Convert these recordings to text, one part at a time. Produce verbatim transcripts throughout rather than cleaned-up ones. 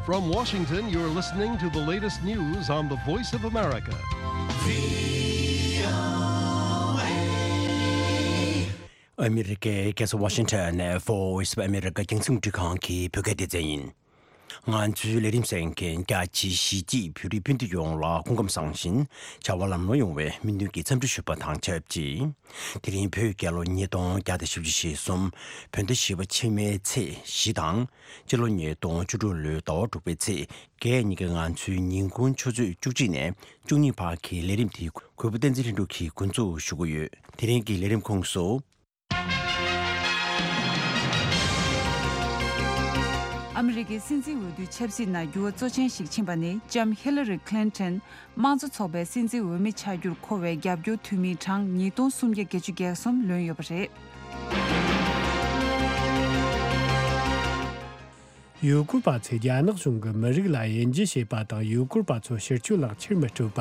From Washington, you're listening to the latest news on the Voice of America. ཨ་མི་རི་ཀའི་རྒྱལ་ས་ཝ་ཤིང་ཊོན་ནས་Voice of America རྒྱང་སྲིང་འཕྲིན་ཁང་གི་བོད་སྐད་སྡེ་ཚན་ཡིན། ང་ཚོའི་ལས་རིམ་གསན་མཁན་རྒྱ་ཆེའི་གཞིས་བྱེས་བོད་རིགས་སྤུན་ཟླ་ཡོངས་ལ་སྐུ་ཁམས་བཟང་ཞིང་བྱ་བ་ལམ་ལྷོང་ཡོང་བའི་སྨོན་འདུན་གྱི་འཚམས་འདྲི་ཞུ་བ་དང་ཆབས་ཅིག་དེ་རིང་བོད་རྒྱལ་ལོ་ཉིས་སྟོང་བརྒྱ་དང་བཞི་བཅུ་ཞེ་གསུམ། བོད་ཟླ་བཞི་པ་ཕྱི་མའི་ཚེས་བཞི་དང་། སྤྱི་ལོ་ཉིས་སྟོང་བཅུ་དྲུག་ལོའི་ཟླ་བ་དྲུག་པའི་ཚེས་བརྒྱད་ཉིན་གྱི་ང་ཚོའི་ཉིན་གུང་ཆུ་ཚོད་བཅུ་གཅིག་ནས་བཅུ་གཉིས་བར་གྱི་ལས་རིམ་དེ་གུས་པ་བསྟན་འཛིན་ལྷུན་གྲུབ་ཀྱིས་འགོ་འཛུགས་ཞུ་གི་ཡོད། དེ་རིང་གི་ལས་རིམ་ཁོངས་སུ། ཨ་མི་རི་ཀའི་སྲིད་འཛིན་འོས་བསྡུའི་ཆབ་སྲིད་ནང་འགྱུར་བ་གཙོ་ཆེན་ཞིག་ཕྱིན་པ་ནི་ལྕམ་ཧི་ལ་རི་ཁི་ལིན་ཏོན་དམངས་གཙོ་ཚོགས་པའི་སྲིད་འཛིན་འོས་མི་ཆགས་རྒྱུར་མཁོ་བའི་རྒྱབ་སྐྱོར་འཐུས་མིའི་གྲངས་ཉིས་སྟོང་སུམ་བརྒྱ་བརྒྱད་ཅུ་གྱ་གསུམ་ལོན་ཡོད་པ་རེད། ཡུ་གུར་པ་ཚོས་རྒྱ་ནག་གཞུང་གི་མི་རིགས་ལ་དབྱེ་འབྱེད་བྱེད་པ་དང་ཡུ་གུར་པ་ཚོ་ཕྱིར་སྐྱོད་ལག་ཁྱེར་མི་སྤྲོད་པ།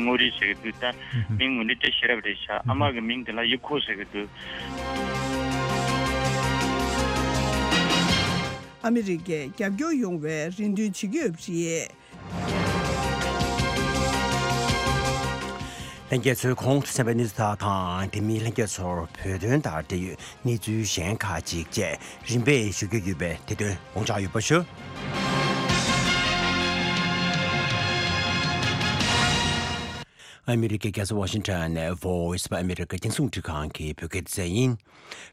ངོ་རིས་ཟེར་གི་འདུག་ད་མིང་ངོ་ནི་དེ་ཤེས་རབ་རེད་ཤག་ཨ་མ་གི་མིང་དེ་ལ་ཡུ་ཁོ་ཟེར་གི་འདུག་ཨ་མི་རི་ཀས་རྒྱབ་སྐྱོར་ཡོང་བའི་རེ་འདུན་བྱེད་ཀྱི་ཡོད་པ་རེད། ལྷན་རྒྱས་ཚོས་གོང་དུ་གསན་པའི་གནས་ཚུལ་དག་དང་དེ་མིན་ལྷན་རྒྱས་ཚོར་བོད་དོན་དང་འབྲེལ་ཡོད་གནས་ཚུལ་གཞན་ཁག་ཅིག་བཅས་རིམ་པས་ཞུ་རྒྱུ་ཡོད་པས་དེ་དོན་དགོངས་འཇགས་ཡོད་པ་ཞུ། ཨ་མི་རི་ཀའི་རྒྱལ་ས་ཝ་ཤིང་ཊོན་ནས་Voice of America རྒྱང་སྲིང་འཕྲིན་ཁང་གི་བོད་སྐད་སྡེ་ཚན་ཡིན།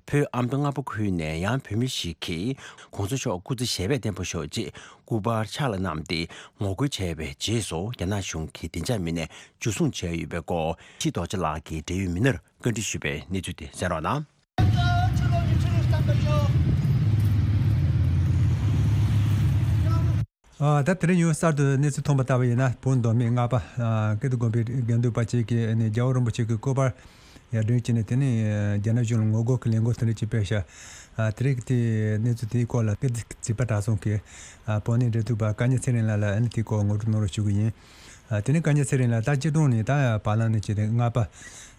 བོད་ཨ་མདོ་སྔ་པོ་ཁུལ་ནས་ཡང་བོད་མི་ཞིག་གིས་གོང་ས་མཆོག་སྐུ་ཚེ་ཞབས་པད་བརྟན་པོ་ཤོག་ཅེས་སྐུ་པར་ཕྱག་ལ་བསྣམས་ཏེ་ངོ་རྒོལ་བྱས་པའི་རྗེས་སུ་རྒྱ་ནག་གཞུང་གིས་བདེ་འཇགས་མི་སྣས་འཇུ་བཟུང་བྱས་ཡོད་པའི་སྐོར་ཕྱིས་རྡོ་རྗེ་ལགས་ཀྱིས་འབྲེལ་ཡོད་མི་སྣར་བཀའ་འདྲི་ཞུས་པའི་གནས་ཚུལ་དེ་གསན་རོགས་གནང་། ཨ། ད་དེ་རིང་ཡང་གསར་དུ་གནས་ཚུལ་ཐོན་པ་ལྟ་བུ་ཡིན་ན། བོད་མདོ་སྨད་རྔ་པ་ཀིརྟི་དགོན་པའི་དགེ་འདུན་པ་གཅིག་གིས་ནས་རྒྱལ་བ་རིན་པོ་ཆེ་གི་སྐུ་པར་ཡར་སྒྲེང་བྱས་ནས། དེ་ནས་རྒྱ་ནག་གཞུང་ལ་ངོ་རྒོལ་གྱི་ལས་འགུལ་དེ་འདྲ་ཅིག་སྤེལ་ཤག་ཨ། དེ་རིང་གི་དེ་གནས་ཚུལ་དེའི་སྐོར་ལ་ཀིརྟི་རྩིས་པ་གྲྭ་ཚང་གི་ཨ། དཔོན་གནས་འབྲེལ་མཐུད་པ་བཀའ་ཉན་ཚེ་རིང་ལགས་ལ་ཨ་ནི་དེའི་སྐོར་ངོ་སྤྲོད་གནང་རོགས་ཞུ་གི་ཡིན། ཨ། དེ་ནས་བཀའ་ཉན་ཚེ་རིང་ལགས་ད་སྤྱིར་བཏང་ནས་ད་བར་ལམ་ནས་བྱས་ཏེ་རྔ་པ་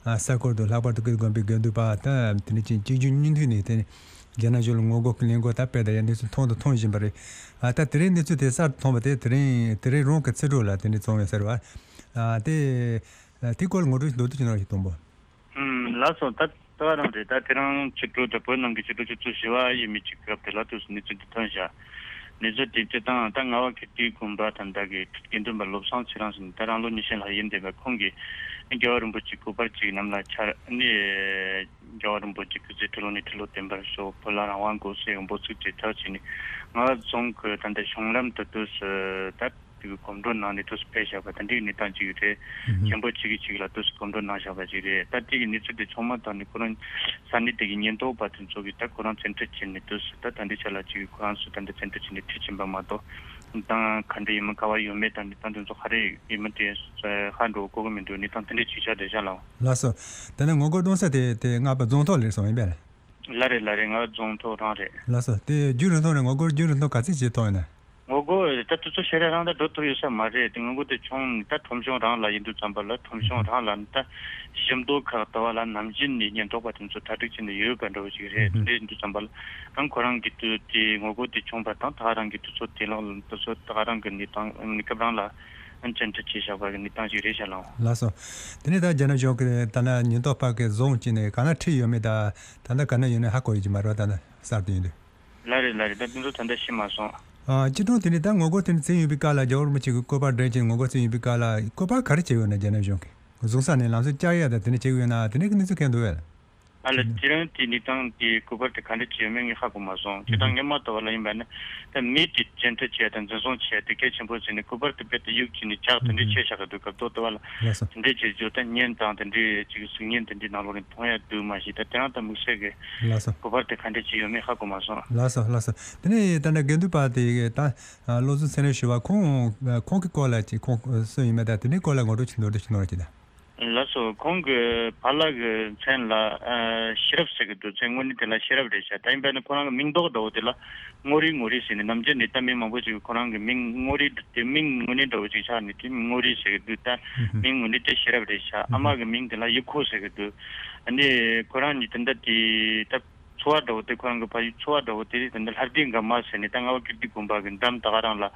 ཨ། ས་ཁུལ་དུ་ལྷག་པར་དུ་ཀིརྟི་དགོན་པའི་དགེ་འདུན་པ་ད་དེ་ནས་ཅིག་གཅིག་གྱུར་གཉིས་མཐུད་ནས་དེ་ནས་རྒྱ་ནག་གཞུང་ལ་ངོ་རྒོལ་གྱི་ལས་འགུལ་ད་སྤེལ་བསྡད་ཡ་གནས་ཚུལ་ཐོན་དང་ཐོན་བཞིན་པ་རེད། ཨ། ད་དེ་རིང་གནས་ཚུལ་དེ་གསར་དུ་ཐོན་པ་དེ་དེ་རིང་དེ་རིང་རང་གི་ཚེ་སྒྲོག་ལ་དེ་འདྲ་བྱུང་ཡོད་ས་རེད་བ། ཨ། དེ་དེའི་སྐོར་ལ་ངོ་སྤྲོད་མདོར་བསྡུས་ཅིག་གནང་རོགས་ཞེས་དང་པོ། ཨུམ། ལགས་སོ། ད་ལྟ་བ་རང་རེད། ད་དེ་རིང་ཕྱི་དྲོ་ད་བོད་ནང་གི་ཕྱི་དྲོ་ཆུ་ཚོད་བཞི་པ་ཡས་མས་ཅིག་སྐབས་དེ་ལ་དུས་སུ་གནས་ཚུལ་འདི་ཐོན་ཤག་གནས་ཚུལ་དེ་སྤྱིར་བཏང་ད་རྔ་བ་ཁེ་ཏི་དགོན་པ་ད་ལྟ་གི་དགེ་འདུན་པ་བློ་བཟང་ཚེ་རིང་ཟེར་ནས་ད་རང་ལོ་ཉི་ཤུ་ལྷག་ཡིན་བསྡད་པ་ཁོང་གིས་རྒྱལ་བ་རིན་པོ་ཆེ་སྐུ་པར་གཅིག་གནམ་ལ་འཕྱར་ནས། རྒྱལ་བ་རིན་པོ་ཆེ་སྐུ་ཚེ་ཁྲི་ལོ་ནས་ཁྲི་ལོ་བརྟན་པར་ཤོག་བོད་ལ་རང་དབང་དགོས་ཟེར་འབོད་ཚིག་དེ་གྲགས་བྱས་ནས་རྔ་བ་རྫོང་གི་ད་ལྟ་གཞུང་ལམ་དུ་དུས་སུ་ད་དེ་གི་གོམ་བགྲོད་གནང་ནས་དུས་སུ་ཕེབས་བཞག་པ་ད་འདི་གི་གནས་སྟངས་ཅིག་རེད། ཨུ་ཧུ། མཁན་པོ་གཅིག་གིས་གཅིག་ལ་དུས་སུ་གོམ་བགྲོད་གནང་བཞག་པ་ཅིག་རེད། ད་དེ་གི་གནས་ཚུལ་དེ་ཚང་མ་ཐོག་ནས་ཁོ་རང་ས་གནས་དེ་གི་ཉེན་རྟོག་པ་དེ་ཚོ་གིས་ད་ཁོ་རང་བཙན་ཁྲིད་བྱས་ནས་དུས་སུ་ད་ད་འདི་ཆ་ལ་ཅིག་ཁོ་རང་ཚོ་ད་འདི་བཙན་ཁྲིད་བྱས་ནས་ཁྲིད་ཕྱིན་པ་མ་གཏོགས། དང་ག་འདྲ་ཡིན་མིན་ག་བ་ཡོད་མེད་དང་གནས་སྟངས་དེ་ཚོ་ག་རེ་ཡིན་མིན་དེ་ཧ་འགྲོ་གོ་གི་མི་འདུག་གནས་སྟངས་དེ་འདྲ་ཅིག་ཆགས་བསྡད་ཤག་ལགས། ལགས་སོ། དེ་ནས་ངོ་རྒོལ་གཏོང་ས་དེ་དེ་རྔ་པ་རྫོང་ཐོག་ལ་རེད་སོང་ཡིན་པས། ལགས་རེད། ལགས་རེད། རྔ་པ་རྫོང་ཐོག་རང་རེད། ལགས་སོ། དེ་རྒྱུན་རིང་ཐུང་ནས་ངོ་རྒོལ་རྒྱུན་རིང་ཐུང་ག་ཚོད་ཅིག་ཐོག་ཡིན་ན། ངོ་རྒོལ་ད་དུས་ཚོད་ཞེ་དྲག་རིང་ད་འགྲོ་ཐུབ་ཡོད་ས་མ་རེད། དེ་ངོ་རྒོལ་དེ་བྱུང་ནས་ད་ཁྲོམ་གཞུང་རང་ལ་ཡིན་དུས་ཙམ་པ་ལ་ཁྲོམ་གཞུང་རང་ལ་ནི་ད་ཞིང་འབྲོག་ཁག་ལྟ་བུ་ལ་ནམ་རྒྱུན་ནས་ཉེན་རྟོག་པ་དེ་ཚོ་གྲ་སྒྲིག་བྱས་ནས་ཡོད་པ་འདྲ་བོ་ཞིག་རེད། དེ་འདྲ་ཡིན་དུས་ཙམ་པ་ལ་ཨང་ཁོ་རང་གི་དུས་དེ་ངོ་རྒོལ་དེ་བྱུང་བ་དང་ད་ག་རང་གི་དུས་ཚོད་དེ་ལ་དུས་ཚོད་ད་ག་རང་གི་གནས་སྟངས་གནས་སྐབས་རང་ལ་ཨང་བཅར་འདྲི་བྱས་བཞག་པ་གི་གནས་སྟངས་ཤིག་རེད་ཤག་ལགས། ལགས་སོ། དེ་ནས་ད་རྒྱ་ནག་གཞུང་གི་ད་ལྟ་ཉེན་རྟོག་པ་གི་བཟུང་བྱས་ནས་ག་ན་ཁྲིད་ཡོད་མེད་ད་ད་ལྟ་ག་ན་ཡོད་ནས་ཧ་གོ་ཡོད་ཀྱི་མ་རེད་བ། ད་ལྟ་གསར་དུ་ཡིན་དུས། ལགས་རེད། ལགས་རེད། ད་དེ་ཚོ་ད་ལྟ་ཤེས་མ་སོང་། ཨ། སྤྱིར་བཏང་དེ་ནས་ད་ངོ་རྒོལ་དེ་ནས་བྱས་ཡོད་པའི་སྐབས་ལ་རྒྱལ་བ་རིན་པོ་ཆེ་གི་སྐུ་པར་སྒྲོན་བྱས་ངོ་རྒོལ་བྱས་ཡོད་པའི་སྐབས་ལ་སྐུ་པར་ག་རེ་བྱས་ཡོད་ན་རྒྱ་ནག་གཞུང་གིས་བཟུང་ས་ནས་ལམ་སང་བཅར་ཡ་ད་དེ་འདྲ་བྱས་ཡོད་ན་དེ་འདྲ་གི་གནས་ཚུལ་གང་འདུག་བས། ཨ་ལ་དེ་རིང་དེ་གནས་སྟངས་དེ་སྐུ་པར་དེ་ག་འདྲ་བྱས་ཡོད་མེད་ངས་ཧ་གོ་མ་སོང་། སྤྱིར་བཏང་སྔོན་མ་ལྟ་བུ་ལ་ཡིན་པ་ན་ད་མི་དེ་བཅད་ཁྲ་བྱས་དང་འཛིན་བཟུང་བྱས་དེ་གལ་ཆེན་པོ་བྱས་ནས་སྐུ་པར་དེ་རྦད་དེ་གཡུག་བྱས་ནས་ལྕགས་དེ་འདྲ་བྱས་བཞག་གི་འདུག་སྐབས་ཐོག་ལྟ་བུ་ལ་ལགས་སོ། དེ་འདྲ་བྱས་རྒྱུ་ད་བརྙན་དང་དེ་འདྲའི་ཅིག་གཟུགས་བརྙན་དེ་འདྲའི་ནང་ལོགས་ནས་མཐོང་ཡ་འདུག་མ་གཞི་ད་དེ་རིང་ད་དམིགས་བསལ་གི་ལགས་སོ། སྐུ་པར་དེ་ག་འདྲ་ཅིག་ཡོད་མེད་ཧ་གོ་མ་སོང་། ལགས་སོ། ལགས་སོ། དེ་ནས་ད་ནི་དགེ་འདུན་པ་དེ་ད་བློ་བཟང་ཚེ་རིང་ཞུ་བ་ཁོང་ཁོང་གི་སྐོར་ལ་ཅིག་ཁོང་སུ་ཡིན་མིན་ད་དེ་འདྲའི་སྐོར་ལ་ངོ་སྤྲོད་ཅིག་མདོར་བསྡུས་ཅིག་གནང་རོགས་གྱིས་ད། ལགས་སོ། ཁོང་གི་ཕ་ལགས་ཀྱི་མཚན་ལ་ཨ་ཤེས་རབ་ཟེར་གི་འདུག་མཚན་དངོས་གནས་དེ་ལ་ཤེས་རབ་རེད་ཤག་ད་ཡིན་པ་ནི་ཁོ་རང་གི་མིང་འདོགས་འདྲ་བོ་དེ་ལ་ངོ་རིས་ངོ་རིས་ཟེར་ནས་ནམ་རྒྱུན་ནས་ད་མི་མང་པོ་ཅིག་གིས་ཁོ་རང་གི་མིང་ངོ་རིས་དེ་མིང་དངོས་གནས་འདྲ་བོ་ཅིག་ཆགས་ནས་དེ་ངོ་རིས་ཟེར་གི་འདུག་ད་མིང་དངོས་གནས་དེ་ཤེས་རབ་རེད་ཤག་ཨ་མ་གི་མིང་དེ་ལ་ཡུ་ཁོ་ཟེར་གི་འདུག་ཨ་ནི་ཁོ་རང་གཉིས་དེ་འདྲ་དེ་ད། ཚོ་བ་འདྲ་བོ་དེ། ཁོ་རང་གི་ཕ་ཡུལ་ཚོ་བ་འདྲ་བོ་དེ་རེད། དེ་འདི་ལྷ་ལྡན་དགའ་མ་ཟེར་ནས། ད་རྔ་བ་ཀིརྟི་དགོན་པ་གི་འགྲམ་ད་ག་རང་ལ་ལྷ་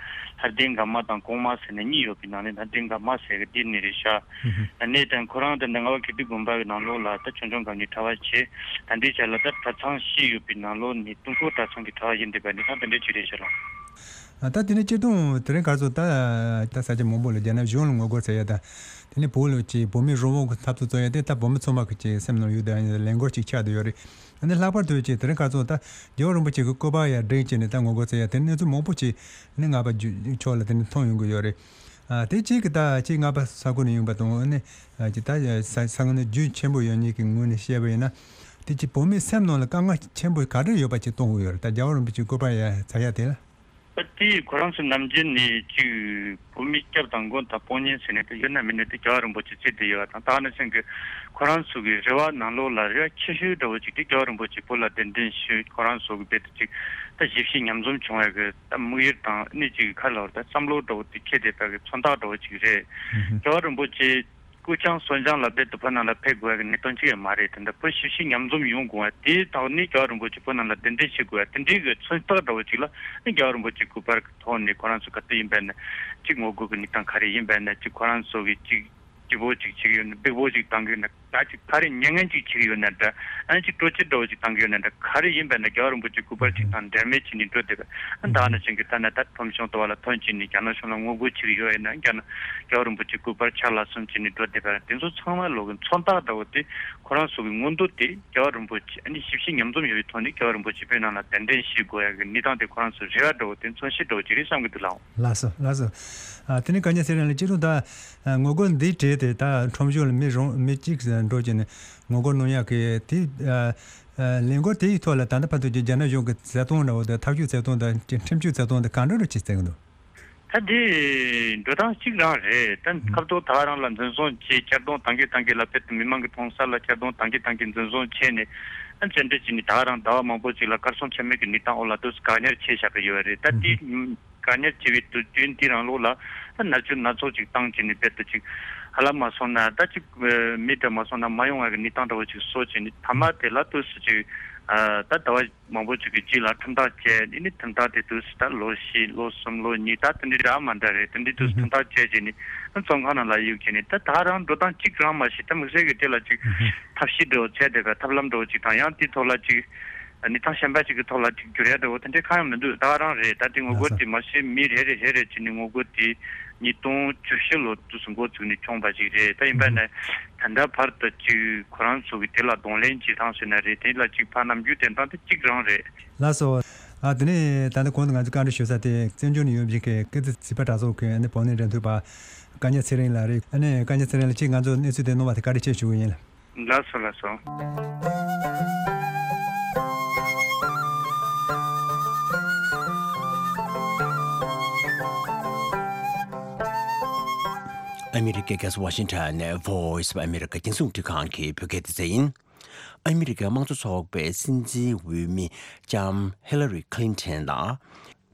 ལྡན་དགའ་མ་དང་གོང་མ་ཟེར་ནས་གཉིས་ཡོད་པའི་ནང་ནས་ལྷ་ལྡན་དགའ་མ་ཟེར་གི་དེ་ནས་རེད་ཤག་ད་ནས་དང་ཁོ་རང་དེ་འདི་རྔ་བ་ཀིརྟི་དགོན་པ་གི་ནང་ལོགས་ལ་ད་ཆོས་འབྱུང་སྒམ་ནས་གྲྭ་པ་བྱས། ད་འདི་ཆ་ལ་ད་གྲྭ་ཚང་བཞི་ཡོད་པའི་ནང་ལོགས་ནས་དུས་འཁོར་གྲྭ་ཚང་གི་གྲྭ་པ་ཡིན་བསྡད་པ་ནི་ད་དེ་འདྲ་ཅིག་རེད་ཤག་ལ། ཨ། ད་དེ་ནས་སྤྱིར་བཏང་དེ་རིང་ཁ་སང་ད་ད་ས་ཆ་མང་པོ་ལ་རྒྱ་ནག་གཞུང་ལ་ངོ་རྒོལ་བྱེད་ཡ་དང་། དེ་ནས་བོད་ལ་ཅིག་བོད་མི་རང་དབང་གི་འཐབ་རྩོད་རྩོད་ཡ་དེ་ད་བོད་མི་ཚང་མ་གི་ཅིག་སེམས་ནང་ཡོད་དང་ལས་འགུལ་ཅིག་ཆགས་བསྡད་ཡོད་རེད། ཨ་ནི་ལྷག་པར་དུ་ཅིག་དེ་རིང་ཁ་སང་ད་རྒྱལ་བ་རིན་པོ་ཆེ་གི་སྐུ་པར་ཡར་བསྒྲེངས་བྱས་ནས་ད་ངོ་རྒོལ་བྱེད་ཡ་དེ་གནས་ཚུལ་མང་པོ་ཅིག་ནི་རྔ་པ་ཕྱོགས་ལ་དེ་ནས་ཐོན་ཡོང་གི་ཡོད་རེད། ཨ། དེ་གཅིག་གི་ད་གཅིག་རྔ་པ་ས་ཁུལ་ནས་ཡིན་པ་དང་། ཨ་ནི་ཨ་ཅིག་ད་ས་ས་ཁུལ་ནས་རྒྱུས་ཆེན་པོ་ཡོད་མཁན་གྱི་ངོས་ནས་བཤད་པ་ཡིན་ན། དེ་ཅིག་བོད་མིའི་སེམས་ནང་ལ་དཀའ་ངལ་ཆེན་པོ་ག་འདྲ་ཡོད་པ་ཅིག་སྟོན་གྱི་ཡོད་རེད། ད་རྒྱལ་བ་རིན་པོ་ཆེའི་སྐུ་པར་ཡར་ཟ་ཡ་དེ་ལ། ད་དེ་ཁོ་རང་ཚོ་ནམ་རྒྱུན་ནས་ཅིག་བོད་མི་སྐྱབས་དང་མགོན་དང་དཔུང་གཉེན་ཟེར་ནས་ད་ཡོད་ན་མེད་ན་དེ་རྒྱལ་བ་རིན་པོ་ཆེ་བརྩི་བསྡད་ཡོད་པ་དང་། ད་ནི་སེམས་ཀྱི་ཁོ་རང་ཚོ་གི་རེ་བ་ནང་ལོགས་ལ་རེ་བ་ཆེ་ཤོས་འདྲ་བོ་ཅིག་དེ་རྒྱལ་བ་རིན་པོ་ཆེ་བོད་ལ་གདན་འདྲེན་ཞུས། ཁོ་རང་ཚོ་གི་རྦད་དེ་ཅིག་ད་ཞི་བྱེད་མཉམ་འཛོམས་བྱུང་བའི་གི་ད་དམིགས་ཡུལ་དང་། ཨ་ནི་ཅིག་ག་རེ་ལབ་དགོས་རེད། ད་བསམ་བློ་འདྲ་བོ་དེ་འཁྱེར་བསྡད་པའི་གི་མཚོན་རྟགས་འདྲ་བོ་ཅིག་རེད། རྒྱལ་བ་རིན་པོ་ཆེ་སྐུ་ཕྱྭ་གསོན་སྦྱངས་ལ་རྦད་དེ་བོད་ནང་ལ་ཕེབས་དགོས་པའི་གནད་དོན་ཅིག་ཡང་མ་རེད། དེ་འདྲ་བོད་ཞི་བྱེད་མཉམ་འཛོམས་ཡོང་དགོས་པ་དེའི་ཐོག་ནས་རྒྱལ་བ་རིན་པོ་ཆེ་བོད་ནང་ལ་གདན་འདྲེན་བྱེད་དགོས་པ་དེ་འདྲའི་གི་མཚོན་རྟགས་འདྲ་བོ་ཅིག་ལ་ནི་རྒྱལ་བ་རིན་པོ་ཆེ་སྐུ་པར་གྱི་ཐོག་ནས་ཁོ་རང་ཚོ་ག་དུས་ཡིན་པ་ཡིན་ན་ཅིག་ངོ་རྒོལ་གྱི་གནས་སྟངས་ག་རེ་ཡིན་པ་ཡིན་ན། ཅིག་ཁོ་རང་ཚོ་གི་ཅིག་སྐྱིད་པོ་ཅིག་བྱེད་ཀྱི་ཡོད་ན། སྡུག་པོ་ཅིག་བཏང་གི་ཡོད་ན། ད་ཅིག་ཕར་རེ་མྱ་ངན་ཅིག་བྱེད་ཀྱི་ཡོད་ན་འདྲ། ཨ་ནི་ཅིག་སྤྲོ་སྐྱིད་འདྲ་བོ་ཅིག་བཏང་གི་ཡོད་ན་འདྲ། ག་རེ་ཡིན་པ་ཡིན་ན་རྒྱལ་བ་རིན་པོ་ཆེ་སྐུ་པར་ཅིག་དང་འབྲལ་མེད་བྱས་ནས་འགྲོ་བསྡད་པ། ཨ་ནི་ད་ནི་ཅིག་གི་ད་ནི་ད་ཁྲོམ་གཞུང་དུ་བ་ལ་ཐོན་བྱས་ནས་རྒྱ་ནག་གཞུང་ལ་ངོ་རྒོལ་བྱེད་ཀྱི་ཡོད་ཡིན་ན། རྒྱ་ནག་རྒྱལ་བ་རིན་པོ་ཆེ་སྐུ་པར་ཕྱག་ལ་གསོལ་བྱས་ནས་འགྲོ་བསྡད་པ། དེ་ཚོ་ཚང་མ་ལོག་གི་མཚོན་རྟགས་འདྲ་བོ་དེ། ཁོ་རང་ཚོ་གི་མངོན་འདོད་དེ་རྒྱལ་བ་རིན་པོ་ཆེ། ཨ་ནི་ཞི་བྱེད་མཉམ་འཛོམས་ཡོང་བའི་ཐོག་ནས་རྒྱལ་བ་རིན་པོ་ཆེ་བོད་ནང་ལ་གདན་འདྲེན་བྱེད་དགོས་ཡ་གི་གནས་སྟངས་དེ་ཁོ་རང་ཚོའི་རེ་བ་འདྲ་བོ་དེ། མཚོན་བྱེད་འདྲ་བོ་ཅིག་རེད་བསམ་གི་འདུག་ལགས། ལགས་སོ། ལགས་སོ། ཨ། དེ་ནས་ག་ཉན་ཚེ་རིང་ལགས། སྤྱིར་བཏང་ད་ཨ་ངོ་རྒོལ་འདིའི་གྲས་དེ་ད་ཁྲོམ་གཞུང་ལ་མི་རང་མི་གཅིག་འགྲོ་བྱས་ནས་ངོ་རྒོལ་གནང་ཡག་གི་དེ། ཨ། ཨ། ལས་འགུལ་དེའི་ཐོག་ལ་ད་ལྟ་བར་དུ་གྱི་རྒྱ་ནག་གཞུང་གི་བརྩི་མཐོང་འདྲ་བོ་དང་། ཐབས་ཇུས་བརྩི་མཐོང་དང་། ཁྲིམས་གཅོད་བརྩི་མཐོང་དེ་ག་འདྲ་འདྲ་ཅིག་བརྩི་གི་འདུག་ད་དེ་འགྲོ་སྟངས་གཅིག་རང་རེད། ད་ཁ་ཐོག་ད་ག་རང་ལ་འཛིན་བཟུང་བྱས། གཅར་རྡུང་བཏང་གི་བཏང་གི་ལ། དཔེར་ན་མི་མང་གི་མཐོང་ས་ལ་གཅར་རྡུང་བཏང་གི་བཏང་གི་འཛིན་བཟུང་བྱས་ནས། ཨ། བཙན་ཁྲིད་བྱས་ནས་ད་ག་རང་ཟླ་བ་མང་པོ་ཅིག་ལ་གར་སོང་ཆ་མེད་ཀྱི་གནས་སྟངས་འོག་ལ་དུས་སུ་བཀག་ཉར་བྱས་བཞག་གི་ཡོད་རེད། ད་དེ་བཀག་ཉར་བྱས་པའི་དུས་རྒྱུན་དེའི་རིང་ལོགས་ལ་ད་མནར་གཅོད་སྣ་ཚོགས་ཅིག་བཏང་བྱས་ནས། རྦད་དེ་ཅིག་ཧ་ལམ་མ་སོང་ན་ད་ཅིག་མི་འདྲ་མ་སོང་ན་མ་ཡོང་བ་གི་གནས་སྟངས་འདྲ་བོ་ཅིག་བཟོ་བྱས་ནས། མཐའ་མ་དེ་ལ་དུས་སུ་ཅིག་ཨ། ད་ཟླ་བ་མང་པོ་ཅིག་གི་རྗེས་ལ་ཁྲིམས་ཐག་བཅད། དེ་ནས་ཁྲིམས་ཐག་དེ་དུས་སུ་ད་ལོ་བཞི་ལོ་གསུམ་ལོ་གཉིས། ད་དེ་འདྲའི་འདྲ་མ་འདྲ་རེད། དེ་འདྲའི་དུས་སུ་ཁྲིམས་ཐག་བཅད་བྱས་ནས་བཙོན་ཁང་ནང་ལ་གཡུགས་བྱས་ནས། ད་ད་རང་འགྲོ་སྟངས་གཅིག་རང་མ་གཞི་ད་དམིགས་བསལ་གྱི་དེ་ལ་ཅིག་ཐབས་ཤེས་འདྲ་བོ་བྱས་བསྡད་པའི་ཐབས་ལམ་འདྲ་བོ་ཅིག་དང་། ཡང་དེའི་ཐོག་ལ་ཅིག་གནས་སྟངས་གཞན་པ་ཅིག་གི་ཐོག་ལ་ཅིག་བསྒྱུར་ཡ་འདྲ་བོ་དེ་འདྲའི་གང་ཡང་མི་འདུག་ད་རང་རེད། ད་དེ་ངོ་རྒོལ་དེ་མ་གཞི་མི་རེ་རེ་རེ་རེ་བྱས་ནས་ངོ་རྒོལ་དེ་ཉིས་སྟོང་བཅུ་བཞི་ལོ་དུས་སུ་འགོ་བཙུགས་ནས་བྱུང་བ་ཞིག་རེད། ད་ཡིན་པ་ན་ད་ལྟ་བར་དུ་ཅིག་ཁོ་རང་ཚོ་གི་དེ་ལ་གདོང་ལེན་བྱེད་སྟངས་ཟེར་ན་རེད། དེ་ལ་ཅིག་ཕར་ནམ་རྒྱུན་དེ་སྟངས་དེ་གཅིག་རང་རེད། ལགས་སོ། ཨ། དེ་ནས་ད་ལྟ་གོང་དུ་ང་ཚོས་བཀའ་འདྲི་ཞུ་ས་དེ་བཙན་བྱོལ་ནས་ཡོད་པའི་གི་སྐད་འཛིན་བྱིས་པ་གྲྭ་ཚོགས་ཀྱི་ཨ་ནི་བོད་གནས་འབྲེལ་མཐུད་པ་བཀའ་ཉན་ཚེ་རིང་ལགས་རེད། ཨ་ནི་བཀའ་ཉན་ཚེ་རིང་ལགས་ཀྱིས་ང་ཚོར་གནས་ཚུལ་དེ་གནང་བ་དེ་བཀའ་དྲིན་ཆེ་ཞུ་གི་ཡིན། ལགས་སོ། ལགས་སོ། ཨ་མི་རི་ཀའི་རྒྱལ་ས་ཝ་ཤིང་ཊོན་ནས་Voice of America རྒྱང་སྲིང་རླུང་འཕྲིན་ཁང་གི་བོད་སྐད་སྡེ་ཚན་ཡིན། ཨ་མི་རི་ཀའི་དམངས་གཙོ་ཚོགས་པའི་སྲིད་འཛིན་འོས་མི་ལྕམ་ཧི་ལ་རི་ཁི་ལིན་ཐན་ལ་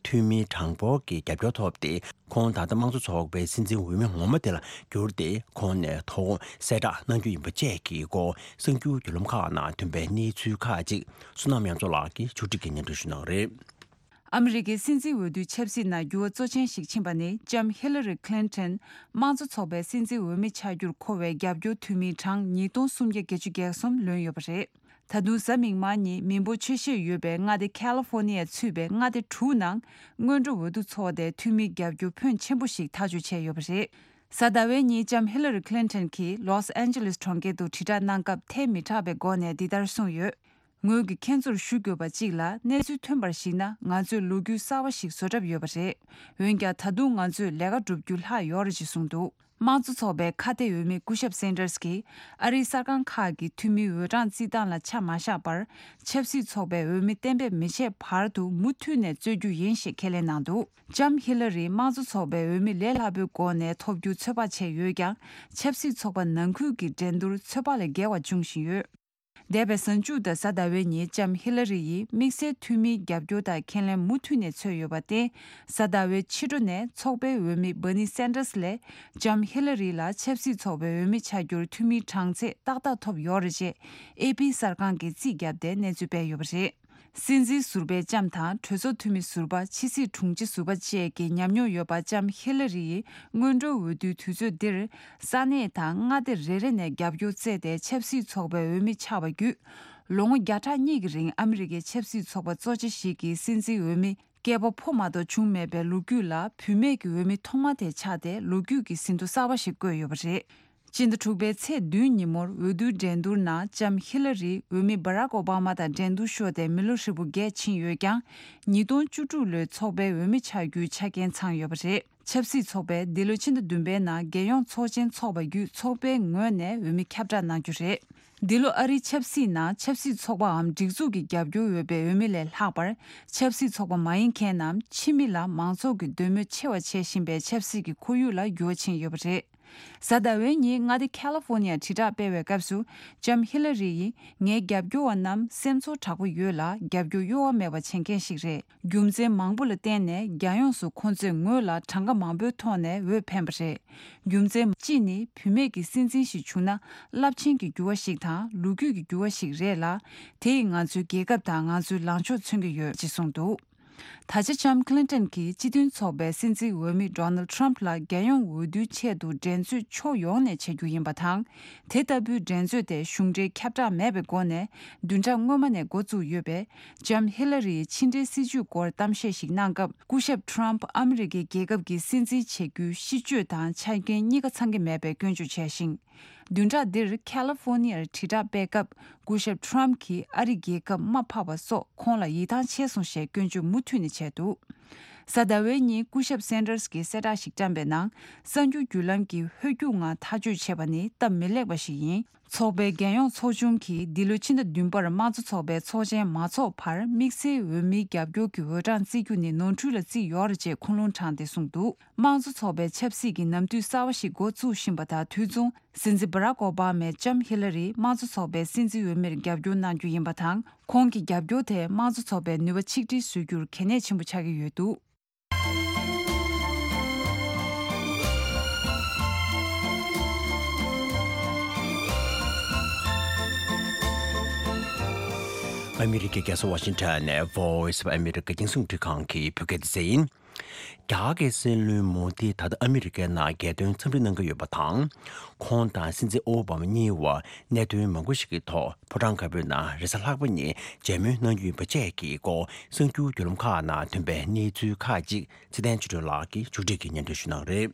འཐུས་མི་གྲངས་འབོར་གྱི་རྒྱབ་སྐྱོར་ཐོབ་སྟེ། ཁོང་ད་ལྟ་དམངས་གཙོ་ཚོགས་པའི་སྲིད་འཛིན་འོས་མི་ངོ་མ་དེ་ལ་གྱུར་ཏེ། ཁོང་ནས་ཐོག་གསལ་བསྒྲགས་གནང་རྒྱུ་ཡིན་པ་བཅས་ཀྱི་སྐོར། གསར་འགྱུར་བརྒྱུད་ལམ་ཁག་ནང་ཐོན་པའི་གནས་ཚུལ་ཁག་ཅིག་བསོད་ནམས་དབྱངས་མཚོ་ལགས་ཀྱིས་ཕྱོགས་སྒྲིག་གིས་སྙན་སྒྲོན་ཞུ་གནང་གི་རེད། ཨ་མི་རི་ཀའི་སྲིད་འཛིན་འོས་བསྡུའི་ཆབ་སྲིད་ནང་འགྱུར་བ་གཙོ་ཆེན་ཞིག་ཕྱིན་པ་ནི། ལྕམ་ཧི་ལ་རི་ཁི་ལིན་ཐན་དམངས་གཙོ་ཚོགས་པའི་སྲིད་འཛིན་འོས་མི་ཆགས་རྒྱུར་མཁོ་བའི་རྒྱབ་སྐྱོར་འཐུས་མི་གྲངས་ཉིས་སྟོང་སུམ་བརྒྱ་བརྒྱད་ཅུ་གྱ་གསུམ་ལོན་ཡོད་པ་རེད། ད་དུང་གཟའ་མིག་དམར་ཉིན་མི་འབོར་ཆེ་ཤོས་ཡོད་པའི་མངའ་སྡེ་ཁ་ལི་ཧྥོ་ནི་ཡ་ཚུད་པའི་མངའ་སྡེ་དྲུག་ནང་སྔོན་འགྲོ་འོས་བསྡུ་ཚོགས་ཏེ། འཐུས་མི་རྒྱབ་སྐྱོར་ཕོན་ཆེན་པོ་ཞིག་ཐག་གཅོད་བྱས་ཡོད་པ་རེད། གཟའ་ཟླ་བའི་ཉིན་ལྕམ་ཧི་ལ་རི་ཁི་ལིན་ཐན་གྱིས་ལོས་ཨན་ཇེ་ལིས་གྲོང་ཁྱེར་དུ་དྲིལ་བསྒྲགས་གནང་སྐབས་ཐལ་མི་དྲགས་པའི་སྒོ་ནས་འདི་ལྟར་གསུངས་ཡོད། ངོས་ཀྱིས་ཁྱེད་ཚོར་ཞུ་དགོས་པ་གཅིག་ལ། གནས་ཚུལ་ཐོན་པར་གཞིགས་ན། ང་ཚོས་ལོ་རྒྱུས་གསར་བ་ཞིག་བཟོ་གྲབས་ཡོད་པ་རེད། འོན་ཀྱང་ད་དུང་ང་ཚོས་ལས་ཀ་བསྒྲུབ་རྒྱུ་ལྷག་ཡོད་རེད་ཅེས་གསུངས་འདུག། དམངས་གཙོ་ཚོགས་པའི་ཁ་གཏད་འོས་མི་སྐུ་ཞབས་སན་ཏར་སི་གིས་ཨ་རིའི་གསར་ཁང་ཁག་གི་འཐུས་མིའི་འོས་གྲངས་བརྩི་སྟངས་ལ་ཆ་མ་བཞག་པར། ཆབ་སྲིད་ཚོགས་པའི་འོས་མི་གཏན་འབེབས་མི་བྱེད་བར་དུ་མུ་མཐུད་ནས་རྩོད་རྒྱུ་ཡིན་ཞེས་ཁས་ལེན་གནང་འདུག། ལྕམ་ཧི་ལ་རིས་དམངས་གཙོ་ཚོགས་པའི་འོས་མི་ལས་སླ་པོའི་སྒོ་ནས་ཐོབ་རྒྱུ་ཚོད་དཔག་བྱས་ཡོད་ཀྱང་། ཆབ་སྲིད་ཚོགས་པ་ནང་ཁུལ་གྱི་འགྲན་བསྡུར་ཚོད་དཔག་ལས་བརྒལ་བ་འབྱུང་བཞིན་ཡོད། འདས་པའི་གཟའ་མཇུག་དང་གཟའ་ཟླ་བའི་ཉིན་ལྕམ་ཧི་ལ་རི་ཡིས་དམིགས་བསལ་འཐུས་མིའི་རྒྱབ་སྐྱོར་དང་ཁས་ལེན་མུ་མཐུད་ནས་འཚོལ་ཡོད་པར་བརྟེན། གཟའ་ཟླ་བའི་ཕྱི་དྲོ་ནས་ཚོགས་པའི་འོས་མི་བྷར་ནི་སན་ཏར་སི་ལས་ལྕམ་ཧི་ལ་རི་ལ་ཆབ་སྲིད་ཚོགས་པའི་འོས་མི་ཆགས་རྒྱུར་འཐུས་མིའི་གྲངས་ཚད་ཏག་ཏག་ཐོབ་ཡོད་རེད་ཅེས་ཨེ་པི་གསར་ཁང་གིས་རྩིས་བརྒྱབ་སྟེ་གནས་ཚུལ་སྤེལ་ཡོད་པ་རེད། སྲིད་འཛིན་ཟུར་པའི་ལྕམ་དང་གྲོས་ཚོགས་འཐུས་མི་ཟུར་པ། ཕྱི་སྲིད་དྲུང་ཆེ་ཟུར་པ་བཅས་ཀྱི་ཉམས་མྱོང་ཡོད་པ་ལྕམ་ཧི་ལ་རི་ཡིས་སྔོན་འགྲོའི་འོས་བསྡུའི་དུས་ཚོད་འདིར་ས་གནས་དང་མངའ་སྡེ་རེ་རེ་ནས་རྒྱབ་སྐྱོར་བཙལ་ཏེ་ཆབ་སྲིད་ཚོགས་པའི་འོས་མི་ཆགས་པ་བརྒྱུད། ལོ་ངོ་བརྒྱ་ཕྲག་གཉིས་ཀྱི་རིང་ཨ་མི་རི་ཀའི་ཆབ་སྲིད་ཚོགས་པ་གཙོ་ཆེ་ཞིག་གི་སྲིད་འཛིན་འོས་མི་སྐྱེས་པ་ཕོ་མ་གཏོགས་བྱུང་མེད་པའི་ལོ་རྒྱུས་ལ་བུད་མེད་ཀྱི་འོས་མི་ཐོག་མ་དེ་ཆགས་ཏེ་ལོ་རྒྱུས་ཀྱི་ཟིན་ཐོ་གསར་བ་ཞིག་བཀོད་ཡོད་པ་རེད། སྤྱི་ཟླ་དྲུག་པའི་ཚེས་བདུན་ཉིན་མོར་འོས་བསྡུའི་འགྲན་བསྡུར་ནང་ལྕམ་ཧི་ལ་རི་འོས་མི་སྦ་རག་ཨོ་བྷ་མ་དང་འགྲན་བསྡུར་ཤོར་ཏེ་མི་ལོ་ཧྲིལ་པོ་བརྒྱད་ཕྱིན་ཡོད་ཀྱང་། ཉིས་སྟོང་བཅུ་དྲུག་ལོའི་ཚོགས་པའི་འོས་མི་ཆགས་རྒྱུའི་ཆ་རྐྱེན་ཚང་ཡོད་པ་རེད། ཆབ་སྲིད་ཚོགས་པས་འདི་ལོ་ཕྱི་ཟླ་བདུན་པའི་ནང་རྒྱལ་ཡོངས་ཚོགས་ཆེན་འཚོགས་པ་བརྒྱུད་ཚོགས་པའི་ངོས་ནས་འོས་མི་ཁྱབ་བསྒྲགས་གནང་རྒྱུ་རེད། འདི་ལོ་ཨ་རིའི་ཆབ་སྲིད་ནང་ཆབ་སྲིད་ཚོགས་པའམ་སྒྲིག་འཛུགས་ཀྱི་རྒྱབ་སྐྱོར་ཡོད་པའི་འོས་མི་ལས་ལྷག་པར། ཆབ་སྲིད་ཚོགས་པ་མ་ཡིན་མཁན་ནམ་ཕྱི་མི་ལ་མང་ཚོགས་ཀྱི་འདོད་མོས་ཆེ་བ་བྱེད་བཞིན་པའི་ཆབ་སྲིད་ཀྱི་ཁོར་ཡུག་ལ་འགྱུར་བ་ཕྱིན་ཡོད་པ་རེད། གཟའ་ཟླ་བའི་ཉིན་མངའ་སྡེ་ཁ་ལི་ཧྥོ་ནི་ཡར་དྲིལ་བསྒྲགས་སྤེལ་བའི་སྐབས་སུ། ལྕམ་ཧི་ལ་རི་ཡིས། ངའི་རྒྱབ་སྐྱོར་བ་རྣམས་སེམས་ཚོར་དྲག་པོ་ཡོད་ལ། རྒྱབ་སྐྱོར་གཡོ་བ་མེད་པ་བྱེད་མཁན་ཞིག་རེད། རྒྱུ་མཚན་མང་པོ་ལ་བརྟེན་ནས་རྒྱལ་ཡོངས་སུ་ཁོང་ཚོས་ངོས་ལ་གྲངས་ཀ་མང་པོའི་ཐོག་ནས་འོས་འཕེན་པ་རེད། རྒྱུ་མཚན་གཅིག་ནི། བུད་མེད་ཀྱི་སྲིད་འཛིན་ཞིག་བྱུང་ན། རླབས་ཆེན་གྱི་འགྱུར་བ་ཞིག་དང་། ལོ་རྒྱུས་ཀྱི་འགྱུར་བ་ཞིག་རེད་ལ། དེ་ཡིས་ང་ཚོའི་རྒྱལ་ཁབ་དང་ང་ཚོའི་ལངས་ཕྱོགས་མཚོན་གྱི་ཡོད། ཅེས་གསུངས་འདུག་ད་ཆ་ལྕམ་ཁི་ལིན་ཏོན་གྱིས་སྤྱི་མཐུན་ཚོགས་པའི་སྲིད་འཛིན་འོས་མི་ཌོ་ནལ་ཌི་ཊརམ་ཕི་ལ་རྒྱལ་ཡོངས་འོས་བསྡུའི་ཆེད་དུ་འགྲན་རྩོད་ཕྱོགས་ཡོངས་ནས་བྱ་རྒྱུ་ཡིན་པ་དང་། དེ་ལྟ་བུའི་འགྲན་རྩོད་དེ་གཞུང་འབྲེལ་ཁྱབ་བསྒྲགས་མེད་པའི་སྒོ་ནས་བདུན་ཕྲག་སྔོན་མ་ནས་འགོ་བཙུགས་ཡོད་པས། ལྕམ་ཧི་ལ་རིའི་ཕྱི་འབྲེལ་སྲིད་ཇུས་སྐོར་གཏམ་བཤད་ཞིག་གནང་སྐབས། སྐུ་ཞབས་ཊརམ་ཕི་ཨ་མི་རི་ཀའི་རྒྱལ་ཁབ་ཀྱི་སྲིད་འཛིན་བྱེད་རྒྱུའི་གཤིས་སྤྱོད་དང་ཆ་རྐྱེན་གཉིས་ཀ་ཚང་གི་མེད་པའི་སྐྱོན་བརྗོད་བྱས་ཤིང་། བདུན་ཕྲག་འདིར་ཁ་ལི་ཧྥོ་ནི་ཡར་དྲིལ་བསྒྲགས་སྤེལ་སྐབས། སྐུ་ཞབས་ཊརམ་ཕི་གྱིས་ཨ་རི་རྒྱལ་ཁབ་དམའ་ཕབ་པ་སོགས་ཁོང་ལ་ཡིད་ཐང་ཆད་སོང་ཞེས་སྐྱོན་བརྗོད་མུ་མཐུད་ནས་བྱས་འདུག་གཟའ་ཟླ་བའི་ཉིན་སྐུ་ཞབས་སན་ཏར་སི་གིས་གསལ་བསྒྲགས་ཤིག་བཀྲམ་པའི་ནང་། གསར་འགྱུར་བརྒྱུད་ལམ་གྱིས་ཧོལ་རྒྱུག་ངང་ཐག་གཅོད་བྱས་པ་ནི་སྟབས་མི་ལེགས་པ་ཞིག་ཡིན། ཚོགས་པའི་རྒྱལ་ཡོངས་ཚོགས་ཆུང་གིས་འདི་ལོའི་ཕྱི་ཟླ་བདུན་པར་དམངས་གཙོ་ཚོགས་པའི་ཚོགས་ཆེན་མ་འཚོགས་བར་དམིགས་བསལ་འོས་མིའི་རྒྱབ་སྐྱོར་གྱི་འོས་གྲངས་བརྩི་རྒྱུ་ནི་ནོར་འཁྲུལ་ལ་བརྩིས་ཡོད་རེད་ཅེས་ཁུངས་ལུང་དྲངས་ཏེ་གསུངས་འདུག་དམངས་གཙོ་ཚོགས་པའི་ཆབ་སྲིད་ཀྱི་ནམ་དུས་གསར་བ་ཞིག་འགོ་བཙུགས་བཞིན་པ་དང་དུས་མཚུངས། སྲིད་འཛིན་སྦ་རག་ཨོ་བྷ་མས་ལྕམ་ཧི་ལ་རི་དམངས་གཙོ་ཚོགས་པའི་སྲིད་འཛིན་འོས་མིར་རྒྱབ་སྐྱོར་གནང་རྒྱུ་ཡིན་པ་དང་། ཁོང་གི་རྒྱབ་སྐྱོར་དེས་དམངས་གཙོ་ཚོགས་པའི་ནུས་པ་ཆིག་སྒྲིལ་བཟོ་རྒྱུར་གལ་གནད་ཆེན་པོ་ཆགས་ཀྱི་ཡོད་འདུག་ཨ་མི་རི་ཀའི་རྒྱལ་ས་ཝ་ཤིང་ཊོན་ནས་Voice of America རྒྱང་སྲིང་རླུང་འཕྲིན་ཁང་གི་བོད་སྐད་སྡེ་ཚན་ཡིན། རྒྱ་གར་གྱི་སྲིད་བློན་མོ་དི་ད་ལྟ་ཨ་མི་རི་ཀའི་ནང་རྒྱལ་དོན་འཚམས་འདྲི་གནང་གི་ཡོད་པ་དང་། ཁོང་དང་སྲིད་འཛིན་ཨོ་བྷ་མ་གཉིས་བར་གནད་དོན་མང་པོ་ཞིག་གི་ཐོག་ཕོ་བྲང་དཀར་པོའི་ནང་རེས་གཟའ་ལྷག་པ་ཉིན་མཇལ་མོལ་གནང་རྒྱུ་ཡིན་པ་བཅས་ཀྱི་སྐོར་གསར་འགྱུར་བརྒྱུད་ལམ་ཁག་ནང་ཐོན་པའི་གནས་ཚུལ་ཁག་ཅིག་ཚེ་བརྟན་ཆོས་སྒྲོན་ལགས་ཀྱིས་མཇུག་སྒྲིལ་གྱིས་སྙན་སྒྲོན་ཞུ་གནང་རེད།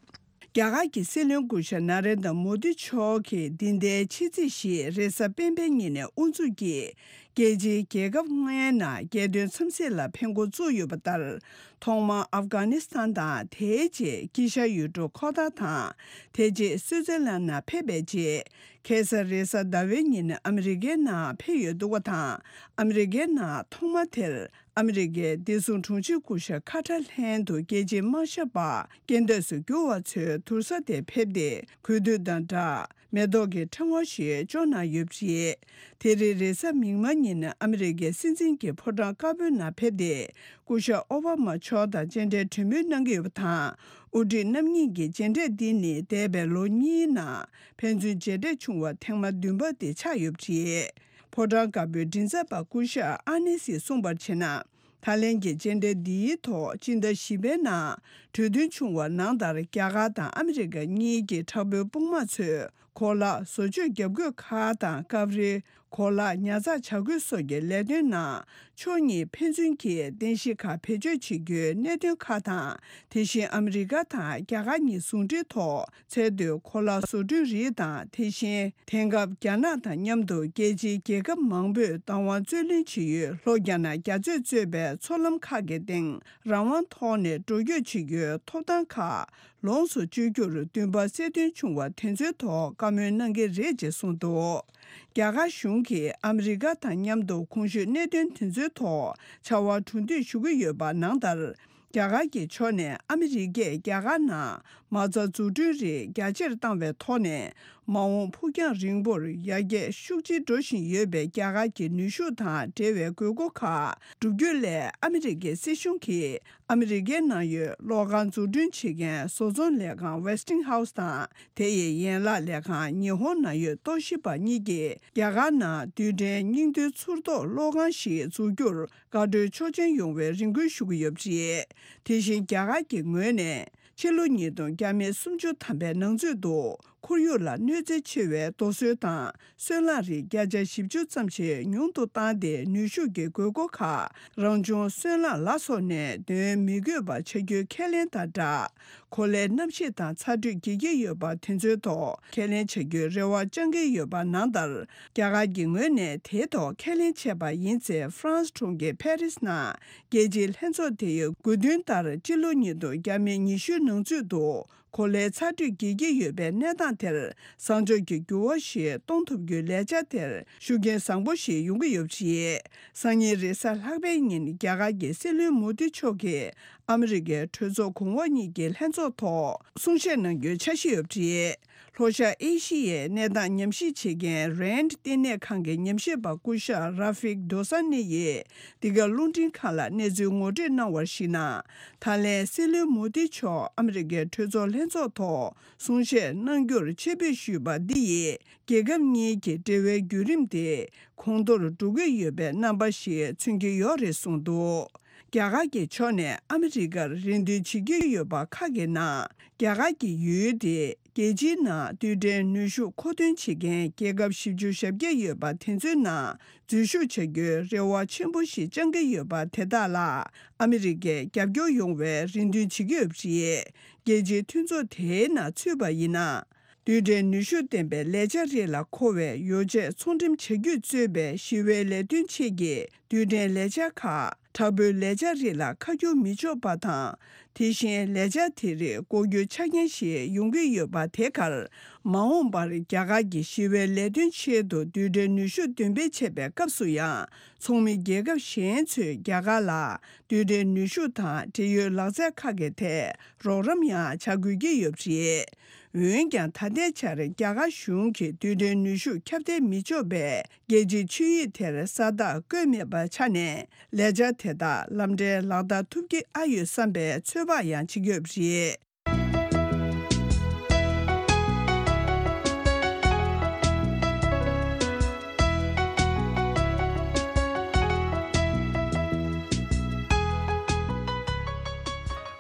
རྒྱ་གར་གྱི་སྲིད་བློན་སྐུ་ཞབས་ན་རེན་དྲ་མོ་དི་མཆོག་གིས་འདི་ཟླའི་ཕྱི་ཚེས་བཞི་རེས་གཟའ་སྤེན་པའི་ཉིན་ནས་དབུ་འཛུགས་ཀྱིས། རྒྱལ་སྤྱིའི་རྒྱལ་ཁབ་ལྔའི་ནང་རྒྱལ་དོན་འཚམས་གཟིགས་ལ་ཕེབས་འགོ་བཙུགས་ཡོད་པ་ལྟར། ཐོག་མར་ཨབ་གྷ་ནི་སི་ཐན་དང་། དེའི་རྗེས་དཀྱིལ་ཤར་ཡུལ་གྲུ་ཁོ་ཐར་དང་། དེ་རྗེས་སུའུ་ཙེར་ལན་ནང་ཕེབས་པའི་རྗེས། ཁ་སང་རེས་གཟའ་ཟླ་བའི་ཉིན་ཨ་མི་རི་ཀའི་ནང་ཕེབས་ཡོད་འདུག་པ་དང་། ཨ་མི་རི་ཀའི་ནང་ཐོག་མ་དེར། ཨ་མི་རི་ཀའི་བདེ་སྲུང་དྲུང་ཆེ་སྐུ་ཞབས་ཁ་ཏར་ལྷན་དུ་རྒྱལ་སྤྱིའི་དམག་ཞབས་པ་རྒྱན་ལྡན་སུ་འགྱུར་བ་ཚོའི་དུར་ས་དེར་ཕེབས་ཏེ། གུས་འདུད་དང་སྦྲགས་མེ་ཏོག་གི་ཕྲེང་བ་ཞིག་སྐྱོར་གནང་ཡོད་པ་རེད། དེ་རིང་རེས་གཟའ་མིག་དམར་ཉིན་ཨ་མི་རི་ཀའི་སྲིད་འཛིན་གྱི་ཕོ་བྲང་དཀར་པོའི་ནང་ཕེབས་ཏེ། སྐུ་ཞབས་ཨོ་བྷ་མ་མཆོག་དང་མཇལ་འཕྲད་གྲོས་མོལ་གནང་གི་ཡོད་པ་དང་། དབུ་ཁྲིད་རྣམ་གཉིས་ཀྱི་མཇལ་འཕྲད་འདི་ནི་འདས་པའི་ལོ་གཉིས་ནང་ཕན་ཚུན་མཇལ་འཕྲད་བྱུང་བ་ཐེངས་མ་བདུན་པ་དེ་ཆགས་ཡོད་པ་རེད། ཕོ་བྲང་དཀར་པོའི་མགྲིན་ཚབ་པ་སྐུ་ཞབས་ཨ་ནེ་སིས་གསུངས་པར་བྱས་ན། ད་ལན་གྱི་མཇལ་འཕྲད་འདིའི་ཐོག་སྤྱི་ཟླ་བཞི་པའི་ནང་གྲོས་མཐུན་བྱུང་བ་ནང་ལྟར། རྒྱ་གར་དང་ཨ་མི་རི་ཀ་གཉིས་ཀྱི་དྲག་པོའི་དཔུང་དམག་ཚོས་གོ་ལ་བཟོ་བཅོས་བརྒྱབ་བཀོད་ཁག་དང་། སྐབས་རེ་གོ་ལ་ཉར་ཚགས་བྱ་འགུལ་སོགས་ཀྱི་ལས་དོན་ནང་ཕྱོགས་གཉིས་ཕན་ཚུན་གྱི་རྟེན་གཞི་ཁག་བེད་སྤྱོད་བྱེད་རྒྱུའི་གནད་དོན་ཁག་དང་། དེ་བཞིན་ཨ་མི་རི་ཀ་དང་རྒྱ་གར་གཉིས་ཟུང་འབྲེལ་ཐོག་ཚད་མཐོའི་གོ་ལ་བཟོ་སྐྲུན་རིགས་དང་། དེ་བཞིན་དེང་སྐབས་རྒྱ་ནག་དང་མཉམ་དུ་རྒྱལ་སྤྱིའི་རྒྱལ་ཁབ་མང་པོས་བདག་དབང་རྩོད་ལེན་བྱེད་ཡུལ་ལྷོ་རྒྱ་ནག་རྒྱ་མཚོས་གཙོས་པའི་མཚོ་ལམ་ཁག་གི་སྟེང་རང་དབང་ཐོག་ནས་འགྲོ་སྐྱོད་བྱེད་རྒྱུའི་ཐོབ་ཐང་ཁག་ལོངས་སུ་སྤྱོད་རྒྱུར་འདུན་པ་གསལ་སྟོན་བྱུང་བ་དེ་ཚོའི་ཐོག་བཀའ་མོལ་གནང་གི་རེད་ཅེས་གསུངས་འདུག་རྒྱ་གར་གཞུང་གིས་ཨ་མི་རི་ཀ་དང་མཉམ་དུ་གོང་ཞུས་གནད་དོན་དེ་ཚོའི་ཐོག་བྱ་བ་གྲུ་འདེགས་ཞུ་གི་ཡོད་པ་ནང་ལྟར། རྒྱ་གར་གྱི་ཕྱོགས་ནས་ཨ་མི་རི་ཀས་རྒྱ་གར་ནང་མ་རྩ་འཛུགས་སྐྲུན་རིགས་རྒྱ་ཆེར་བཏང་བའི་ཐོག་ནས། མ་འོངས་ཕུགས་རྒྱང་རིང་པོར་ཡར་རྒྱས་ཤུགས་ཆེ་འགྲོ་བཞིན་ཡོད་པའི་རྒྱ་གར་གྱི་ནུས་ཤུགས་དང་འབྲེལ་བའི་དགོས་མཁོ་ཁག་བསྒྲུབ་རྒྱུ་སླད། ཨ་མི་རི་ཀའི་སྲིད་གཞུང་གིས་ཨ་མི་རི་ཀའི་ནང་ཡོད་གློག་ཁང་འཛུགས་སྐྲུན་བྱེད་མཁན་བཟོ་ཚོང་ལས་ཁང་Westinghouse དང་། དེ་ཡི་ཡན་ལག་ལས་ཁང་ཉི་ཧོང་ནང་ཡོད་ཏོ་ཤི་པ་གཉིས་ཀྱིས་རྒྱ་གར་ནང་རྡུལ་ཕྲན་སྙིང་རྡུལ་ཚུར་གཏོར་གློག་ཁང་ཞིག་འཛུགས་རྒྱུར་དགའ་སྤྲོའི་ཆོག་མཆན་ཡོང་བའི་རེ་སྐུལ་ཞུ་གི་ཡོད་པ་རེད། དེ་བཞིན་རྒྱ་གར་གྱི་ངོས་ནས་ཕྱི་ལོ་ཉིས་སྟོང་བརྒྱ་མེད་སུམ་ཅུ་ཐམ་པའི་ནང་ཚུད་དུ་ཁོར་ཡུག་ལ་གནོད་འཚེ་ཆེ་བའི་རྡོ་སོལ་དང་སོལ་རླངས་རིགས་བརྒྱ་ཆ་བཞི་བཅུ་ཙམ་ཞིག་ཉུང་དུ་བཏང་སྟེ། ནུས་ཤུགས་ཀྱི་དགོས་མཁོ་ཁག་རང་བྱུང་སོལ་རླངས་ལ་སོགས་ནས་འདོན་མི་དགོས་པ་བྱ་རྒྱུའི་ཁས་ལེན་དང་སྦྲགས། གོ་ལའི་གནམ་གཤིས་དང་ཚ་དྲོད་རྒྱས་ཀྱི་ཡོད་པ་དེ་ཚོའི་ཐོག་ཁས་ལེན་བྱ་རྒྱུའི་རེ་བ་བཅང་གི་ཡོད་པ་ནང་ལྟར། རྒྱ་གར་གྱི་ངོས་ནས་དེའི་ཐོག་ཁས་ལེན་བྱས་པ་ཡིན་ཚེ། ཧྥ་རན་སི་གྲོང་ཁྱེར་ཕེ་རིས་ནང་རྒྱལ་སྤྱིའི་ལྷན་ཚོགས་དེ་ཡི་དགོས་འདུན་ལྟར། སྤྱི་ལོ་ཉིས་སྟོང་བརྒྱ་མེད་ཉི་ཤུའི་ནང་ཚུད་དུ་གོ་ལའི་ཚ་དྲོད་རྒྱས་ཀྱི་ཡོད་པའི་གནས་སྟངས་དེར་བཟང་ཕྱོགས་ཀྱི་འགྱུར་བ་ཞིག་གཏོང་ཐུབ་རྒྱུའི་ལས་འཆར་དེར་ཤུགས་རྐྱེན་བཟང་པོ་ཞིག་ཡོང་གི་ཡོད་པ་རེད། སང་ཉིན་རེས་གཟའ་ལྷག་པའི་ཉིན་རྒྱ་གར་གྱི་སྲིད་བློན་མོ་དི་མཆོག་གིས་ཨ་མི་རི་ཀའི་གྲོས་ཚོགས་གོང་འོག་གཉིས་ཀྱི་ལྷན་ཚོགས་ཐོག་གསུང་བཤད་གནང་རྒྱུའི་འཆར་གཞི་ཡོད་པ་རེད། ལྷོ་ཤར་ཨེ་ཤི་ཡའི་གནས་སྟངས་ཉམས་ཞིབ་བྱེད་མཁན་རན་ཌི་བསྟི་གནས་ཁང་གི་ཉམས་ཞིབ་པ་སྐུ་ཞབས་ར་ཕིག་རྡོ་ས་ནི་ཡིས་འདི་ག་རླུང་འཕྲིན་ཁང་ལ་གནས་ཚུལ་ངོ་སྤྲོད་གནང་བར་གཞིགས་ན། ད་ལན་སྲིད་བློན་མོ་དི་མཆོག་ཨ་མི་རི་ཀའི་གྲོས་ཚོགས་ལྷན་ཚོགས་ཐོག་གསུང་བཤད་གནང་རྒྱུར་ཆེད་ཕེབས་ཞུས་པ་འདི་ཡིས་རྒྱལ་ཁབ་གཉིས་ཀྱི་འབྲེལ་བའི་བརྒྱུད་རིམ་དེ་གོང་མཐོར་འགྲོ་གི་ཡོད་པའི་རྣམ་པ་ཞིག་མཚོན་གྱི་ཡོད་རེད་གསུངས་འདུག་རྒྱ་གར་གྱི་ཕྱོགས་ནས་ཨ་མི་རི་ཀར་རེ་འདུན་བྱེད་ཀྱི་ཡོད་པ་ཁག་གི་ནང་། རྒྱ་གར་གྱི་ཡུལ་དེ་རྒྱལ་སྤྱིའི་ནང་རྡུལ་ཕྲན་ནུས་ཤུགས་མཁོ་འདོན་བྱེད་མཁན་རྒྱལ་ཁབ་བཞི་བཅུ་ཞེ་བརྒྱད་ཡོད་པ་དེ་ཚོའི་ནང་འཛུལ་ཞུགས་བྱ་རྒྱུའི་རེ་བ་ཆེན་པོ་ཞིག་བཅང་གི་ཡོད་པ་དེ་དག་ལ་ཨ་མི་རི་ཀས་རྒྱབ་སྐྱོར་ཡོང་བའི་རེ་འདུན་བྱེད་ཀྱི་ཡོད་པ་རེད། རྒྱལ་སྤྱིའི་མཐུན་ཚོགས་དེའི་ནང་ཚུད་པ་ཡིན་ན། རྡུལ་ཕྲན་ནུས་ཤུགས་ལྡན་པའི་ལས་འཆར་རིགས་ལ་མཁོ་བའི་ཡོ་བྱད་ཚོང་འགྲེམས་བྱ་རྒྱུས་གཙོས་པའི་ཞི་བའི་ལས་དོན་ཆེད་ཀྱི་རྡུལ་ཕྲན་ལས་འཆར་ཁག་དྲག་པོའི་ལས་འཆར་རིགས་ལ་ཁ་བསྒྱུར་མི་ཆོག་པ་དང་། དེ་བཞིན་ལས་འཆར་དེ་རིགས་ལྐོག་གྱུར་ཆ་རྐྱེན་ཞིག་ཡོང་གི་ཡོད་པ་དེ་གར། མ་འོངས་པར་རྒྱ་གར་གྱི་ཞི་བའི་ལས་དོན་ཆེད་དུ་རྡུལ་ཕྲན་ནུས་ཤུགས་འདོན་སྤེལ་བྱེད་པའི་སྐབས་སུ་ཡང་། ཚོགས་མི་རྒྱལ་ཁབ་གཞན་ཚོས་རྒྱ་གར་ལ་རྡུལ་ཕྲན་ནུས་ཤུགས་དང་འབྲེལ་ཡོད་ལག་རྩལ་ཁག་གི་ཐད་རོགས་རམ་ཡང་བྱ་དགོས་ཀྱི་ཡོད་པ་རེད། འོན་ཀྱང་། ད་ལྟའི་ཆར་རྒྱ་གར་གཞུང་གིས་རྡུལ་ཕྲན་ནུས་ཤུགས་ཁྱབ་གདལ་མི་ཆོག་པའི་རྒྱལ་སྤྱིའི་ཆིངས་ཡིག་དེར་ས་རྟགས་བཀོད་མེད་པའི་ཆ་ནས། ལས་འཆར་དེ་དག་ལམ་འགྲན་ལག་བསྟར་ཐུབ་ཀྱི་ཨ་ཡོད་བསམ་པའི་ཚོད་དཔག་ཡང་བྱེད་ཀྱི་ཡོད་པ་རེད།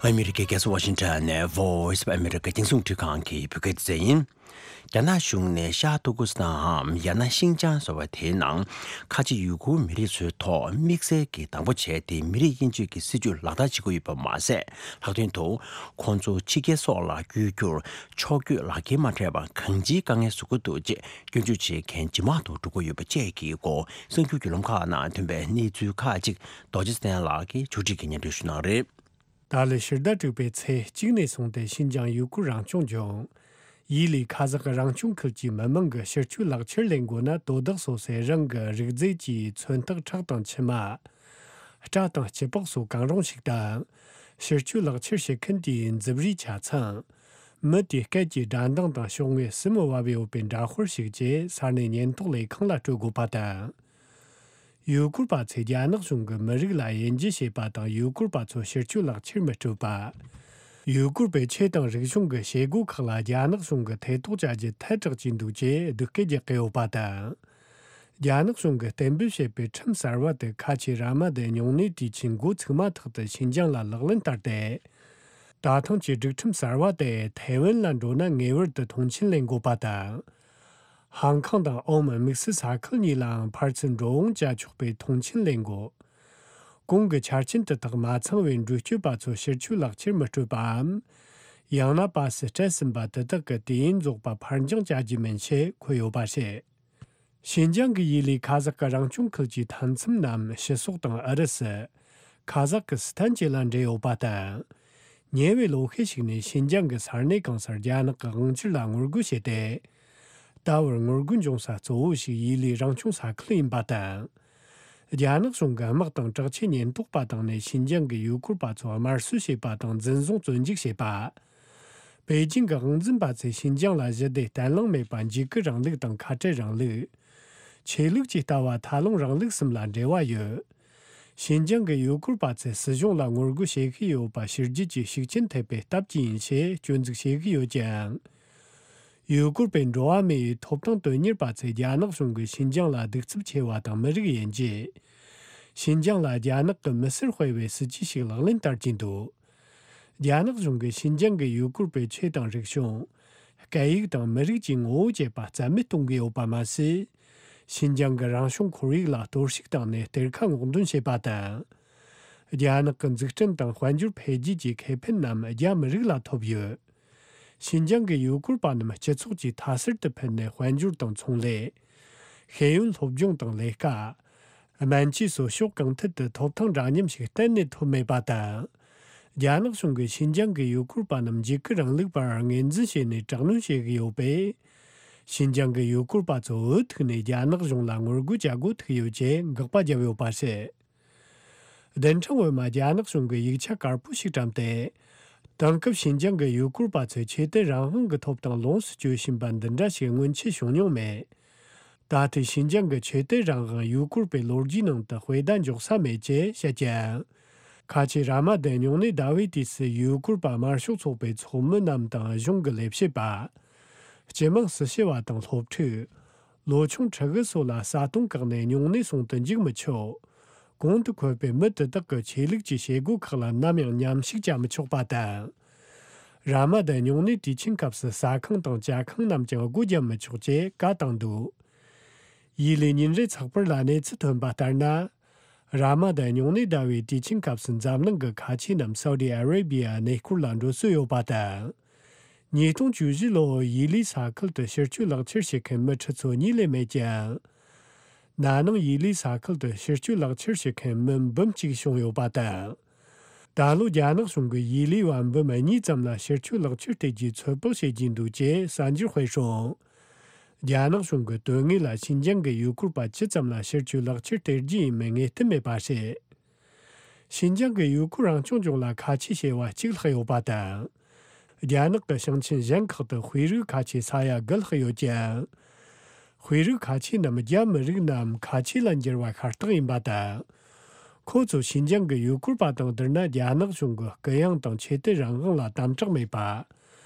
ཨ་མི་རི་ཀའི་རྒྱལ་ས་ཝ་ཤིང་ཊོན་ནས་Voice of America རྒྱང་སྲིང་རླུང་འཕྲིན་ཁང་གི་བོད་སྐད་སྡེ་ཚན་ཡིན། རྒྱ་ནག་གཞུང་ནས་ཤར་ཏུར་ཀུ་སི་ཐན་འམ་ཡང་ན་ཤིན་ཅང་ཟེར་བ་དེའི་ནང་ཁ་ཆེ་ཡུ་གུར་མི་རིགས་ཚོའི་ཐོག་དམིགས་བསལ་གྱི་དང་པོ་བྱས་ཏེ་མི་རིགས་དབྱེ་འབྱེད་ཀྱི་སྲིད་ཇུས་ལག་བསྟར་བྱེད་ཀྱི་ཡོད་པ་མ་ཟད། ལྷག་དོན་དུ་ཁོང་ཚོ་ཕྱི་རྒྱལ་སོགས་ལ་བསྐྱོད་རྒྱུར་ཕྱོགས་བསྐྱོད་ལག་འཁྱེར་མ་སྤྲད་པར་གང་ཅིའི་དཀའ་ངལ་བཟོ་གི་འདུག་ཅེས་སྐྱོན་བརྗོད་བྱེད་མཁན་ཇེ་མང་དུ་འགྲོ་གི་ཡོད་པ་བཅས་ཀྱི་སྐོར་གསར་འགྱུར་བརྒྱུད་ལམ་ཁག་ནང་ཐོན་པའི་གནས་ཚུལ་ཁག་ཅིག་རྡོ་རྗེ་བཙན་ལགས་ཀྱིས་ཕྱོགས་སྒྲིག་གིས་སྙན་སྒྲོན་ཞུ་གནང་རེད། ད་ལོའི་ཕྱི་ཟླ་དྲུག་པའི་ཚེས་གཅིག་ནས་བཟུང་སྟེ་ཤིན་ཅང་ཡུ་གུར་རང་སྐྱོང་ལྗོངས། ཡུས་ལི་ཁ་ཛག་གི་རང་སྐྱོང་ཁུལ་གྱི་མི་མང་གིས་ཕྱིར་སྐྱོད་ལག་འཁྱེར་ལེན་དགོས་ན། དོ་བདག་སོ་སོའི་རང་གི་རིགས་རྫས་ཀྱི་མཚོན་རྟགས་ཁྲག་དང་མཆིལ་མ། སྐྲ་དང་སྐྱི་པགས་སོགས་གང་རུང་ཞིག་དང་། ཕྱིར་སྐྱོད་ལག་འཁྱེར་བྱེད་མཁན་དེའི་མཛུབ་རུས་ཆ་ཚང་། མི་དེའི་སྐད་ཀྱི་སྒྲ་གདངས་དང་ཤོག་ངོས་སྲིན་མོ་བབས་ཡོད་པའི་འདྲ་དཔར་ཞིག་བཅས་ས་གནས་ཉེན་རྟོག་ལས་ཁང་ལ་སྤྲོད་དགོས་པ་དང་། ཡུ་གུར་པ་ཚོས་རྒྱ་ནག་གཞུང་གི་མི་རིགས་ལ་དབྱེ་འབྱེད་བྱེད་པ་དང་། ཡུ་གུར་པ་ཚོ་ཕྱིར་སྐྱོད་ལག་འཁྱེར་མི་སྤྲོད་པ། ཡུ་གུར་པའི་ཆོས་དང་རིག་གཞུང་གི་བྱེད་སྒོ་ཁག་ལ་རྒྱ་ནག་གཞུང་གིས་ཐེ་གཏོགས་བྱ་རྒྱུ་ཐལ་དྲགས་ཀྱི་འདུག་ཅེས་སྡུག་སྐད་རྒྱག་གི་ཡོད་པ་དང་། རྒྱ་ནག་གཞུང་གིས་གཏན་འབེབས་བྱས་པའི་ཁྲིམས་གསར་བ་དེ་ཁ་ཆེའི་ར་མ་དའི་སྨྱུང་གནས་དུས་ཆེན་འགོ་ཚུགས་མ་ཐག་ཏུ་ཤིན་ཅང་ལ་ལག་ལེན་བསྟར་ཏེ། ད་ཐེངས་ཀྱི་སྒྲིག་ཁྲིམས་གསར་བ་དེ་ཐའེ་ཝན་ལ་འགྲོ་ན་ངེས་པར་དུ་མཐོང་མཆན་ལེན་དགོས་པ་དང་། ཧང་ཀང་དང་ཨོམ་དམིགས་བསལ་ས་ཁུལ་གཉིས་ལའང་ཕར་ཚུར་འགྲོ་འོང་བྱ་ཆོག་པའི་མཐོང་མཆན་ལེན་དགོས། གོང་གི་ཆ་རྐྱེན་དེ་དག་མ་ཚང་བའི་འགྲུལ་སྐྱོད་པ་ཚོ་ཕྱིར་སྐྱོད་ལག་འཁྱེར་མི་སྤྲོད་པའམ། ཡང་ན་པ་སི་སྤྲད་ཟིན་པ་དེ་དག་གི་དུས་ཡུན་རྫོགས་པ་ཕར་འགྱངས་བྱ་རྒྱུ་མིན་ཞེས་འཁོད་ཡོད་པ་རེད། ཤིན་ཅང་གི་ཡུས་ལི་ཁ་ཛག་གི་རང་སྐྱོང་ཁུལ་གྱི་མཐའ་མཚམས་རྣམས་ཕྱི་སོག་དང་ཨུ་རུ་སུ། ཁ་ཛག་གི་སི་ཐན་བཅས་ལ་འབྲེལ་ཡོད་པ་དང་། ཉེ་བའི་ལོ་ཤས་ཤིག་ནས་ཤིན་ཅང་གི་ས་གནས་གང་སར་རྒྱ་ནག་གི་དབང་སྒྱུར་ལ་ངོ་རྒོལ་བྱས་ཏེ། ད་བར་ངོ་རྒོལ་འབྱུང་ས་གཙོ་བོ་ཞིག་ཡུས་ལི་རང་སྐྱོང་ས་ཁུལ་ཡིན་པ་དང་། རྒྱ་ནག་གཞུང་གི་དམག་དང་དྲག་ཆས་ཉེན་རྟོག་པ་བཏང་ནས་ཤིན་ཅང་གི་ཡུ་གུར་པ་ཚོ་དམར་གསོད་བྱས་པ་དང་འཛིན་བཟུང་བཙོན་འཇུག་བྱས་པ། པེ་ཅིང་གི་དབང་འཛིན་པ་ཚོས་ཤིན་ཅང་ལ་ཞི་བདེ་གཏན་ལང་མེད་པ། འཇིགས་སྐུལ་རིང་ལུགས་དང་ཁ་བྲལ་རིང་ལུགས། ཆོས་ལུགས་ཀྱི་ལྟ་བ་ཐལ་རླུང་རིང་ལུགས་གསུམ་ལ་འབྲེལ་བ་ཡོད། ཤིན་ཅང་གི་ཡུ་གུར་པ་ཚོས་སྲིད་གཞུང་ལ་ངོ་རྒོལ་བྱེད་ཀྱི་ཡོད་པ་ཕྱི་རྒྱལ་གྱི་ཤུགས་རྐྱེན་ཐེབས་པའི་སྟབས་ཀྱིས་ཡིན་ཞེས་སྐྱོན་འཛུགས་བྱེད་ཀྱི་ཡོད་ཀྱང་། ཡུ་གུར་པའི་འགྲོ་བ་མིའི་ཐོབ་ཐང་དོན་གཉེར་པ་ཚོས་རྒྱ་ནག་གཞུང་གིས་ཤིན་ཅང་ལ་གདུག་རྩུབ་ཆེ་བ་དང་མི་རིགས་དབྱེ་འབྱེད། ཤིན་ཅང་ལ་རྒྱ་ནག་གི་མི་སེར་སྤེལ་བའི་སྲིད་ཇུས་ཤིག་ལག་ལེན་བསྟར་གྱིན་འདུག་རྒྱ་ནག་གཞུང་གིས་ཤིན་ཅང་གི་ཡུ་གུར་པའི་ཆོས་དང་རིག་གཞུང་། སྐད་ཡིག་དང་མི་རིགས་ཀྱི་ངོ་བོ་བཅས་པ་རྩ་མེད་གཏོང་གི་ཡོད་པ་མ་ཟད། ཤིན་ཅང་གི་རང་བྱུང་ཁོར་ཡུག་ལ་གཏོར་བཤིག་བཏང་ནས་གཏེར་ཁ་སྔོག་འདོན་བྱེད་པ་དང་། རྒྱ་ནག་གི་འཛུགས་སྐྲུན་དང་དཔལ་འབྱོར་འཕེལ་རྒྱས་ཀྱི་ཁེ་ཕན་རྣམས་རྒྱ་མི་རིགས་ལ་ཐོབ་ཡོད། ཤིན་ཅང་གི་ཡུ་གུར་པ་རྣམས་སྤྱི་ཚོགས་ཀྱི་མཐའ་གསར་དུ་ཕུད་ནས་དཔལ་འབྱོར་དང་ཚོང་ལས། ཤེས་ཡོན་སློབ་སྦྱོང་དང་ལས་ཀ། སྨན་བཅོས་སོགས་ཕྱོགས་གང་ཐད་དུ་ཐོབ་ཐང་འདྲ་མཉམ་ཞིག་གཏན་ནས་ཐོབ་མེད་པ་དང་། རྒྱ་ནག་གཞུང་གིས་ཤིན་ཅང་གི་ཡུ་གུར་པ་རྣམས་འཇིགས་སྐུལ་རིང་ལུགས་པར་ངོས་འཛིན་བྱས་ནས་དྲག་གནོན་བྱེད་ཀྱི་ཡོད་པས། ཤིན་ཅང་གི་ཡུ་གུར་པ་ཚོ་འུ་ཐུག་ནས་རྒྱ་ནག་གཞུང་ལ་ངོ་རྒོལ་བྱ་དགོས་ཐུག་ཡོད་ཅེས་དགག་པ་བརྒྱབ་ཡོད་པ་རེད། བདུན་ཕྲག་སྔོན་མ་རྒྱ་ནག་གཞུང་གིས་ཡིག་ཆ་དཀར་པོ་ཞིག་བཀྲམ་སྟེ། དེང་སྐབས་ཤིན་ཅང་གི་ཡུ་གུར་པ་ཚོས་ཆོས་དད་རང་དབང་གི་ཐོབ་ཐང་ལོངས་སུ་སྤྱོད་བཞིན་པ་འདི་འདྲ་ཞིག་སྔོན་ཆད་བྱུང་མྱོང་མེད། ད་ལྟའི་ཤིན་ཅང་གི་ཆོས་དད་རང་དབང་ཡུ་གུར་པའི་ལོ་རྒྱུས་ནང་དུ་དཔེ་ཟླ་འཇོག་ས་མེད་ཅེས་བཤད་ཀྱང་། ཁ་ཆེ་ར་མ་དན་སྨྱུང་གནས་ཟླ་བའི་དུས་སུ་ཡུ་གུར་པ་དམར་ཤོག་ཚོགས་པའི་ཚོགས་མི་རྣམས་དང་གཞུང་གི་ལས་བྱེད་པ། སྤྱི་དམངས་སྲི་ཞུ་བ་དང་སློབ་ཕྲུག་ལོ་ཆུང་ཕྲུ་གུ་སོགས་ལ་ས་སྟོང་བཀག་ནས་སྨྱུང་གནས་སྲུང་དུ་འཇུག་མི་ཆོག་གོང་དུ་འཁོད་པའི་མི་དེ་དག་གི་ཆོས་ལུགས་ཀྱི་བྱེད་སྒོ་ཁག་ལ་ནམ་ཡང་མཉམ་ཞུགས་བྱ་མི་ཆོག་པ་དང་། ར་མ་དན་སྨྱུང་གནས་དུས་ཆེན་སྐབས་སུ་ཟ་ཁང་དང་ཇ་ཁང་རྣམས་ཀྱང་སྒོ་བརྒྱབ་མི་ཆོག་ཅེས་བཀའ་བཏང་འདུག་ཡུ་ལི་ཉིན་རེའི་ཚགས་པར་ལ་གནས་ཚུལ་ཐོན་པ་ལྟར་ན། ར་མ་དན་སྨྱུང་གནས་ཟླ་བའི་དུས་ཆེན་སྐབས་སུ་འཛམ་གླིང་གི་ཁ་ཆེ་རྣམས་སའུ་ཌི་ཨ་རེ་བི་ཡ་གནས་སྐོར་ལ་འགྲོ་སྲོལ་ཡོད་པ་དང་། ཉིས་སྟོང་བཅུ་བཞི་ལོར་ཡུ་ལིའི་ས་ཁུལ་དུ་ཕྱིར་སྐྱོད་ལག་ཁྱེར་བྱེད་མཁན་མི་ཁྲི་ཚོ་གཉིས་ལས་མེད་ཀྱང་། ན་ནིང་ཡུ་ལིའི་ས་ཁུལ་དུ་ཕྱིར་སྐྱོད་ལག་ཁྱེར་བྱེད་མཁན་མི་འབུམ་གཅིག་བྱུང་ཡོད་པ་དང་། ད་ལོ་རྒྱ་ནག་གཞུང་གིས་ཡུ་ལིའི་བ་འབུམ་གཉིས་ཙམ་ལ་ཕྱིར་སྐྱོད་ལག་ཁྱེར་སྟེར་རྒྱུའི་ཚོད་དཔག་བྱེད་ཀྱིན་འདུག་ཅེས་གསར་འགྱུར་སྤེལ་སོང་། རྒྱ་ནག་གཞུང་གི་དོན་དངོས་ལ་ཤིན་ཅང་གི་ཡུ་གུར་པ་ཇི་ཙམ་ལ་ཕྱིར་སྐྱོད་ལག་ཁྱེར་སྟེར་རྒྱུ་ཡིན་མིན་ངེས་གཏན་མེད་པ་རེད། ཤིན་ཅང་གི་ཡུ་གུར་རང་སྐྱོང་ལྗོངས་ལ་ཁ་ཆེ་བྱེ་བ་གཅིག་ལྷག་ཡོད་པ་དང་། རྒྱ་ནག་གི་ཞིང་ཆེན་གཞན་ཁག་ཏུ་དཔེ་རིག་ཁ་ཆེ་ས་ཡ་དགུ་ལྷག་ཡོད་ཀྱང་། དཔེ་རིག་ཁ་ཆེ་རྣམས་རྒྱ་མི་རིགས་རྣམས་ཁ་ཆེ་ལ་འགྱུར་བ་ཤ་སྟག་ཡིན་པ་དང་། ཁོ་ཚོ་ཤིན་ཅང་གི་ཡུ་གུར་པ་དང་བསྡུར་ན་རྒྱ་ནག་གཞུང་གི་གུ་ཡངས་དང་ཆོས་དད་རང་དབང་ལ་དམ་དྲག་མེད་པ།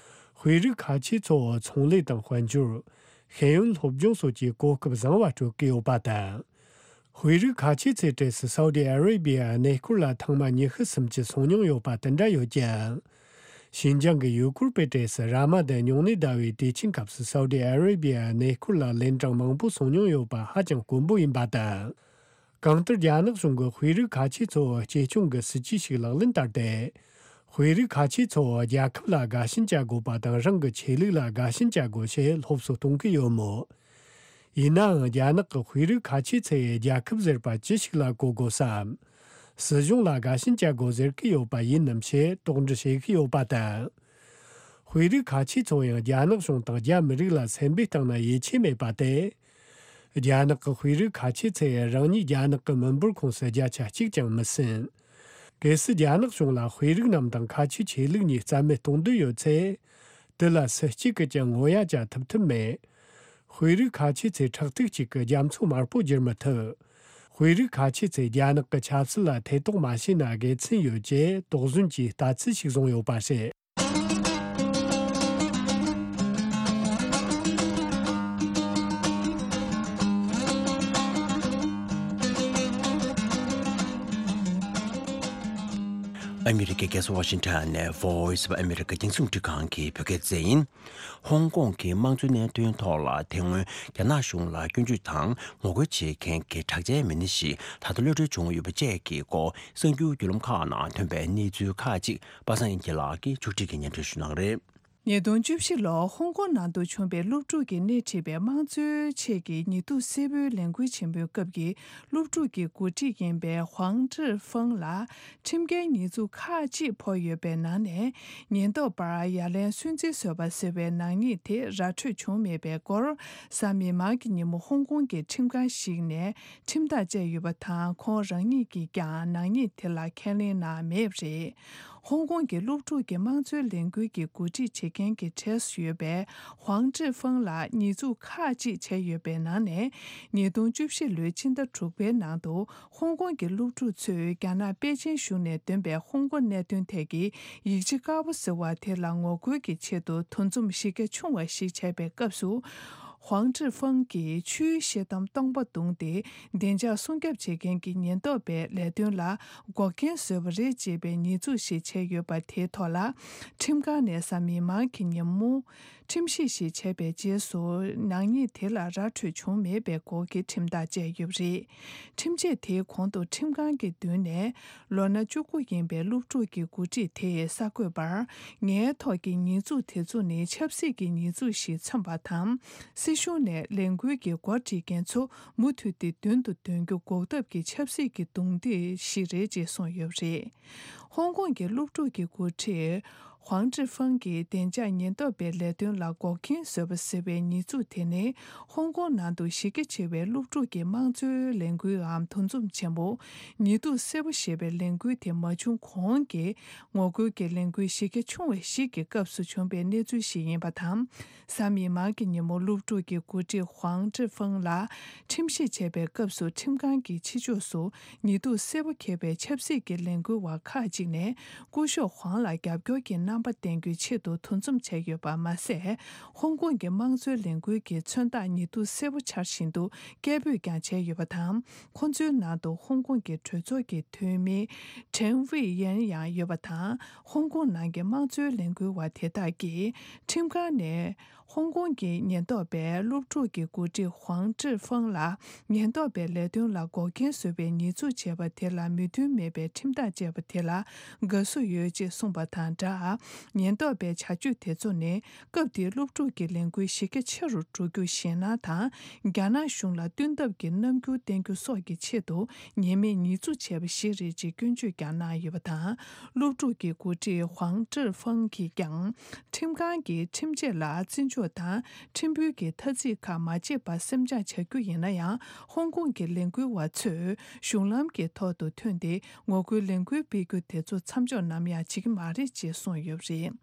དཔེ་རིག་ཁ་ཆེ་ཚོ་ཚོང་ལས་དང་དཔལ་འབྱོར། ཤེས་ཡོན་སློབ་སྦྱོང་སོགས་ཀྱི་གོ་སྐབས་བཟང་བ་སྤྲོད་ཀྱི་ཡོད་པ་དང་། དཔེ་རིག་ཁ་ཆེ་ཚོའི་གྲས་སུ་སའུ་ཌི་ཨ་རེ་བི་ཡ་གནས་སྐོར་ལ་ཐེངས་མ་ཉི་ཤུ་སུམ་ཅུ་སོང་མྱོང་ཡོད་པ་དེ་འདྲ་ཡོད་ཀྱང་། ཤིན་ཅང་གི་ཡུ་གུར་པའི་གྲས་སུ་ར་མ་དན་སྨྱུང་གནས་ཟླ་བའི་དུས་ཆེན་སྐབས་སུ་སའུ་ཌི་ཨ་རེ་བི་ཡ་གནས་སྐོར་ལ་ལན་གྲངས་མང་པོ་སོང་མྱོང་ཡོད་པ་ཧ་ཅང་དཀོན་པོ་ཡིན་པ་དང་། གང་ལྟར་རྒྱ་ནག་གཞུང་གིས་དཔེ་རིག་ཁ་ཆེ་ཚོར་གཅེས་སྐྱོང་གི་སྲིད་ཇུས་ཤིག་ལག་ལེན་བསྟར་ཏེ། དཔེ་རིག་ཁ་ཆེ་ཚོ་རྒྱལ་ཁབ་ལ་དགའ་ཞེན་བྱ་དགོས་པ་དང་རང་གི་ཆོས་ལུགས་ལ་དགའ་ཞེན་བྱ་དགོས་ཞེས་སློབ་གསོ་གཏོང་གི་ཡོད་མོད། ཡིན་ནའང་རྒྱ་ནག་གི་དཔེ་རིག་ཁ་ཆེ་ཚོས་རྒྱལ་ཁབ་ཟེར་པ་ཅི་ཞིག་ལ་གོ་དགོས་སམ། སྲིད་གཞུང་ལ་དགའ་ཞེན་བྱ་དགོས་ཟེར་གི་ཡོད་པ་ཡིན་ནམ་ཞེས་དོགས་འདྲི་བྱེད་ཀྱི་ཡོད་པ་དང་། དཔེ་རིག་ཁ་ཆེ་ཚོ་ཡང་རྒྱ་ནག་གཞུང་དང་རྒྱ་མི་རིགས་ལ་སེམས་པའི་སྟེང་ན་ཡིད་ཆེས་མེད་པ་སྟེ། རྒྱ་ནག་གི་དཔེ་རིག་ཁ་ཆེ་ཚོས་རང་ཉིད་རྒྱ་ནག་གི་མི་འབོར་ཁོངས་སུ་བརྒྱ་ཆ་གཅིག་ཀྱང་མི་ཟིན། གལ་སྲིད་རྒྱ་ནག་གཞུང་ལ་དཔེ་རིག་རྣམས་དང་ཁ་ཆེའི་ཆོས་ལུགས་གཉིས་རྩ་མེད་གཏོང་འདོད་ཡོད་ཚེ། དེ་ལ་སུ་གཅིག་གིས་ཀྱང་ངོ་ཡ་བྱ་ཐུབ་ཐབས་མེད། དཔེ་རིག་ཁ་ཆེ་ཚོས་ཁྲག་ཐིགས་གཅིག་གི་རྒྱ་མཚོ་དམར་པོ་བསྒྱུར་མི་ཐུབ། དཔེ་རིག་ཁ་ཆེ་ཚོས་རྒྱ་ནག་གི་ཆབ་སྲིད་ལ་ཐེ་གཏོགས་མ་བྱས་ན་དགེ་མཚན་ཡོད་ཅེས་དོགས་ཟོན་གྱིས་ལྟ་ཚུལ་ཞིག་བཟུང་ཡོད་པ་རེད། ཨ་མི་རི་ཀའི་རྒྱལ་ས་ཝ་ཤིང་ཊོན་ནས་Voice of America རྒྱང་སྲིང་རླུང་འཕྲིན་ཁང་གི་བོད་སྐད་སྡེ་ཚན་ཡིན། ཧོང་ཀོང་གི་དམངས་གཙོའི་གནད་དོན་ཐོག་ལ་དེ་སྔོན་རྒྱ་ནག་གཞུང་ལ་སྐྱོན་བརྗོད་དང་ངོ་རྒོལ་བྱེད་མཁན་གྱི་དྲག་ཆས་མི་སྣ་ཞིག་ད་ལྟ་གློད་གྲོལ་བྱུང་ཡོད་པ་བཅས་ཀྱི་སྐོར་གསར་འགྱུར་བརྒྱུད་ལམ་ཁག་ནང་ཐོན་པའི་གནས་ཚུལ་ཁག་ཅིག་པ་སངས་དབྱངས་སྐྱིད་ལགས་ཀྱིས་ཕྱོགས་སྒྲིག་གིས་སྙན་སྒྲོན་ཞུ་གནང་གི་རེད། ཉིས་སྟོང་བཅུ་བཞི་ལོར་ཧོང་ཀོང་ནང་དུ་བྱུང་བའི་སློབ་ཕྲུག་གིས་སྣེ་ཁྲིད་པའི་དམངས་གཙོའི་ཆེད་ཀྱི་ཉི་གདུགས་སེར་པོའི་ལས་འགུལ་ཆེན་མོའི་སྐབས་ཀྱི་སློབ་ཕྲུག་གི་འགོ་ཁྲིད་ཡིན་པའི་ཧུའང་ཀྲི་ཧྥང་ལ་ཁྲིམས་འགལ་ཉེས་འཛུགས་ཁག་ཅིག་ཕོག་ཡོད་པའི་ནང་ནས། ཉེན་རྟོག་པར་ཡ་ལན་སུན་གཙེར་བཟོས་པ་ཟེར་བའི་ནག་ཉེས་དེ་ར་འཕྲོད་བྱུང་མེད་པའི་སྐོར། གཟའ་མིག་དམར་གྱི་ཉིན་མོ་ཧོང་ཀོང་གི་ཁྲིམས་ཁང་ཞིག་ནས་ཁྲིམས་ཐག་བཅད་ཡོད་པ་དང་། ཁོང་རང་ཉིད་ཀྱིས་ཀྱང་ནག་ཉེས་དེ་ལ་ཁས་ལེན་གནང་མེད་པ་རེད། ཧོང་ཀོང་གི་སློབ་ཕྲུག་གི་དམངས་གཙོའི་ལས་འགུལ་གྱི་འགོ་ཁྲིད་བྱེད་མཁན་གྱི་གྲས་སུ་ཡོད་པའི་ཧུའང་ཀྲི་ཧྥང་ལགས་ཉེས་འཛུགས་ཁག་ཅིག་བྱས་ཡོད་པའི་ནང་ནས། ཉིས་སྟོང་བཅུ་བཞི་ལོའི་ཕྱི་ཟླ་དྲུག་པའི་ནང་དུ། ཧོང་ཀོང་གི་སློབ་ཕྲུག་ཚོས་རྒྱ་ནག་པེ་ཅིན་གཞུང་ནས་འདོན་པའི་ཧོང་ཀོང་གནད་དོན་ཐད་ཀྱི་ཡིག་ཆ་དཀར་པོ་ཟེར་བ་དེ་ལ་ངོ་རྒོལ་གྱི་ཆེད་དུ་འདུ་འཛོམས་གཞི་རྒྱ་ཆུང་བ་ཞིག་བྱས་པའི་སྐབས་སུ། ཧུའང་ཀྲི་ཧྥང་གིས་ཆུའི་ཤེལ་དམ་སྟོང་པ་བརྡུངས་ཏེ། བདེ་འཇགས་སྲུང་སྐྱོབ་བྱེད་མཁན་གྱི་ཉེན་རྟོག་པའི་ལས་དོན་ལ་འགོག་རྐྱེན་བཟོས་པ་རེད་ཅེས་པའི་ཉེས་འཛུགས་ཤིག་བྱས་ཡོད་པ་དེའི་ཐོག་ལ། ཁྲིམས་ཁང་ནས་གཟའ་མིག་དམར་གྱི་ཉིན་མོ། ཁྲིམས་ཞིབ་ཞིག་བྱས་པའི་རྗེས་སུ། ནག་ཉེས་དེ་ལ་ར་འཕྲོད་བྱུང་མེད་པའི་སྐོར་གྱི་ཁྲིམས་ཐག་བཅད་ཡོད་པ་རེད། ཁྲིམས་ཆད་དེའི་གོང་དུ་ཁྲིམས་ཁང་གི་མདུན་ནས། ལོ་ན་བཅུ་དགུ་ཡིན་པའི་སློབ་ཕྲུག་གི་འགོ་ཁྲིད་དེས་གསར་འགོད་པར། ངའི་ཐོག་གི་ཉེས་འཛུགས་དེ་ཚོ་ནི་ཆབ་སྲིད་ཀྱི་ཉེས་འཛུགས་ཤིག་མཚོན་པ་དང་། སྲིད་གཞུང་ནས་ལས་འགུལ་གྱི་འགོ་ཁྲིད་མཁན་ཚོ་མུ་མཐུད་དེ་མདུན་དུ་འདོན་རྒྱུ་འགོག་ཐབས་ཀྱི་ཆབ་སྲིད་ཀྱི་རྡུང་རྡེག་ཞིག་རེད་ཅེས་གསུངས་ཡོད་པ་རེད། ཧོང་ཀོང་གི་སློབ་ཕྲུག་གི་འགོ་ཁྲིད། ཧུའང་ཀྲི་ཧྥང་གིས་བདེ་འཇགས་ཉེན་རྟོག་པའི་ལས་དོན་ལ་འགོག་རྐྱེན་བཟོས་པ་ཟེར་བའི་ཉེས་འཛུགས་དེ་ནི། ཧོང་ཀོང་ནང་དུ་གཞི་རྒྱ་ཆེ་བའི་སློབ་ཕྲུག་གི་དམངས་གཙོའི་ལས་འགུལ་འམ་འདུ་འཛོམས་ཆེན་མོ། ཉི་གདུགས་སེར་པོ་ཞེས་པའི་ལས་འགུལ་དེ་མ་བྱུང་གོང་གི་ངོ་རྒོལ་གྱི་ལས་འགུལ་གཞི་རྒྱ་ཆུང་བ་ཞིག་གི་སྐབས་སུ་བྱུང་བའི་གནས་ཚུལ་ཞིག་ཡིན་པ་དང་། གཟའ་མིག་དམར་གྱི་ཉིན་མོ་སློབ་ཕྲུག་གི་འགོ་ཁྲིད་ཧུའང་ཀྲི་ཧྥང་ལ་ཁྲིམས་ཞིབ་བྱས་པའི་སྐབས་སུ། ཁྲིམས་ཁང་གི་ཕྱི་ཕྱོགས་སུ་ཉི་གདུགས་སེར་པོ་འཁྱེར་བའི་ཆབ་སྲིད་ཀྱི་ལས་འགུལ་བ་ཁག་ཅིག་ནས་སྐུ་ཞབས་ཧུའང་ལ་རྒྱབ་སྐྱོར་གྱི་རྣམ་པ་བསྟན་རྒྱུའི་ཆེད་དུ་འདུ་འཛོམས་བྱས་ཡོད་པ་མ་ཟད། ཧོང་ཀོང་གི་དམངས་གཙོའི་ལས་འགུལ་གྱི་མཚོན་རྟགས་ཉི་གདུགས་སེར་པོ་འཕྱར་བཞིན་དུ་སྐད་འབོད་ཀྱང་བྱས་ཡོད་པ་དང་། ཁོང་ཚོའི་ནང་དུ་ཧོང་ཀོང་གི་གྲོས་ཚོགས་ཀྱི་འཐུས་མི་ཁྲེན་ཝེ་ཡན་ཡང་ཡོད་པ་དང་། ཧོང་ཀོང་ནང་གི་དམངས་གཙོའི་ལས་འགུལ་བ་དེ་དག་གིས་ཁྲིམས་ཁང་ནས། ཧོང་ཀོང་གི་ཉེན་རྟོག་པས་སློབ་ཕྲུག་གི་འགོ་ཁྲིད་ཧུའང་ཀྲི་ཧྥང་ལ་ཉེན་རྟོག་པའི་ལས་དོན་ལ་འགོག་རྐྱེན་བཟོས་པའི་ཉེས་འཛུགས་བྱས་པ་དེ་ལ་མོས་མཐུན་མེད་པའི་ཁྲིམས་ཐག་བཅད་པ་དེ་ལ་དགའ་བསུ་ཡོད་ཅེས་གསུངས་པ་དང་སྦྲགས། ཉེན་རྟོག་པའི་བྱ་སྤྱོད་དེ་ཚོ་ནི་སྐབས་དེའི་སློབ་ཕྲུག་གི་ལས་འགུལ་གཞི་རྒྱ་ཆེ་རུ་འགྲོ་རྒྱུ་ཞེད་སྣང་དང་། རྒྱ་ནག་གཞུང་ལ་བསྟུན་ཐབས་ཀྱི་རྣམ་འགྱུར་བསྟན་རྒྱུ་སོགས་ཀྱི་ཆེད་དུ་ཉེས་མེད་ཉེས་འཛུགས་བྱས་པ་ཞིག་རེད་ཅེས་སྐྱོན་བརྗོད་ཀྱང་གནང་ཡོད་པ་དང་། སློབ་ཕྲུག་གི་འགོ་ཁྲིད་ཧུའང་ཀྲི་ཧྥང་གིས་ཀྱང་། ཁྲིམས་ཁང་གིས་ཁྲིམས་ཆད་ལ་བརྩི་འཇོག་དང་ཁྲིམས་དཔོན་གྱི་ཐ་ཚིག་ཁག་མ་བརྗེད་པར་སེམས་ཆགས་བྱ་རྒྱུ་ཡིན་ན་ཡང་། ཧོང་ཀོང་གི་ལས་འགུལ་བ་ཚོས་གཞུང་ལམ་གྱི་ཐོག་ཏུ་ཐོན་ཏེ་ངོ་རྒོལ་ལས་འགུལ་སྤེལ་རྒྱུ་དེ་ཚོ་མཚམས་འཇོག་ནམ་ཡང་བྱེད་ཀྱི་མ་རེད་ཅེས་གསུངས་ཡོད་པ་རེད།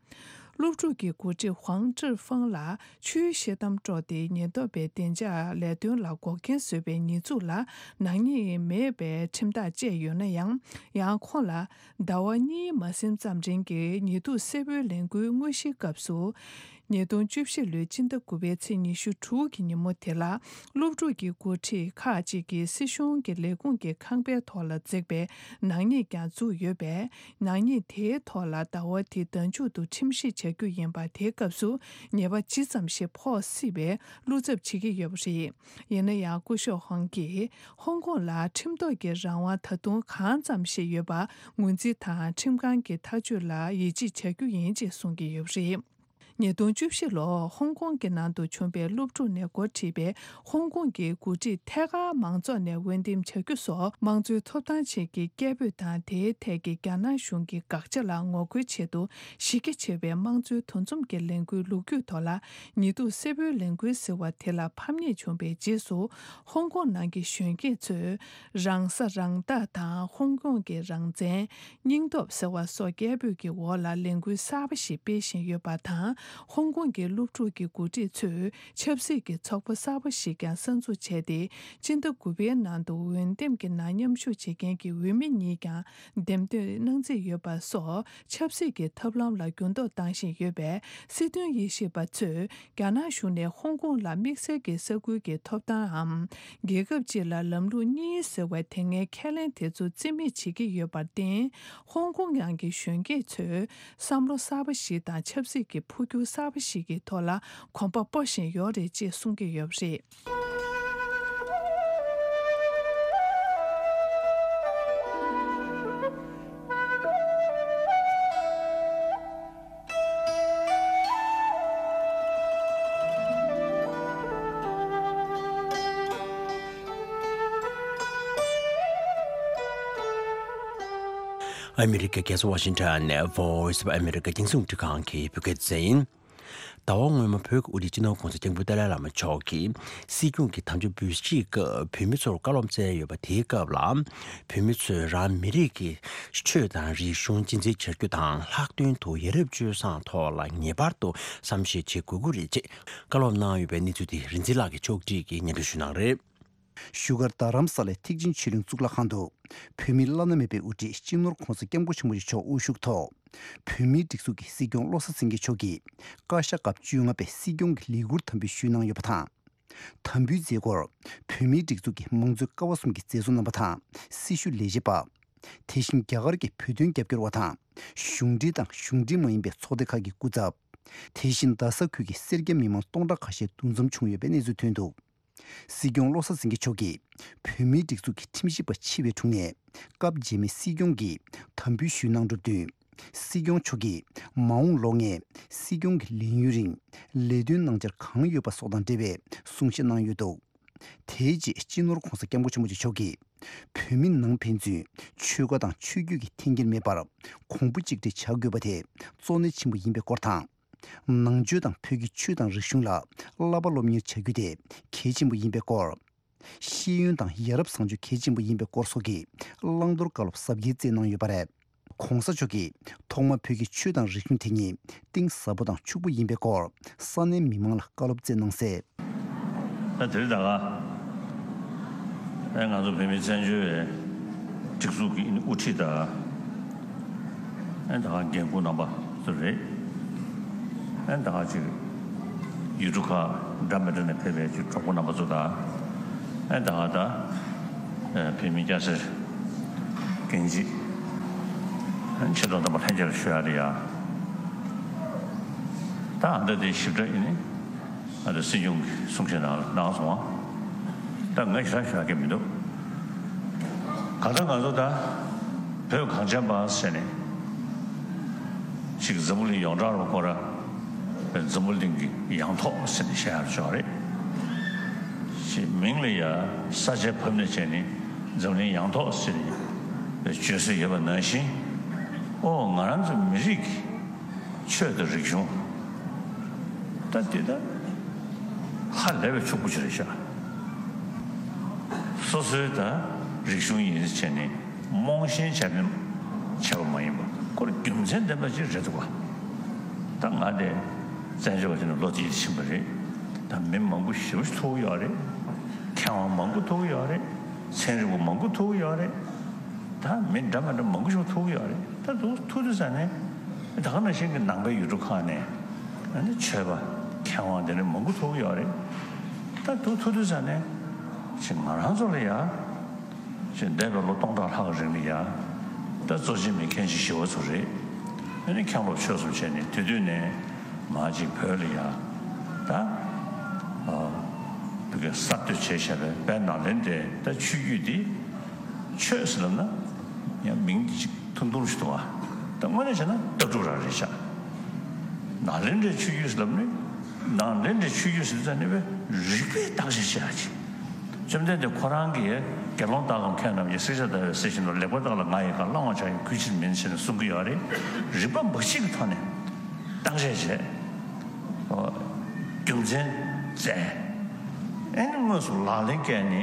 སློབ་ཕྲུག་གི་འགོ་ཁྲིད་ཧུའང་ཀྲི་ཧྥང་ལ་ཆུའི་ཤེལ་དམ་དཀྲོགས་ཏེ་ཉེན་རྟོག་པའི་བདེ་འཇགས་ལས་དོན་ལ་འགོག་རྐྱེན་བཟོས་པའི་ཉེས་འཛུགས་ལ་ནག་ཉེས་མེད་པའི་ཁྲིམས་ཐག་བཅད་ཡོད་ན་ཡང་། ཡང་ཁོང་ལ། ཟླ་བ་གཉིས་མ་ཟིན་ཙམ་རིང་གི་ཉི་གདུགས་སེར་པོའི་ལས་འགུལ་དངོས་གཞིའི་སྐབས་སུ། ཉིས་སྟོང་བཅུ་བཞི་ལོའི་སྤྱི་ཟླ་དགུ་པའི་ཚེས་ཉི་ཤུ་དྲུག་གི་ཉིན་མོ་དེ་ལ། སློབ་ཕྲུག་གི་འགོ་ཁྲིད་ཁག་ཅིག་གིས་སྲིད་གཞུང་གི་ལས་ཁུངས་ཀྱི་ཁང་པའི་ཐོག་ལ་འཛེགས་པའི་ནག་ཉེས་ཀྱང་བཙུགས་ཡོད་པས། ནག་ཉེས་དེའི་ཐོག་ལ་ཟླ་བ་འདིའི་ཟླ་མཇུག་ཏུ་ཁྲིམས་ཞིབ་བྱ་རྒྱུ་ཡིན་པ། དེའི་སྐབས་སུ་ཉེས་པ་ཇི་ཙམ་ཞིག་ཕོག་སྲིད་པའི་བློ་འཚབ་བྱེད་ཀྱི་ཡོད་པ་རེད། ཡིན་ན་ཡང་སྐུ་ཞབས་ཧོང་གིས་ཧོང་ཀོང་ལ་ཁྲིམས་ཐོག་གི་རང་དབང་ད་དུང་གང་ཙམ་ཞིག་ཡོད་པ་ངོས་འཛིན་དང་ཁྲིམས་ཁང་གི་ཐག་གཅོད་ལ་ཡིད་ཆེས་བྱ་རྒྱུ་ཡིན་ཅེས་གསུང་གི་ཡོད་པ་རེད། ཉིས་སྟོང་བཅུ་བཞི་ལོར་ཧོང་ཀོང་གི་ནང་དུ་བྱུང་བའི་སློབ་ཕྲུག་ནས་འགོ་ཁྲིད་པའི་ཧོང་ཀོང་གི་འགོ་ཁྲིད་ཐད་ཀར་མང་ཚོགས་ནས་འོས་འདེམས་བྱ་རྒྱུ་སོགས་དམངས་གཙོའི་ཐོབ་ཐང་ཆེད་ཀྱི་སྐད་འབོད་དང་། དེའི་ཐད་ཀྱི་རྒྱ་ནག་གཞུང་གི་དགག་བྱ་ལ་ངོ་རྒོལ་ཆེད་དུ། གཞི་རྒྱ་ཆེ་བའི་དམངས་གཙོའི་འདུ་འཛོམས་ཀྱི་ལས་འགུལ་ལོ་རྒྱུས་ཐོག་ལ་ཉི་གདུགས་སེར་པོའི་ལས་འགུལ་ཟེར་བ་དེ་ལ་ཕམ་ཉེས་བྱུང་བའི་རྗེས་སུ། ཧོང་ཀོང་ནང་གི་གཞོན་སྐྱེས་ཚོས་རང་ས་རང་བདག་དང་ཧོང་ཀོང་གི་རང་བཙན། སྙིང་སྟོབས་ཟེར་བ་སོགས་སྐད་འབོད་ཀྱི་འོག་ལ་ལས་འགུལ་གསར་པ་ཞིག་སྤེལ་བཞིན་ཡོད་པ་དང་། ཧོང་ཀོང་གི་སློབ་ཕྲུག་གི་འགོ་ཁྲིད་ཚོས་ཆབ་སྲིད་ཀྱི་ཚོགས་པ་གསར་པ་ཞིག་ཀྱང་གསར་འཛུགས་བྱས་ཏེ། སྤྱི་ཟླ་དགུ་པའི་ནང་དུ་འོས་འདེམས་ཀྱི་ནང་མཉམ་ཞུགས་བྱེད་མཁན་གྱི་འོས་མི་གཉིས་ཀྱང་འདེམས་ཐོན་གནང་རྩིས་ཡོད་པ་སོགས། ཆབ་སྲིད་ཀྱི་ཐབས་ལམ་ལ་འགྱུར་ལྡོག་བཏང་བཞིན་ཡོད་པས། སྲིད་དོན་དབྱེ་ཞིབ་པ་ཚོས་རྒྱ་ནག་གཞུང་ནས་ཧོང་ཀོང་ལ་དམིགས་བསལ་གྱི་ས་ཁུལ་གྱི་ཐོབ་ཐང་འམ། རྒྱལ་ཁབ་སྤྱི་ལ་ལམ་ལུགས་གཉིས་ཟེར་བའི་དེ་སྔའི་ཁས་ལེན་དེ་ཚོ་རྩིས་མེད་བྱེད་ཀྱི་ཡོད་པར་བརྟེན། ཧོང་ཀོང་ནང་གི་གཞོན་སྐྱེས་ཚོས་བསམ་བློ་གསར་པ་ཞིག་དང་ཆབ་སྲིད་ཀྱི་འཕོ་འགྱུར་གསར་པ་ཞིག་གི་ཐོག་ལ་གོམ་པ་སྤོ་བཞིན་ཡོད་རེད་ཅེས་གསུང་གི་ཡོད་པ་རེད། ཨ་མི་རི་ཀའི་རྒྱལ་ས་ཝ་ཤིང་ཊོན་ནས་Voice of America རྒྱང་སྲིང་རླུང་འཕྲིན་ཁང་གི་བོད་སྐད་སྡེ་ཚན་ཡིན། ཟླ་བ་སྔོན་མ་བོད་ཀྱི་དབུ་ཁྲིད་སྤྱི་ནོར་༸གོང་ས་༸སྐྱབས་མགོན་ཏཱ་ལའི་བླ་མ་མཆོག་གིས་སྲིད་སྐྱོང་གི་དམ་བཅའ་འབུལ་བཞེས་སྐབས་བོད་མི་ཚོར་བཀའ་སློབ་སྩལ་ཡོད་པ་དེའི་སྐབས་ལ། བོད་མི་ཚོས་རང་མི་རིགས་ཀྱི་ཆོས་དང་རིག་གཞུང་གཅེས་འཛིན་བྱ་རྒྱུ་དང་། ལྷག་དོན་དུ་ཡ་རབས་སྤྱོད་བཟང་ཐོག་ལ་ངེས་པར་དུ་བསམ་ཤེས་བྱེད་དགོས་ཀྱི་རེད་ཅེས་བཀའ་སློབ་གནང་ཡོད་པའི་གནས་ཚུལ་དེ་རིག་འཛིན་ལགས་ཀྱིས་ཕྱོགས་སྒྲིག་གིས་སྙན་སྒྲོན་ཞུ་གནང་རེད། བཞུགས་སྒར་རྡ་རམ་ས་ལའི་ཐེག་ཆེན་ཆོས་གླིང་གཙུག་ལག་ཁང་དུ། བོད་མིའི་བླ་ན་མེད་པའི་དབུ་ཁྲིད་སྤྱི་ནོར་༸གོང་ས་༸སྐྱབས་མགོན་ཆེན་པོ་མཆོག་དབུ་བཞུགས་ཐོག་བོད་མིའི་སྒྲིག་འཛུགས་ཀྱི་སྲིད་སྐྱོང་བློ་བཟང་སེང་གེ་མཆོག་གིས་བཀའ་ཤག་སྐབས་བཅོ་ལྔ་པའི་སྲིད་སྐྱོང་གི་ལས་འཁུར་དམ་འབུལ་ཞུས་གནང་ཡོད་པ་དང་། དམ་འབུལ་མཛད་སྒོར་བོད་མིའི་སྒྲིག་འཛུགས་ཀྱི་མང་གཙོའི་ཀ་བ་གསུམ་གྱི་མཛད་གཙོ་རྣམ་པ་དང་སྲི་ཞུ་ལས་བྱེད་པ། དེ་བཞིན་རྒྱ་གར་གྱི་བོད་དོན་རྒྱབ་སྐྱོར་བ་དང་། གཞུང་འབྲེལ་དང་གཞུང་འབྲེལ་མ་ཡིན་པའི་ཚོགས་སྡེ་ཁག་གི་སྐུ་ཚབ། དེ་བཞིན་རྡ་ས་ཁུལ་གྱི་སེར་སྐྱ་མི་མང་སྟོང་ཕྲག་ཁ་ཤས་འདུ་འཛོམས་བྱུང་ཡོད་པའི་གནས་ཚུལ་ཐོན་འདུག་སྲིད་སྐྱོང་བློ་བཟང་སེང་གེ་མཆོག་གིས་བོད་མིའི་སྒྲིག་འཛུགས་ཀྱི་ཁྲིམས་ཞིབ་པ་ཆེ་བའི་དྲུང་ནས་སྐབས་རྗེས་མའི་སྲིད་སྐྱོང་གི་དམ་འབུལ་ཞུས་གནང་གྲུབ་བསྟུན། སྲིད་སྐྱོང་མཆོག་གིས་མ་འོངས་ལོ་ལྔའི་སྲིད་སྐྱོང་གི་ལས་ཡུན་རིང་ལས་དོན་གནང་འཆར་གང་ཡོད་པ་སོགས་དང་འབྲེལ་བའི་གསུང་བཤད་གནང་ཡོད་འདུག་དེའི་རྗེས་སྤྱི་ནོར་༸གོང་ས་༸སྐྱབས་མགོན་ཆེན་པོ་མཆོག་གིས་བོད་མི་ནང་ཕན་ཚུན་ཆོལ་ཁ་དང་ཆོས་བརྒྱུད་ཀྱི་འཐེན་འཁྱེར་མེད་པར་གོང་བུ་གཅིག་སྒྲིལ་བྱ་དགོས་པ་དེ་གཙོ་གནད་ཆེན་པོ་ཡིན་པའི་སྐོར་དང་། ནང་ཆོས་དང་བོད་ཀྱི་ཆོས་དང་རིག་གཞུང་ལ་བསླབ་པ་སློབ་གཉེར་བྱ་རྒྱུ་དེ་གལ་ཆེན་པོ་ཡིན་པའི་སྐོར། ཤེས་ཡོན་དང་ཡ་རབས་བཟང་སྤྱོད་གལ་ཆེན་པོ་ཡིན་པའི་སྐོར་སོགས་ཀྱི་བླང་དོར་བཀའ་སློབ་ཟབ་རྒྱས་སྩལ་གནང་ཡོད་པ་རེད། ༸གོང་ས་མཆོག་གིས་ཐོག་མར་བོད་ཀྱི་ཆོས་དང་རིག་གཞུང་དེ་ཉིད་གཏིང་ཟབ་པོ་དང་ཕྱུག་པོ་ཡིན་པའི་སྐོར་ས་གནས་མི་མང་ལ་བཀའ་སློབ་སྩལ་གནང་གསལ། ད་དེ་རིང་ད་ག་ཨེ་ང་ཚོ་བོད་མིའི་བཙན་བྱོལ་བའི་སྒྲིག་འཛུགས་ཀྱི་དབུ་ཁྲིད་དང་། ཨེ་ད་ག་འགན་འཁུར་རྣམ་པ་ཚོ་རེད། ཨེ་ད་ག་ཅིག་ཡུལ་གྲུ་ཁག་འདྲ་མི་འདྲ་ནས་ཕེབས་པའི་ཅིག་གྲོགས་པོ་རྣམ་པ་ཚོ་དང་། ཨེ་ད་ག་ད་ཨེ་བོད་མི་སྐྱ་སེར་རྒན་བྱིས་ཨེ་ཆེ་མཐོ་རྣམ་པ་ལྷན་རྒྱས་ལ་ཞུ་ཡ་རེད་ཡ། ད་ཨ་ད་དེ་ཞིབ་ཕྲ་ཡིན་ནི། ཨ་ད་སྲིད་སྐྱོང་གི་གསུང་བཤད་ནང་ལ་གནང་སོང་བ། ད་ང་ཞེ་དྲག་ཞུ་ཡ་གི་མི་འདུག་གང་ལྟར་ང་ཚོ་ད་བོད་གངས་ཅན་པ་ཟེར་ནས་ཅིག་འཛམ་བུ་གླིང་ཡོངས་གྲགས་རུ་ཁོ་ར་འཛམ་བུ་གླིང་གི་ཡང་ཐོག་ཟེར་ནས་བཤད་ཡ་ཆོག་རེད། ཅིག་མིང་ལ་ཡ་ས་ཆའི་བབ་ནས་བྱས་ནས་འཛམ་གླིང་ཡང་ཐོག་ཟེར་ནས་བརྗོད་སྲོལ་ཡོད་པ་ནང་བཞིན། ཨོ་ང་རང་ཚོ་མི་རིགས་ཀྱི་ཆོས་དང་རིག་གཞུང་། ད་འདི་ད་ཧ་ལས་པའི་ཕྱུག་པོ་ཅིག་རེད་ཤག་སོ་སོའི་ད་རིག་གཞུང་ཡིན་ཟེར་བྱས་ནས་རྨོངས་ཞེན་བྱས་པའི་བྱས་པ་མ་ཡིན་པ་ཁོ་ར་རྒྱུ་མཚན་ལྡན་པ་ཅིག་རེད་འདུག་ག་ད་ང་དེ་བཙན་བྱོལ་བ་ཅིག་ནས་ལོ་དེ་ཕྱིན་པ་རེད། ད་མི་མང་པོ་ཞེ་པོ་ཅིག་ཐུག་ཡོད་རེད། མཁས་དབང་མང་པོ་ཐུག་ཡོད་རེད། ཚན་རིག་པ་མང་པོ་ཐུག་ཡོད་རེད། ད་མི་འདྲ་མི་འདྲ་མང་པོ་ཞིག་ཐུག་ཡོད་རེད། ད་དུ་ཐུག་དུས་ཙ་ནས་ད་ག་ནང་བཞིན་གྱི་ནང་པའི་ཡུལ་གྲུ་ཁག་ནས་ཨ་ནི་ཆོས་པ་མཁས་དབང་དེ་འདྲ་མང་པོ་ཐུག་ཡོད་རེད། ད་དུ་ཐུག་དུས་ཙ་ནས་ཅིག་ང་རང་ཚོ་ལ་ཡ་ཅིག་འདས་པའི་ལོ་སྟོང་ཕྲག་ལྷག་གི་རིང་ལ་ཡ་ད་གཙོ་ཆེ་མི་མཁན་ཆེན་ཞི་བ་འཚོ་རེད། ཨ་ནི་མཁན་སློབ་ཆོས་གསུམ་བྱས་ནས་དེ་དུས་ནས་མ་ཅིག་བོད་ལ་ཡ་ད་ཨ་བོད་སྐད་གསར་གཏོད་བྱས་བྱས་པའི་དཔལ་ནཱ་ལེནྡྲའི་ད་ཆོས་བརྒྱུད་འདི། ཆོས་ཟེར་ལབ་ན་ཡང་མིང་འདི་ཅིག་ཐུང་ཐུང་ཞིག་འདུག་བ། ད་དངོས་གནས་བྱས་ན་ལྟ་གྲུབ་རང་རེད་ཤག་ནཱ་ལེནྡྲའི་ཆོས་བརྒྱུད་ཟེར་ལབ་ནི། ནཱ་ལེནྡྲའི་ཆོས་བརྒྱུད་ཟེར་ཙམ་ནི་བས་རིགས་པས་བརྟག་དཔྱད་བྱེད་ཡ་ཅིག་བཅོམ་ལྡན་འདས་ཁོ་རང་གིས་དགེ་སློང་དག་གམ་མཁས་རྣམས་ཀྱིས། བསྲེག་བཅད་བརྡར་བའི་གསེར་བཞིན་དུ། ལེགས་པར་བརྟགས་ལ་ང་ཡི་བཀའ། བླང་བར་བྱ་ཡི་གུས་ཕྱིར་མིན། ཟེར་ནས་གསུང་གི་ཡོད་རེད། རིགས་པ་འབའ་ཞིག་གི་ཐོག་ནས་བརྟག་དཔྱད་བྱས། རྒྱུ་མཚན་བཙལ། ཨེ་ནི་དངོས་སུ་ལག་ལེན་བཀལ་ནས་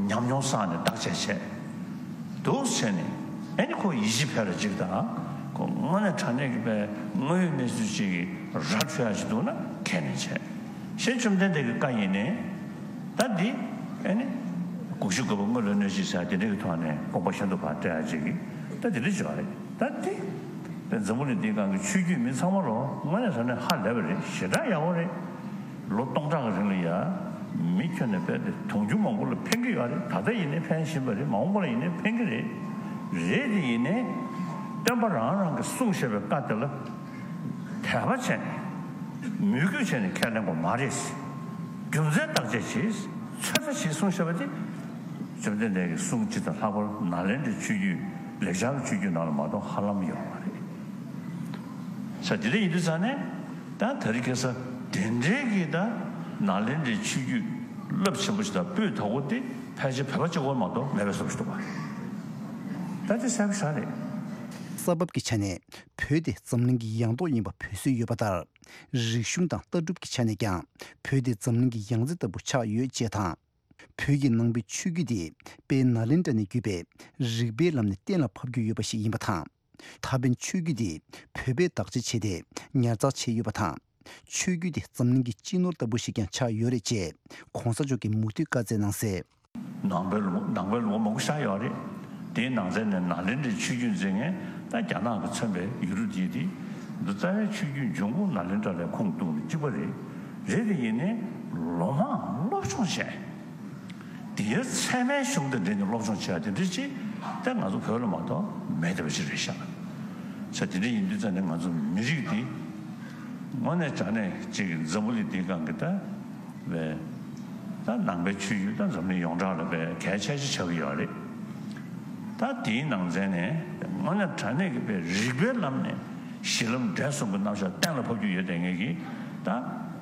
ཉམས་མྱོང་བསགས་ནས་བརྟག་དཔྱད་བྱས། འདུག་བྱས་ནས་ཨེ་ནི་ཁོ་ཡིད་ཆེས་འཕེར་བ་ཅིག་དང་། ཁོ་དངོས་གནས་དྲང་གནས་ཀྱི་པའི་དངོས་ཡོད་གནས་ཚུལ་ཅིག་གི་ར་འཕྲོད་ཡ་ཅིག་འདུག་ན་ཁས་ལེན་བྱས། གཞན་བཅོམ་ལྡན་འདས་ཀྱི་བཀའ་ཡིན་ནའི་ད་འདི་ཨེ་ནི་དགུག་གཞི་བཀོད་པ་དངོས་ལ་གནོད་བྱེད་ཟེར་དེ་འདྲ་གི་ཐོག་ནས་དགོངས་པ་ཤིན་ཏུ་ཕར་བཀྲལ་ཡ་ཅིག་གི་ད་དེ་འདྲ་ཅིག་ཡོད་རེད། ད་འདི་པའི་འཛམ་བུ་གླིང་འདིའི་སྒང་གི་ཆོས་བརྒྱུད་མི་ཚང་མ་ལོ་དངོས་གནས་དྲང་གནས་ཧ་ལས་པ་རེད། ཞེ་དྲག་ཡག་པོ་རེད། ལོ་སྟོང་ཕྲག་གི་རིང་ལ་ཡ་མི་ཁྱོན་ནས་རྦད་དེ་དུང་ཕྱུར་མང་པོ་ལ་ཕན་གྱི་ཡོད་རེད། ད་ལྟ་ཡིན་ནའི་ཕན་བཞིན་པ་རེད། མ་འོངས་པ་ལ་ཡིན་ནའི་ཕན་གྱི་རེད། རེད་དེ་ཡིན་ནའི་སྟོན་པ་རང་རང་གིས་གསུངས་བཞག་པའི་བཀའ་དེ་ལ་དད་པ་བྱས་ནས་མོས་གུས་བྱས་ནས་ཁས་ལེན་དགོས་མ་རེད། རྒྱུ་མཚན་བརྟག་དཔྱད་བྱས། ཚོད་ལྟ་བྱས་གསུངས་བཞག་པ་དེ་བཅོམ་ལྡན་འདས་ཀྱི་གསུང་སྤྱི་དང་ལྷག་པར་ནཱ་ལེནྡྲའི་ཆོས་བརྒྱུད་ལེགས་སྦྱར་གྱི་ཆོས་བརྒྱུད་ནང་ལ་མ་གཏོགས་ཧ་ལམ་ཡོད་མ་རེད། ས་དེ་འདྲ་ཡིན་དུས་ཙང་ནས་ད་དེ་རིང་ཁ་སང་དེ་འདྲའི་གི་ད་ནཱ་ལེནྡྲའི་ཆོས་བརྒྱུད་རླབས་ཆེན་པོ་ཞིག་དང་སྤུས་དག་པོ་དེ་ཕལ་ཆེར་བོད་པ་གཅིག་པོ་མ་གཏོགས་མེད་པའི་བཟོ་ཞིག་འདུག་པ། ད་དེ་གསལ་པོ་ཞེ་དྲག་རེད། ས་བབ་ཀྱི་ཆ་ནས་བོད་དེ་འཛམ་གླིང་གི་ཡང་ཐོག་ཡིན་པ་བོད་སྲོལ་ཡོད་པ་ལྟར། རིག་གཞུང་དང་ལྟ་གྲུབ་ཀྱི་ཆ་ནས་ཀྱང་བོད་དེ་འཛམ་གླིང་གི་ཡང་རྩེ་ལྟ་བུ་ཆགས་ཡོད་ཅེས་དང་། བོད་ཀྱི་ནང་པའི་ཆོས་བརྒྱུད་དེ་དཔལ་ནཱ་ལེནྡྲ་ནས་བརྒྱུད་པའི་རིག་པའི་ལམ་ནས་གཏན་ལ་ཕབ་རྒྱུ་ཡོད་པ་ཞིག་ཡིན་པ་དང་། ད་ཕན་ཆོས་བརྒྱུད་དེ་བོད་པས་བདག་གཅེས་བྱས་ཏེ་ཉར་ཚགས་བྱས་ཡོད་པ་དང་། ཆོས་བརྒྱུད་དེ་འཛམ་གླིང་གི་སྤྱི་ནོར་ལྟ་བུ་ཞིག་ཀྱང་ཆགས་ཡོད་རེད་ཅེས་གོང་ས་མཆོག་གིས་མུ་མཐུད་བཀའ་སྩལ་གནང་གསལ། ནང་པའི་ལུང་ནང་པའི་ལུང་པ་མང་པོ་ཤར་ཡོད་རེད། དེའི་ནང་ཚན་ནས་ནཱ་ལེནྡྲའི་ཆོས་བརྒྱུད་འཛིན་མཁན་ད་རྒྱ་ནག་གིས་མཚོན་པའི་ཡུལ་གྲུ་དེ་དེ་འདི་རྩ་བའི་ཆོས་བརྒྱུད་འབྱུང་ཁུངས་ནཱ་ལེནྡྲ་ལ་ཁུངས་གཏུགས་ནས་གཅིག་པ་རེད། རེད་དེ་ཡིན་ནའི་ལོ་མང་སློབ་སྦྱོང་བྱས། དེའི་ཚད་མའི་གཞུང་དང་འབྲེལ་ནས་སློབ་སྦྱོང་བྱས་དེ་འདྲ་ཅིག་ད་ང་ཚོ་བོད་ལ་མ་གཏོགས་མེད་བསྡད་པ་ཅིག་རེད་ཤག་ས་དེ་འདྲ་ཡིན་དུས་ཙང་ནས་ང་ཚོ་མི་རིགས་འདི་དངོས་གནས་དྲང་གནས་ཅིག་འཛམ་བུ་གླིང་འདིའི་སྒང་གི་ད་བས་ད་ནང་པའི་ཆོས་བརྒྱུད་ད་འཛམ་གླིང་ཡོངས་གྲགས་ལ་བས་གལ་ཆེ་ཤོས་ཆགས་ཀྱི་ཡོད་རེད། ད་དེའི་ནང་ཚན་ནས་དངོས་གནས་དྲང་གནས་ཀྱི་བས་རིག་པའི་ལམ་ནས་གཞི་ལམ་འབྲས་གསུམ་གྱི་རྣམ་གཞག་གཏན་ལ་ཕབ་རྒྱུ་ཡོད་དེ་ངེས་ཀྱི་ད་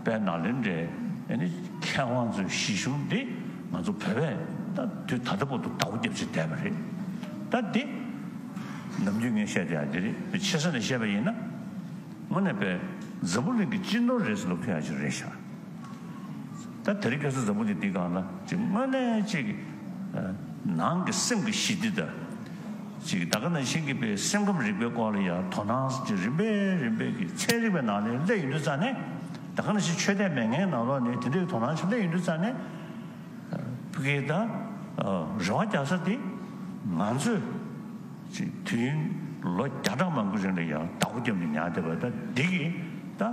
བས་ནཱ་ལེནྡྲའི་ཨ་ནི་མཁས་དབང་ཚོའི་གཞི་གཞུང་འདི་ང་ཚོ་བོད་པས་ད་དུས་ད་ལྟ་བར་དུ་བདག་པོ་རྒྱབ་བྱས་བསྡད་པ་རེད། ད་འདི་ནམ་རྒྱུན་ངས་བཤད་བསྡད་ཡ་འདི་རེད། ཆེ་ས་ནས་བཤད་པ་ཡིན་ན། དངོས་གནས་པའི་འཛམ་བུ་གླིང་གི་སྤྱི་ནོར་རེད་ཟེར་ལབ་ཐུབ་ཡ་ཅིག་རེད་ཤག་ད་དེ་རིང་ཁ་སང་འཛམ་བུ་གླིང་འདི་སྒང་ལ་ཅིག་དངོས་གནས་ཅིག་ནང་གི་སེམས་ཀྱི་ཞི་བདེ་དང་། ཅིག་ད་ག་ནང་བཞིན་གྱི་པའི་སེམས་ཁམས་རིག་པའི་སྐོར་ལ་ཡང་དོ་སྣང་ཅིག་རིམ་པས་རིམ་པས་ཀྱི་ཚན་རིག་པའི་ནང་ནས་སླེབས་ཡོང་དུས་ཙང་ནས། ད་ག་ནང་བཞིན་ཆོས་དད་མེད་མཁན་ནང་ལོགས་ནས་དེ་འདྲའི་དོ་སྣང་ཅིག་སླེབས་ཡོང་དུས་ཙང་ནས། ཕ་གི་ད། རེ་བ་རྒྱག་ས་དེ། ང་ཚོས། ཅིག་དུས་ཡུན་ལོ་བརྒྱ་ཕྲག་མང་པོའི་རིང་ལ་ཡང་བདག་པོ་བརྒྱབ་ནས་ཉར་བསྡད་པ་ད་འདི་གིས་ད།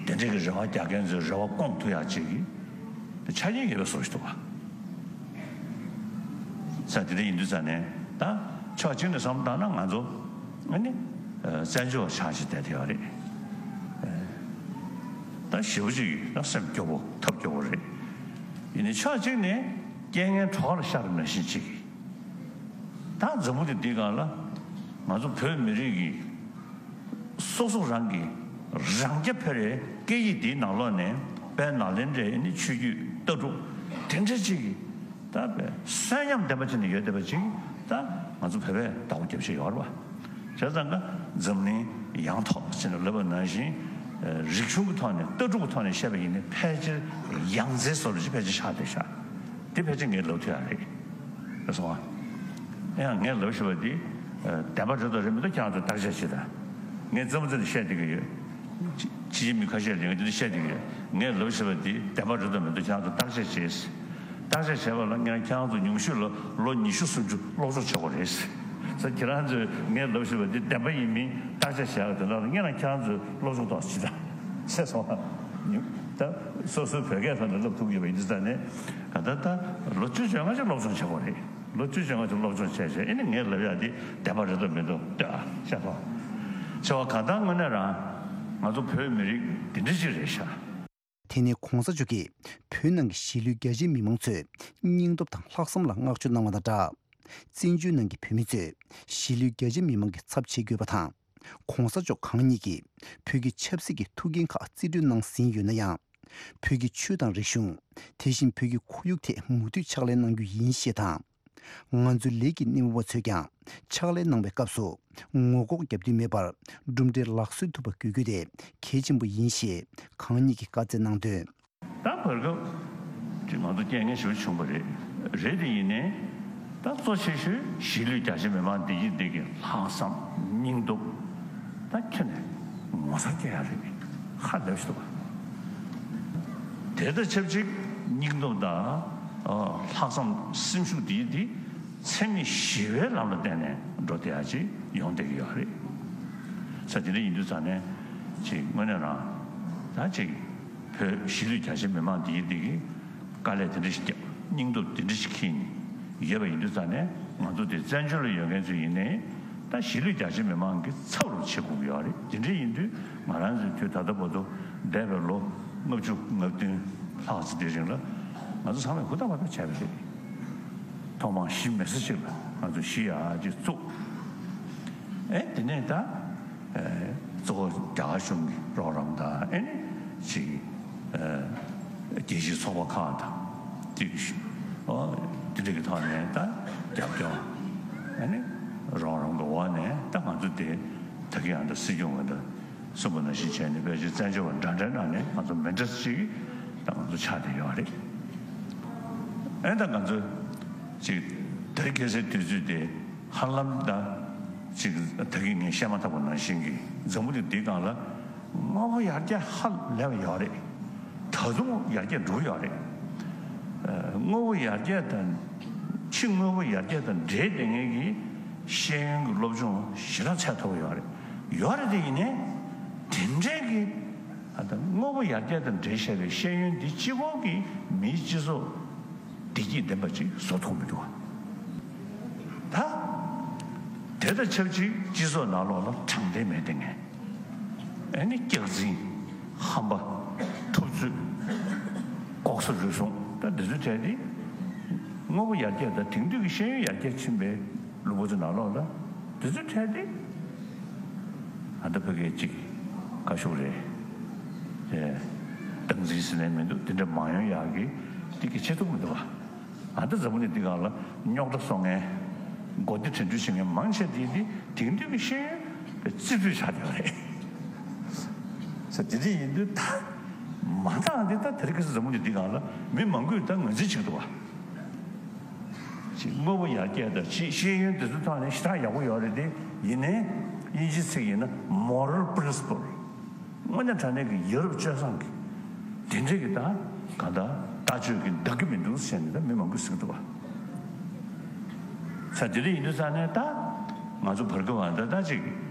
དེ་འདྲའི་གི་རེ་བ་རྒྱག་མཁན་ཚོའི་རེ་བ་སྐོང་ཐུབ་ཡག་ཅིག་གི་ཆ་རྐྱེན་ཡོད་པའི་བཟོ་ཞིག་འདུག་བ། ས་དེ་འདྲ་ཡིན་དུས་ཙང་ནས་ད་ཕྱོགས་གཅིག་ནས་བསམ་བློ་བཏང་ན་ང་ཚོ་ཨ་ནི་བཙན་བྱོལ་བ་ཆགས་ཀྱི་བསྡད་དེ་ཡོད་རེད། ད་ཞེ་པོ་ཅིག་ད་སེམས་སྐྱོ་པོ་ཐབས་སྐྱོ་པོ་རེད། ཡིན་ནའི་ཕྱོགས་གཅིག་ནས་རྐྱེན་ངན་གྲོགས་ལ་ཤར་ནང་བཞིན་ཅིག་ད་འཛམ་བུ་གླིང་འདིའི་སྒང་ལ་ང་ཚོ་བོད་མི་རིགས་ཀྱི་སོ་སོ་རང་གི་རང་རྐྱ་འཕེར་བའི་སྐད་ཡིག་འདིའི་ནང་ལོགས་ནས་དཔལ་ནཱ་ལེནྡྲའི་ནི་ཆོས་བརྒྱུད་ལྟ་གྲུབ་དེ་འདྲ་ཅིག་གི་ད་བས་གསོན་ཉམས་ལྡན་པ་ཅིག་ནས་ཡོད་བསྡད་པ་ཅིག་ད་ང་ཚོ་བོད་པས་བདག་པོ་རྒྱབ་བཞིན་ཡོད་རེད་བ། བྱས་ཙང་ཀ་འཛམ་གླིང་ཡང་ཐོག་ཅེས་ནས་ལབ་པ་ནང་བཞིན། རིག་གཞུང་གི་ཐོག་ནས་ལྟ་གྲུབ་ཀྱི་ཐོག་ནས་བཤད་པ་ཡིན་ན་ཕལ་ཆེར་ཡང་རྩེ་བཟོ་འདྲ་ཅིག་ཕལ་ཆེར་ཆགས་བསྡད་ཤག་འདི་ཕལ་ཆེར་ངས་ལབ་ཐུབ་ཡག་རེད། རེད་སོང་ཨ། ཡང་ངས་ལབ་ཤེས་པ་འདི། བདེན་པ་རེད་དང་རེད་མི་འདུག་ཁྱེད་རང་ཚོས་བརྟག་དཔྱད་བྱེད་དང་། ངས་རྩེད་མོ་རྩེ་ནས་བཤད་བསྡད་ཀྱི་ཡོད། ཕྱི་ཕྱི་ཕྱི་མི་ཁ་ཤས་ལ་ངས་འདི་འདྲ་བཤད་བསྡད་ཀྱི་ཡོད། ངས་ལབ་ཤེས་པ་འདི་བདེན་པ་རེད་དང་མི་འདུག་ཁྱེད་རང་ཚོས་བརྟག་དཔྱད་བྱེད། བརྟག་དཔྱད་བྱས་པ་ལ་ངས་ཁྱེད་རང་ཚོ་ཉུང་ཤོས་ལ་ལོ་ཉི་ཤུ་སུམ་ཅུ་སློབ་སྦྱོང་བྱེད་དགོས་རེད། ས་ཁྱེད་རང་ཚོས་ངས་ལབ་བཞིན་པ་འདི་བདེན་པ་ཡིན་མིན་བརྟག་དཔྱད་བྱས་པ་དེ་ལ་ངས་རང་ཁྱེད་རང་ཚོའི་སློབ་སྦྱོང་ཐོག་ཅི་ལྟར་ཟེར་སོང་། ད་སོ་སོའི་བོད་སྐད་ཐོག་ནས་ལབ་ཐུབ་ཀྱི་ཡོད་པ་ཡིན་དུས་ཙང་ནས་ག་ད་ད་ལོ་བཅུ་བཅོ་ལྔ་ཅིག་སློབ་སྦྱོང་བྱེད་དགོས་རེད། ལོ་བཅུ་བཅོ་ལྔ་ཅིག་སློབ་སྦྱོང་བྱས་བྱས་ཨེ་ནི་ངས་ལབ་ཡག་འདི་བདེན་པ་རེད་དམ་མེད་དམ་ལྟོས་ཨ་ཤེས་སོང་། ཆེ་བ་གང་ལྟར་དངོས་གནས་རང་ང་ཚོ་བོད་མི་རིགས་འདི་འདྲ་ཅིག་རེད་ཤག་དེ་ནས་གོང་ས་མཆོག་གིས་བོད་ནང་གི་གཞིས་ལུས་རྒྱ་ཆེའི་མི་མང་ཚོས་སྙིང་སྟོབས་དང་ལྷག་བསམ་ལ་བསྔགས་བརྗོད་གནང་བ་དང་སྦྲགས། བཙན་བྱོལ་ནང་གི་བོད་མི་ཚོས་གཞིས་ལུས་རྒྱ་ཆེའི་མི་མང་གི་ཚབ་བྱེད་དགོས་པ་དང་། གོང་ས་མཆོག་གང་ཉིད་ཀྱིས་བོད་ཀྱི་ཆབ་སྲིད་ཀྱི་ཐུགས་འགན་ཁག་རྩིས་སྤྲོད་གནང་ཟིན་ཡོད་ན་ཡང་། བོད་ཀྱི་ཆོས་དང་རིག་གཞུང་། དེ་བཞིན་བོད་ཀྱི་ཁོར་ཡུག་ཐད་མུ་མཐུད་ཕྱག་ལས་གནང་རྒྱུ་ཡིན་ཞེས་དང་། ང་ཚོའི་ལས་ཀྱི་སྣེ་མོ་བ་ཚོས་ཀྱང་ཕྱག་ལས་གནང་བའི་སྐབས་སུ་ངོ་ལྐོག་རྒྱབ་མདུན་མེད་པར་གྲུབ་འབྲས་ལག་སོན་ཐུབ་པ་དགོས་རྒྱུ་དེ་གལ་ཆེན་པོ་ཡིན་ཞེས་གང་ཉིད་ཀྱིས་བཀའ་སྩལ་གནང་དོན། ད་བར་སྐབས་ཀྱི་ང་ཚོ་རྐྱེན་ངན་ཞེ་པོ་བྱུང་བ་རེད། རེད་དེ་ཡིན་ནའི་ད་གཙོ་ཆེ་ཤོས་གཞིས་ལུས་རྒྱ་ཆེ་མི་མང་བདེ་སྐྱིད་བདེ་སྐྱིད་ལྷག་བསམ་སྙིང་སྟོབས་ད་ཁྱོན་ནས་ངོ་མཚར་སྐྱེ་ཡ་རེད། ཧ་ལས་པ་ཞིག་འདུག་བ། དེ་དང་ཆབས་ཅིག་སྙིང་སྟོབས་དང་། ཨ། ལྷག་བསམ་སེམས་ཤུགས་འདི་འདི་འཚེ་མེད་ཞི་བའི་ལམ་ལ་བརྟེན་ནས་འགྲོ་བསྡད་ཡ་ཅིག་ཡོང་བསྡད་ཀྱི་ཡོད་རེད། ས་དེ་འདྲ་ཡིན་དུས་ཙང་ནས་ཅིག་དངོས་གནས་རང་ད་ཅིག་བོད་གཞིས་ལུས་རྒྱ་ཆེ་མི་མང་འདི་འདི་གི་དཀའ་ལས་དེ་འདྲ་ཞིག་བརྒྱབ། སྙིང་སྟོབས་དེ་འདྲ་ཞིག་འཁྱེར་ནས་ཡོད་པ་ཡིན་དུས་ཙང་ནས་ང་ཚོ་དེ་བཙན་བྱོལ་ལ་ཡོད་མཁན་ཚོ་ཡིན་ནའི་ད་གཞིས་ལུས་རྒྱ་ཆེ་མི་མང་གི་ཚབ་རུ་བྱེད་དགོས་ཀྱི་ཡོད་རེད། དེ་འདྲ་ཡིན་དུས་ང་རང་ཚོའི་དུས་ད་ལྟ་བར་དུ་འདས་པའི་ལོ་ལྔ་བཅུ་ང་བདུན་ལྷག་ཙམ་དེའི་རིང་ལ་ང་ཚོ་ཚང་མས་ཧུར་ཐག་བར་ཐག་བྱས་པ་རེད། ཐོག་མར་གཞིས་མེད་ས་ཞིག་ལ་ང་ཚོ་གཞིས་ཡག་ཅིག་བཙུགས། ཨེ་དེ་ནས་ད། ཨེ་གཙོ་བོ་རྒྱ་གར་གཞུང་གི་རོགས་རམ་དང་ཨེ་ནི་ཅིག་ཨེ་རྒྱལ་སྤྱིའི་ཚོགས་པ་ཁག་དང་ཅིག་ཨོ་དེ་འདྲ་གི་ཐོག་ནས་ད་རྒྱབ་སྐྱོར་ཨེ་ནི་ རང་རང་གི་འོག་ནས་ད་ང་ཚོ་དེ་ད་གིན་ཡང་ད་སྲིད་སྐྱོང་ང་ད་གསུངས་པ་ནང་བཞིན་བྱས་ནས་ཕལ་ཆེར་བཙན་བྱོལ་བ་འདྲ་འདྲའི་ནང་ནས་ང་ཚོ་མི་འདྲ་ཅིག་ད་ང་ཚོ་ཆགས་བསྡད་ཡོད་རེད། ཨེ་ད་ང་ཚོ་ཅིག་དེ་རིང་ཁ་སང་དུས་ཚོད་དེ་ཧ་ལམ་ད་ཅིག་ད་གིན་ངས་བཤད་མ་ཐག་པ་ནང་བཞིན་གྱི་འཛམ་བུ་གླིང་འདིའི་སྒང་ལ་དངོས་པོ་ཡར་རྒྱས་ཧ་ལས་པ་ཡོད་རེད། ད་དུང་ཡར་རྒྱས་འགྲོ་གི་ཡོད་རེད། ཨ། དངོས་པོ་ཡར་རྒྱས་དང་། ཕྱི་དངོས་པོ་ཡར་རྒྱས་དང་འབྲེལ་བསྡད་མཁན་གྱི་ཤེས་ཡོན་གྱི་སློབ་སྦྱོང་ཞེ་དྲག་ཚད་མཐོ་པོ་ཡོད་རེད། ཡོད་རེད་དེ་ཡིན་ནའི་དེ་འདྲའི་གི་ཨ་ད་དངོས་པོ་ཡར་རྒྱས་དང་འབྲེལ་བཞག་པའི་ཤེས་ཡོན་འདི་གཅིག་པོ་གིས་མིའི་སྤྱི་ཚོགས་བདེ་སྐྱིད་ལྡན་པ་ཅིག་བཟོ་ཐུབ་མི་འདུག་ག་ད་དེ་དང་ཆབས་ཅིག་སྤྱི་ཚོགས་ནང་ལོགས་ལ་དྲང་བདེན་མེད་དེ་ངས། ཨ་ནི་སྐྱག་རྫུན། ཧམ་པ། ཐུབ་ཚོད། ལྐོག་ཟ་རུལ་སུངས། ད་འདི་ཚོའི་གྲས་དེ་དངོས་པོ་ཡར་རྒྱས་དང་དེང་དུས་ཀྱི་ཤེས་ཡོན་ཡར་རྒྱས་ཕྱིན་པའི་ལུང་པ་ཚོའི་ནང་ལོགས་ལ་འདི་ཚོའི་གྲས་དེ་ཨ་ད་ཕ་གིའི་གཅིག་ཁ་ཤུགས་རེད། ཨེ། སྟངས་འཛིན་ཟེར་ནས་མི་འདུག་དེ་འདྲ་མ་ཡོང་ཡག་གི་དེ་གི་བྱེད་ཐུབ་མི་འདུག་ག་ཨ་ད་འཛམ་བུ་གླིང་འདི་སྒང་ལ་རྙོག་དྲ་བཟོ་མཁན། མགོ་བདེ་དྲན་འཕྲུལ་བྱེད་མཁན་མང་ཆེ་དེ་འདི་དེང་དུས་ཀྱི་ཤེས་ཡོན་གྱི་རྩིས་སྤྲོད་བྱ་དེ་རེད། ས་དེ་འདྲ་ཡིན་དུས་ད་མ་འདང་འདི་ད་དེ་རིང་ཁ་སང་འཛམ་བུ་གླིང་འདི་སྒང་ལ་མི་མང་པོས་ད་ངོས་འཛིན་བྱེད་ཀྱི་འདུག་བ། ཅིག་དངོས་པོ་ཡར་རྒྱས་དང་ཅིག་ཤེས་ཡོན་དེ་ཚོའི་ཐོག་ནས་ཞེ་དྲག་ཡག་པོ་ཡོད་རེད་དེ། ཡིན་ནའི་དབྱིན་ཇིའི་ཚིག་ཡིན་ན་moral principle། དངོས་གནས་དྲང་གནས་ཀྱི་ཡ་རབས་སྤྱོད་བཟང་གི་དེ་འདྲའི་གི་ད་གང་ལྟར་ལྟ་སྤྱོད་ཀྱི་འདང་གི་མི་འདུག་ཟེར་ནས་ད་མི་མང་པོས་ཟེར་གི་འདུག་བ། ས་དེ་འདྲ་ཡིན་དུས་ཙང་ནས་ད་ང་ཚོ་བར་སྐབས་བ་ད་ད་ཅིག་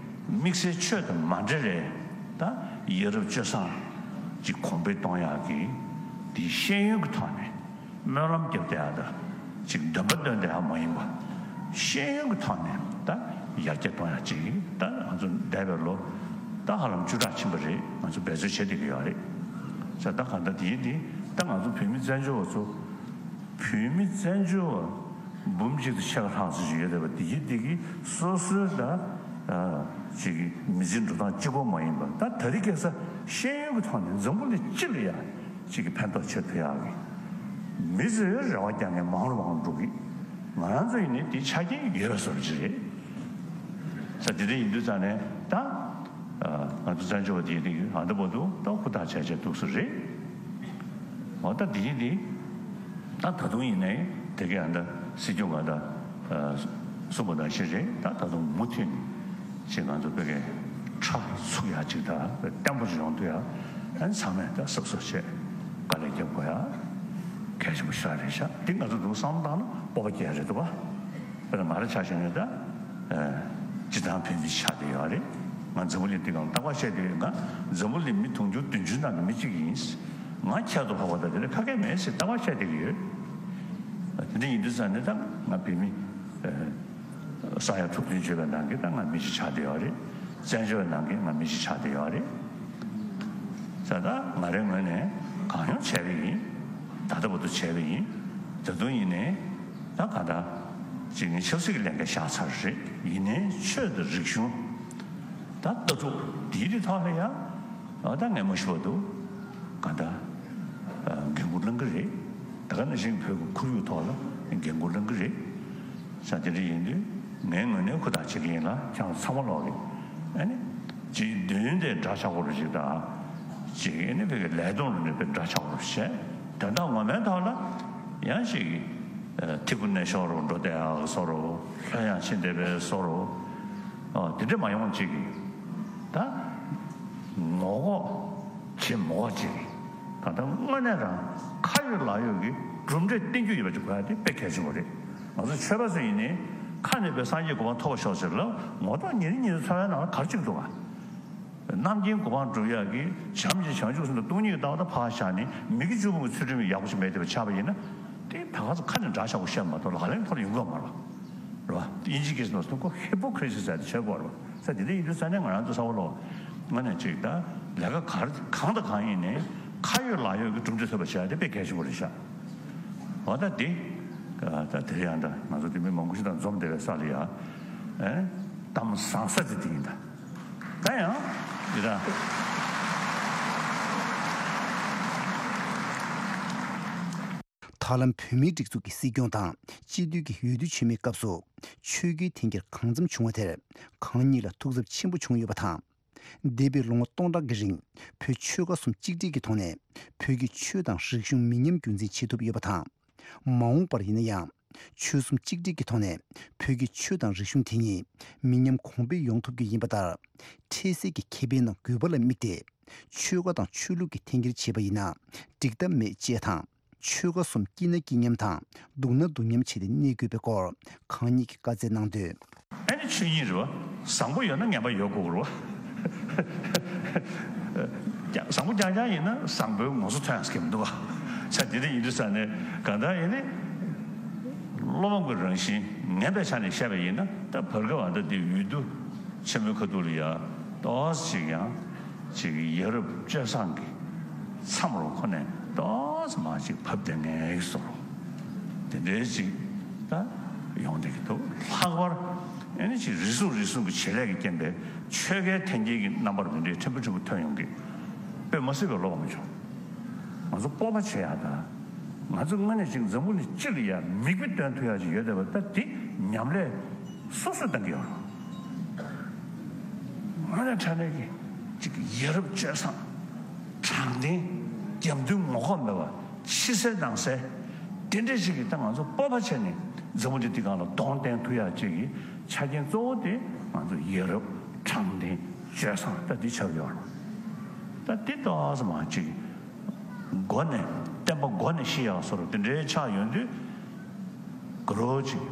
དམིགས་བསལ་ཆོས་དང་མ་འབྲེལ་རེད། ད་ཡ་རབས་སྤྱོད་བཟང་ཅིག་གོང་འཕེལ་གཏོང་ཡག་གི་དེ་ཤེས་ཡོན་གྱི་ཐོག་ནས། སྨོན་ལམ་རྒྱབ་བསྡད་ཡག་དང་ཅིག་འདོན་པ་འདོན་བསྡད་ཡག་མ་ཡིན་པ། ཤེས་ཡོན་གྱི་ཐོག་ནས་ད་ཡར་རྒྱས་གཏོང་ཡག་ཅིག་ད་ང་ཚོ་འདས་པའི་ལོ་ད་ཧ་ལམ་བཅུ་ཕྲག་ཕྱིན་པ་རེད། ང་ཚོ་འབད་རྩོལ་བྱེད་བསྡད་ཀྱི་ཡོད་རེད། ས་ད་གང་ལྟར་དེ་ཡིན་དེ་ད་ང་ཚོ་བོད་མི་བཙན་བྱོལ་བ་ཚོ། བོད་མི་བཙན་བྱོལ་བ་འབུམ་གཅིག་དང་ཕྱེད་ཀ་ལྷག་ཙམ་ཞིག་ཡོད་བསྡད་པ་དེ་ཡིན་དེ་གི་སོ་སོའི་ད་ཅིག་མི་ཚེའི་འགྲོ་སྟངས་གཅིག་པོ་མ་ཡིན་པ། ད་ད་རེས་ཁ་སང་ཤེས་ཡོན་གྱི་ཐོག་ནས་འཛམ་བུ་གླིང་སྤྱི་ལ་ཡ། གཅིག་གི་ཕན་ཐོགས་ཆེ་ཐུབ་ཡག་གི། མི་ཚོས་རེ་བ་རྒྱག་མཁན་མང་རུ་མང་རུ་འགྲོ་གི། ང་རང་ཚོ་ཡིན་ནའི་དེའི་ཆ་རྐྱེན་ཡོད་པའི་བཟོ་འདྲ་ཅིག་རེད། ས་དེ་འདྲ་ཡིན་དུས་ཙང་ནས་ད། ང་ཚོ་བཙན་བྱོལ་བ་དེ་ཡིན་དུས་ཨ་འདི་བར་དུ་ད་ཧུར་ཐག་བྱས་བྱས་འདུག་སེ་རེད། འོ་ད་དེ་ཡིན་དེ། ད་ད་དུང་ཡིན་ནའི་དེ་གའི་ཨ་འདི་སྲིད་སྐྱོང་ང་ད། གསུངས་པ་ནང་བཞིན་རེད། ད་ད་དུང་མུ་མཐུད་ནས་ཅིག་ང་ཚོ་བོད་སྐད་ཁྲ་ཚུགས་ཡག་ཅིག་དང་བརྟན་པོ་ཞིག་ཡོང་ཐུབ་ཡག་ཨ་ནི་ཚང་མས་ད་གཟབ་གཟབ་བྱས་དཀའ་ལས་རྒྱབ་དགོས་ཡག་གལ་ཆེན་པོ་ཞེ་དྲག་རེད་ཤག་འདི་ང་ཚོ་འདུག་བསམ་བློ་བཏང་ན་སྤོབས་པ་སྐྱེ་ཡག་རེད་འདུག་བ། དཔེར་ན་ང་རང་ཆ་བཞག་ན་ད་སྤྱིར་བཏང་བོད་མི་ཆགས་བསྡད་ཡོད་རེད། ང་འཛམ་བུ་གླིང་འདི་སྒང་རྟག་པར་བཤད་བསྡད་ཡོད། ང་འཛམ་བུ་གླིང་མི་དུང་ཕྱུར་བདུན་ཅུ་ནང་གི་མི་གཅིག་ཡིན། ང་ཁྱད་དུ་འཕགས་པ་དང་དེ་ལས་ཁ་སྐད་མེད་ཟེར་རྟག་པར་བཤད་བསྡད་ཀྱི་ཡོད། དེ་འདྲ་ཡིན་དུས་ཙང་ནས་ད་ང་བོད་མི། ས་ཡ་དྲུག་བདུན་བརྗེས་པའི་ནང་གི་ད་ང་མི་ཞིག་ཆགས་བསྡད་ཡོད་རེད། བཙན་བྱོལ་བའི་ནང་གི་ང་མི་ཞིག་ཆགས་བསྡད་ཡོད་རེད། ས་ད་ང་རའི་ངོས་ནས་གང་ཡོང་བྱས་པ་ཡིན། ད་ལྟ་བར་དུ་བྱས་པ་ཡིན། ད་དུང་ཡིན་ནའི་ད་གང་ལྟར་ཅིག་ངས་ཆབ་སྲིད་ཀྱི་ལས་འགན་བཞག་ཚར་རེད། ཡིན་ནའི་ཆོས་དང་རིག་གཞུང་ད་ལྟ་གྲུབ་འདིའི་རིགས་ཐོག་ལ་ཡང་ད་ངས་མ་ཞུ་བར་དུ་གང་ལྟར་འགན་འཁུར་བླང་གི་རེད། ད་ག་ནང་བཞིན་བོད་ཀྱི་ཁོར་ཡུག་ཐོག་ལ་འགན་འཁུར་བླང་གི་རེད། ས་དེ་འདྲ་ཡིན་དུས་ངའི་ངོས་ནས་ཧུར་ཐག་བྱེད་ཀྱི་ཡིན་ལ་ཁྱེད་རང་ཚང་མ་ལོག་གི་ཨ་ནི་ཅིག་མདུན་དེ་འདྲ་ཆགས་པོ་རུ་ཅིག་དང་། ཅིག་ཨ་ནི་བོད་ཀྱི་ལས་དོན་རུ་ནས་དཔེ་འདྲ་ཆགས་པོ་རུ་བྱས། དོན་དག་ངོ་མའི་ཐོག་ལ་ཡང་ཅིག་ཐི་གུ་ནས་ཤོར་རུ་འགྲོ་བསྡད་ཡག་བཟོ་རུ་ལྷོད་ཡངས་ཕྱིན་བསྡད་པའི་བཟོ་རུ་དེ་འདྲ་མ་ཡོང་ཅིག་ད་ངོ་ལྐོག་བྱེད་མི་དགོས་ཅིག་ད་ལྟ་དངོས་གནས་རང་ཁ་ཡོད་ལག་ཡོད་ཀྱི་གྲུབ་འབྲས་བསྟན་རྒྱུ་ཡོད་པ་ཅིག་དགོས་ཡ་དེ་དཔེ་གལ་ཆེན་པོ་རེད། ང་ཚོ་ཆོས་པ་ཚོ་ཡིན་ནའི་ཁ་ནས་དཔེ་སངས་རྒྱས་གོ་འཕང་ཐོབ་པར་ཤོག་ཟེར་ལབ། ངོ་ཐོག་ཉིན་རེ་ཉིན་རེ་འཚོ་བའི་ནང་ལ་ག་རེ་བྱེད་ཀྱི་འདུག་ག་རྣམ་མཁྱེན་གོ་འཕང་སྒྲུབ་ཡག་གི་བྱམས་ཀྱི་བྱང་ཆུབ་སེམས་དང་སྟོང་ཉིད་ཀྱི་ལྟ་བ་དང་ཕར་བཞག་ནས་མི་དགེ་བཅུ་སྤོང་གི་ཚུལ་ཁྲིམས་ཡག་པོ་ཞིག་མེད་བསྡད་པ་ཆགས་པ་ཡིན་ན། དེ་ད་ག་ཚོད་ཁ་ནས་འདྲ་ཆགས་པོ་བཤད་མ་གཏོགས་ལག་ལེན་ཐོག་ལ་ཡོང་གི་ཡོད་མ་རེད། རེད་བ། དབྱིན་ཇི་སྐད་ནང་གསུངས་ཁོ་ཧི་པོ་ཀི་རི་སི་ཟེར་ཏེ་བྱེད་དགོས་རེད་བ། ས་དེ་འདྲ་ཡིན་དུས་ས་ནས་ང་རང་ཚོ་ས་འོག་ལོ། ང་ནས་ཅིག་ད་ལས་ཀ་གར་གང་དང་གང་ཡིན་ནའི་ཁ་ཡོད་ལག་ཡོད་ཀྱི་གྲུབ་འབྲས་ཐོབ་པ་བྱེད་ཡ་དེ་དཔེ་གལ་ཆེན་པོ་རེད་ཤག་འོ་ད་དེ། ད་དེ་ཡང་ད་ང་ཚོ་དེ་མི་མང་པོ་ཞིག་དང་འཛོམས་བསྡད་པའི་ས་ལ་ཡ། ཨེ། གཏམ་བཟང་ས་དེ་དེ་ཡིན་ད། ད་ཡང་། འདི་ད། ད་ལམ་བོད་མིའི་སྒྲིག་འཛུགས་ཀྱི་སྲིད་སྐྱོང་དང་སྤྱི་འཐུས་ཀྱི་འོས་བསྡུ་ཆེན་མོའི་སྐབས་སུ་ཆོས་བརྒྱུད་འཐེན་འཁྱེར་གང་འཚམ་བྱུང་བ་དེར་གང་ཉིད་ལ་ཐུགས་འཚབ་ཆེན་པོ་བྱུང་ཡོད་པ་དང་། འདས་པའི་ལོ་ངོ་སྟོང་ཕྲག་གི་རིང་བོད་ཆོལ་ཁ་གསུམ་གཅིག་སྒྲིལ་གྱི་ཐོག་ནས་བོད་ཀྱི་ཆོས་དང་རིག་གཞུང་མི་ཉམས་རྒྱུན་འཛིན་བྱེད་ཐུབ་ཡོད་པ་དང་། མ་འོངས་པར་ཡིན་ན་ཡང་ཆོལ་གསུམ་གཅིག་སྒྲིལ་གྱི་ཐོག་ནས་བོད་ཀྱི་ཆོས་དང་རིག་གཞུང་དེ་ཉིད་མི་ཉམས་གོང་འཕེལ་ཡོང་ཐུབ་རྒྱུ་ཡིན་པ་ལྟར། འཕྲལ་སེལ་གྱི་ཁེ་ཕན་དང་དགོས་པ་ལ་དམིགས་ཏེ་ཆོལ་ཁ་དང་ཆོས་ལུགས་ཀྱི་འཐེན་འཁྱེར་བྱས་པ་ཡིན་ན་འགྲིག་ཐབས་མེད་ཅེས་དང་། ཆོལ་ཁ་གསུམ་སྐྱིད་ན་སྐྱིད་མཉམ་དང་སྡུག་ན་སྡུག་མཉམ་བྱས་ཏེ་གནས་དགོས་པའི་སྐོར་གང་ཉིད་ཀྱིས་བཀའ་སྩལ་གནང་དོན། ཨ་ནི་ཆོས་ཉིད་རེད་བ། བཟང་པོ་ཡོད་ན་ངན་པ་ཡོད་དགོས་རེད་བ། བཟང་པོ་རྐྱང་རྐྱང་ཡིན་ན་བཟང་པོའི་ངོ་སོ་ཐོན་ཡག་གི་མི་འདུག་བ། ས་དེ་འདྲ་ཡིན་དུས་ཙང་ནས་གང་ལྟར་ཡིན་ནི། བློ་ཕམ་གྱི་རང་བཞིན་ངན་པའི་ཆ་ནས་བཤད་པ་ཡིན་ན་ད་བར་སྐབས་ཨ་ད་དེ་འོས་བསྡུ་ཆེན་མོའི་ཁ་ཐུག་ལ་ཡ་ཏོག་ཙམ་ཅིག་ཡང་ཅིག་ཡ་རབས་སྤྱོད་བཟང་གི་མཚམས་རུ་ཁོ་ནས་ཏོག་ཙམ་མ་ཅིག་བབས་བསྡད་མཁན་ཡིན་བཟོ་འདྲ་དེ་འདྲའི་ཅིག་ད་ཡོང་བསྡད་ཀྱི་འདུག་ལྷག་པར་ཨ་ནི་ཅིག་རེ་ཟུང་རེ་ཟུང་གི་བྱེད་ལས་ཀྱི་རྐྱེན་པས་ཆོལ་ཁའི་འཐེན་འཁྱེར་གྱི་རྣམ་པ་རུ་འདི་འདྲའི་ཕྲན་བུ་ཕྲན་བུ་ཐོན་ཡོང་གི། དཔེ་མ་སྲིད་པའི་བློ་ཕམ་བྱུང་། ང་ཚོ་སྤོབས་པ་བྱེད་ཡག་དང་། ང་ཚོ་དངོས་གནས་ཅིག་འཛམ་བུ་གླིང་སྤྱི་ལ་ཡ་མིག་དཔེ་སྟོན་ཐུབ་ཡག་ཅིག་ཡོད་བསྡད་པ་ད་འདི་ཉམས་ལེན་སོ་སོས་གཏང་གི་ཡོད་རེད། དངོས་གནས་དྲང་གནས་ཀྱི་ཅིག་ཡ་རབས་སྤྱོད་བཟང་། དྲང་བདེན། རྒྱབ་མདུན་ངོ་ལྐོག་མེད་པ། ཕྱི་གསལ་ནང་གསལ། དེ་འདྲ་ཞིག་གིས་ད་ང་ཚོ་སྤོབས་པ་བྱས་ནས་འཛམ་བུ་གླིང་འདི་སྒང་ལ་གདོང་བསྟན་ཐུབ་ཡག་ཅིག་གི་ཆ་རྐྱེན་གཙོ་བོ་དེ་ང་ཚོ་ཡ་རབས་དྲང་བདེན་སྤྱོད་བཟང་ད་འདི་ཆགས་ཡོད་རེད། ད་འདི་ཏོག་ཙམ་མ་ཅིག་མགོ་ནས་བསྟན་པ་མགོ་ནས་ཤི་ཡག་བཟོ་འདྲ་དེ་འདྲའི་ཆགས་ཡོང་དུས་དགའ་རབ་ཅིག་